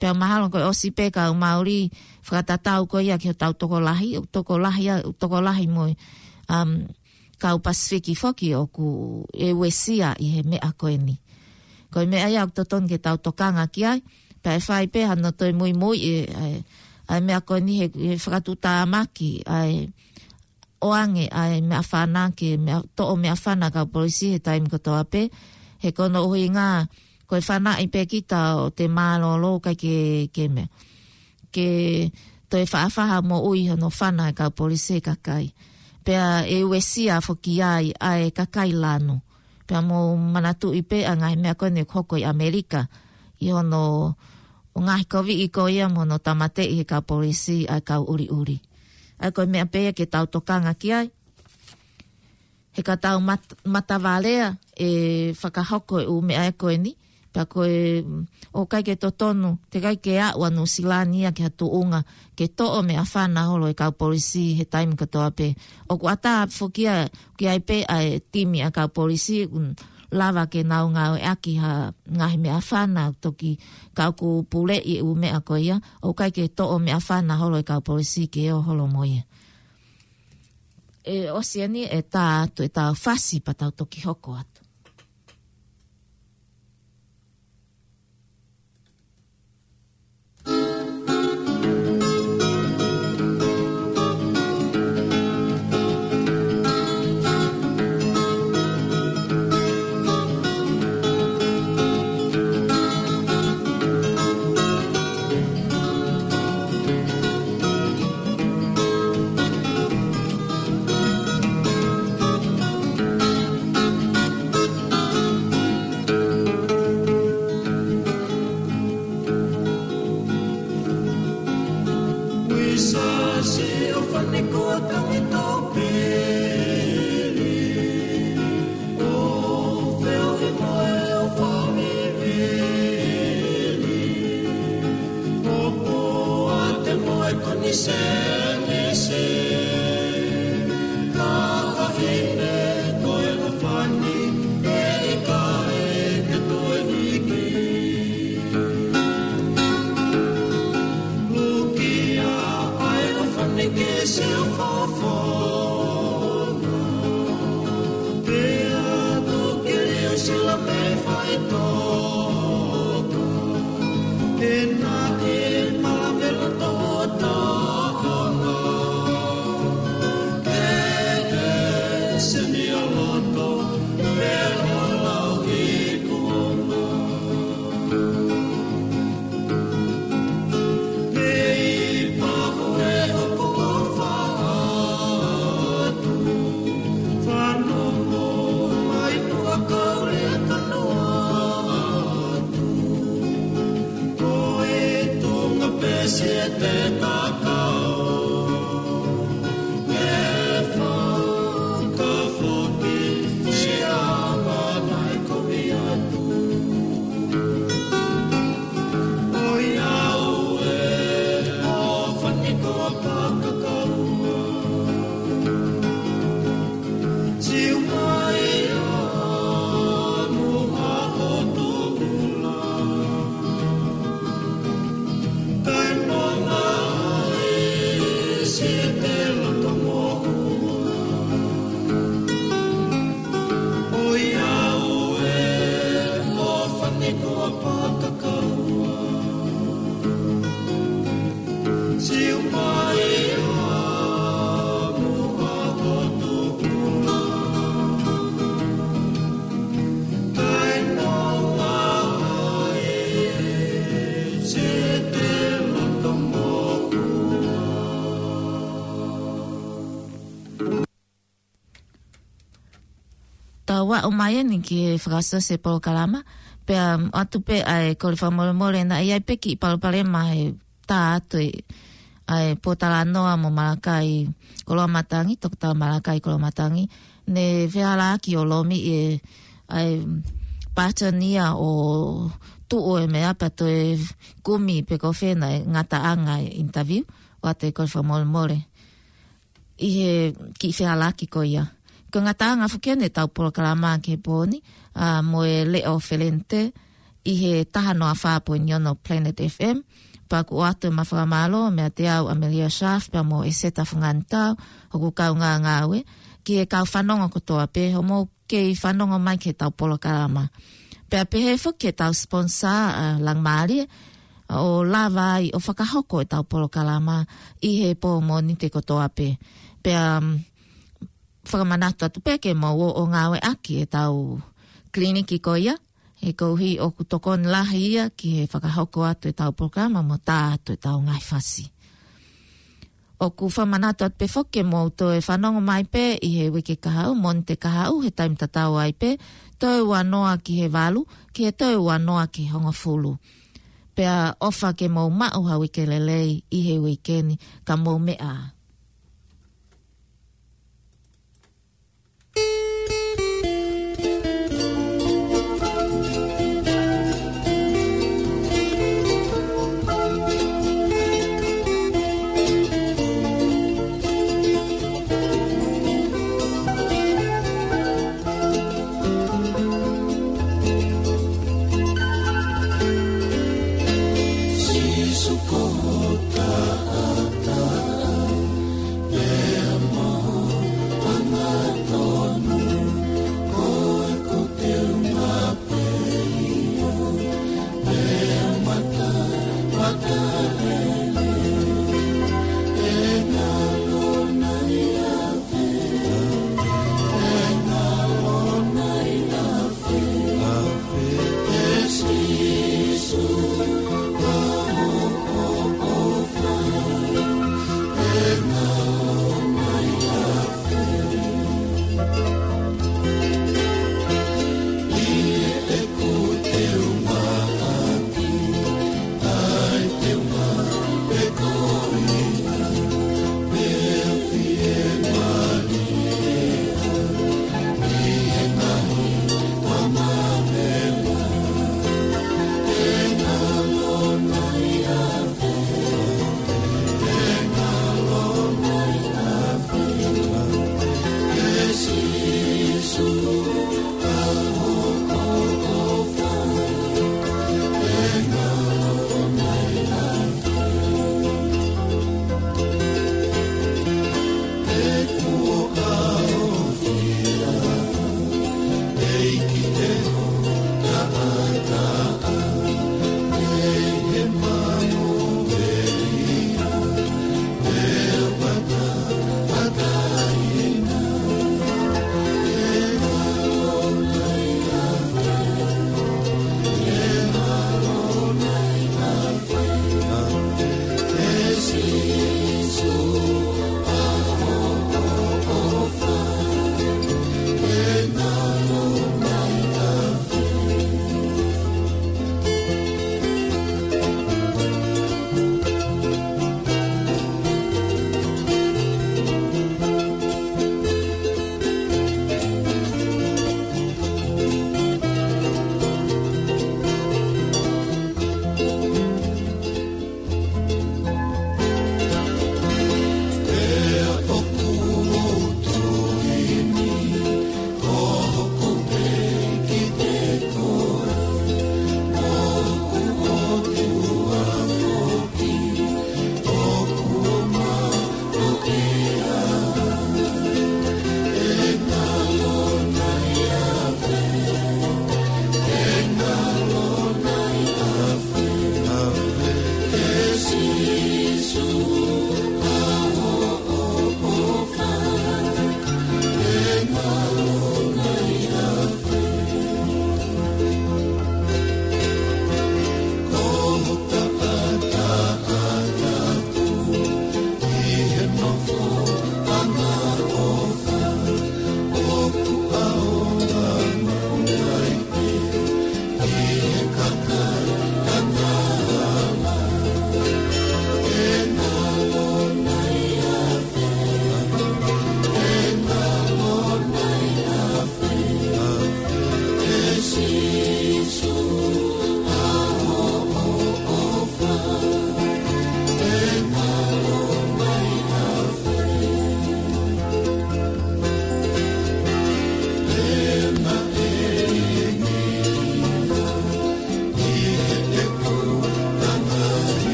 Pea mahalo ko e ʻosi pē kau Mauli fakatatau ko ia ki hotau tokolahi, ʻoku tokolahi ia, ʻoku tokolahi mo e, um, kau Pasifiki foki ʻoku ʻe uesia ʻi he meʻa ko eni. Ko e meʻa ia ʻoku totonu ke tau tokanga ki ai, pea ʻe fai pē hano toe muimui e, e, ʻa e meʻa ko eni he, he fakatuʻutāmaki, ʻa e ʻoange ʻa e meʻafana ke meʻa, toʻo meʻafana kau polisi he taimi kotoa pē, he ko hono ʻuhinga, ko e fanaʻi pē kita ʻo te mālōlō kai ke, ke meʻa. Ke toe faʻafaha moʻui hono fana e kau polisi e kakai. Pea ʻe uesia foki ai ʻa e kakai lanu. Pea mou manatuʻi pē ʻa e ngaahi meʻa ko eni ʻoku hoko ʻi ʻAmelika. ʻI hono ʻo ngaahi koviʻi ko ia mo hono tāmateʻi he kau polisi ʻa e kau ʻuliʻuli. ʻA ia ko e meʻa pē ia ke tau tokanga ki ai. He ka tau mat-, matavalea ʻe fakahoko e ʻū meʻa ko eni. Pea ko e, mm, ʻoku ʻikai ke totonu, teʻeki ke aʻu ʻa Nuʻusila ni ia ki ha tuʻunga, ke toʻo meʻafana holo e kau polisi he taimi kotoa pē. ʻOku ʻatā foki ia, ki ai pē ʻa e timi ʻa e kau polisi, mm, lava ke nau ngāueʻaki ha ngaahi meʻafana toki kau ku puleʻi e ʻū meʻa ko ia, ʻoku ʻikai ke toʻo meʻafana holo e kau polisi ke ō holo mo ia. ʻE ʻosi eni e tā atu e tā fasi pea tau toki hoko atu. Tau aʻu mai eni ki he fakaʻosi e polokalama, pea ʻoatu pē ʻa e kole fakamolemole naʻe ʻi ai pē kiʻi palopalema he tā atu e, ʻa e pōtalanoa mo Malakai Koloamatangi, Toketā Malakai Koloamatangi, ne fehālaaki ʻo lomiʻi e, ʻa e button ia ʻo tuʻu e meʻa pea toe kumi pe ko fē nai e ngataʻanga e interview, ʻoatu e kole fakamolemole ʻi he kiʻi fehālaaki ko ia. Ko e ngataʻanga foki eni ʻetau polokalama ki he pō ni, ʻa, mo e Leʻo Felente ʻi he taha noa fā poini ono Planet F M, pea ʻoku ʻoatu ʻema fakamālō meiate au ʻAmelia Schaaf pea mo ʻEseta Funganitau, hoku kaungāngāue, ki he kau fanongo kotoa pē, hoʻomou kei fanongo mai ki heʻetau polokalama. Pea pehē foki ki heʻetau sponsor, ʻa, Langamālie, ʻo lava ai ʻo fakahoko ʻetau polokalama ʻi he pō Mōnite kotoa pē. Pea, mm, fakamanatu atu pē ke mou ō ʻo ngāueʻaki ʻetau kiliniki ko ia, he koeʻuhi ʻoku tokoni lahi ia ki he fakahoko atu ʻetau polokalama mo tā atu ʻetau ngaahi fasi. ʻOku fakamanatu atu pē foki ke mou toe fanongo mai pē ʻi he uike kahaʻu, Mōnite kahaʻu, he taimi tatau ai pē, toe ua noa ki he valu, ki he toe ua noa ki he hongofulu. Pea ʻofa ke mou maʻu ha uike lelei ʻi he uike ni, ka mou meʻa ā.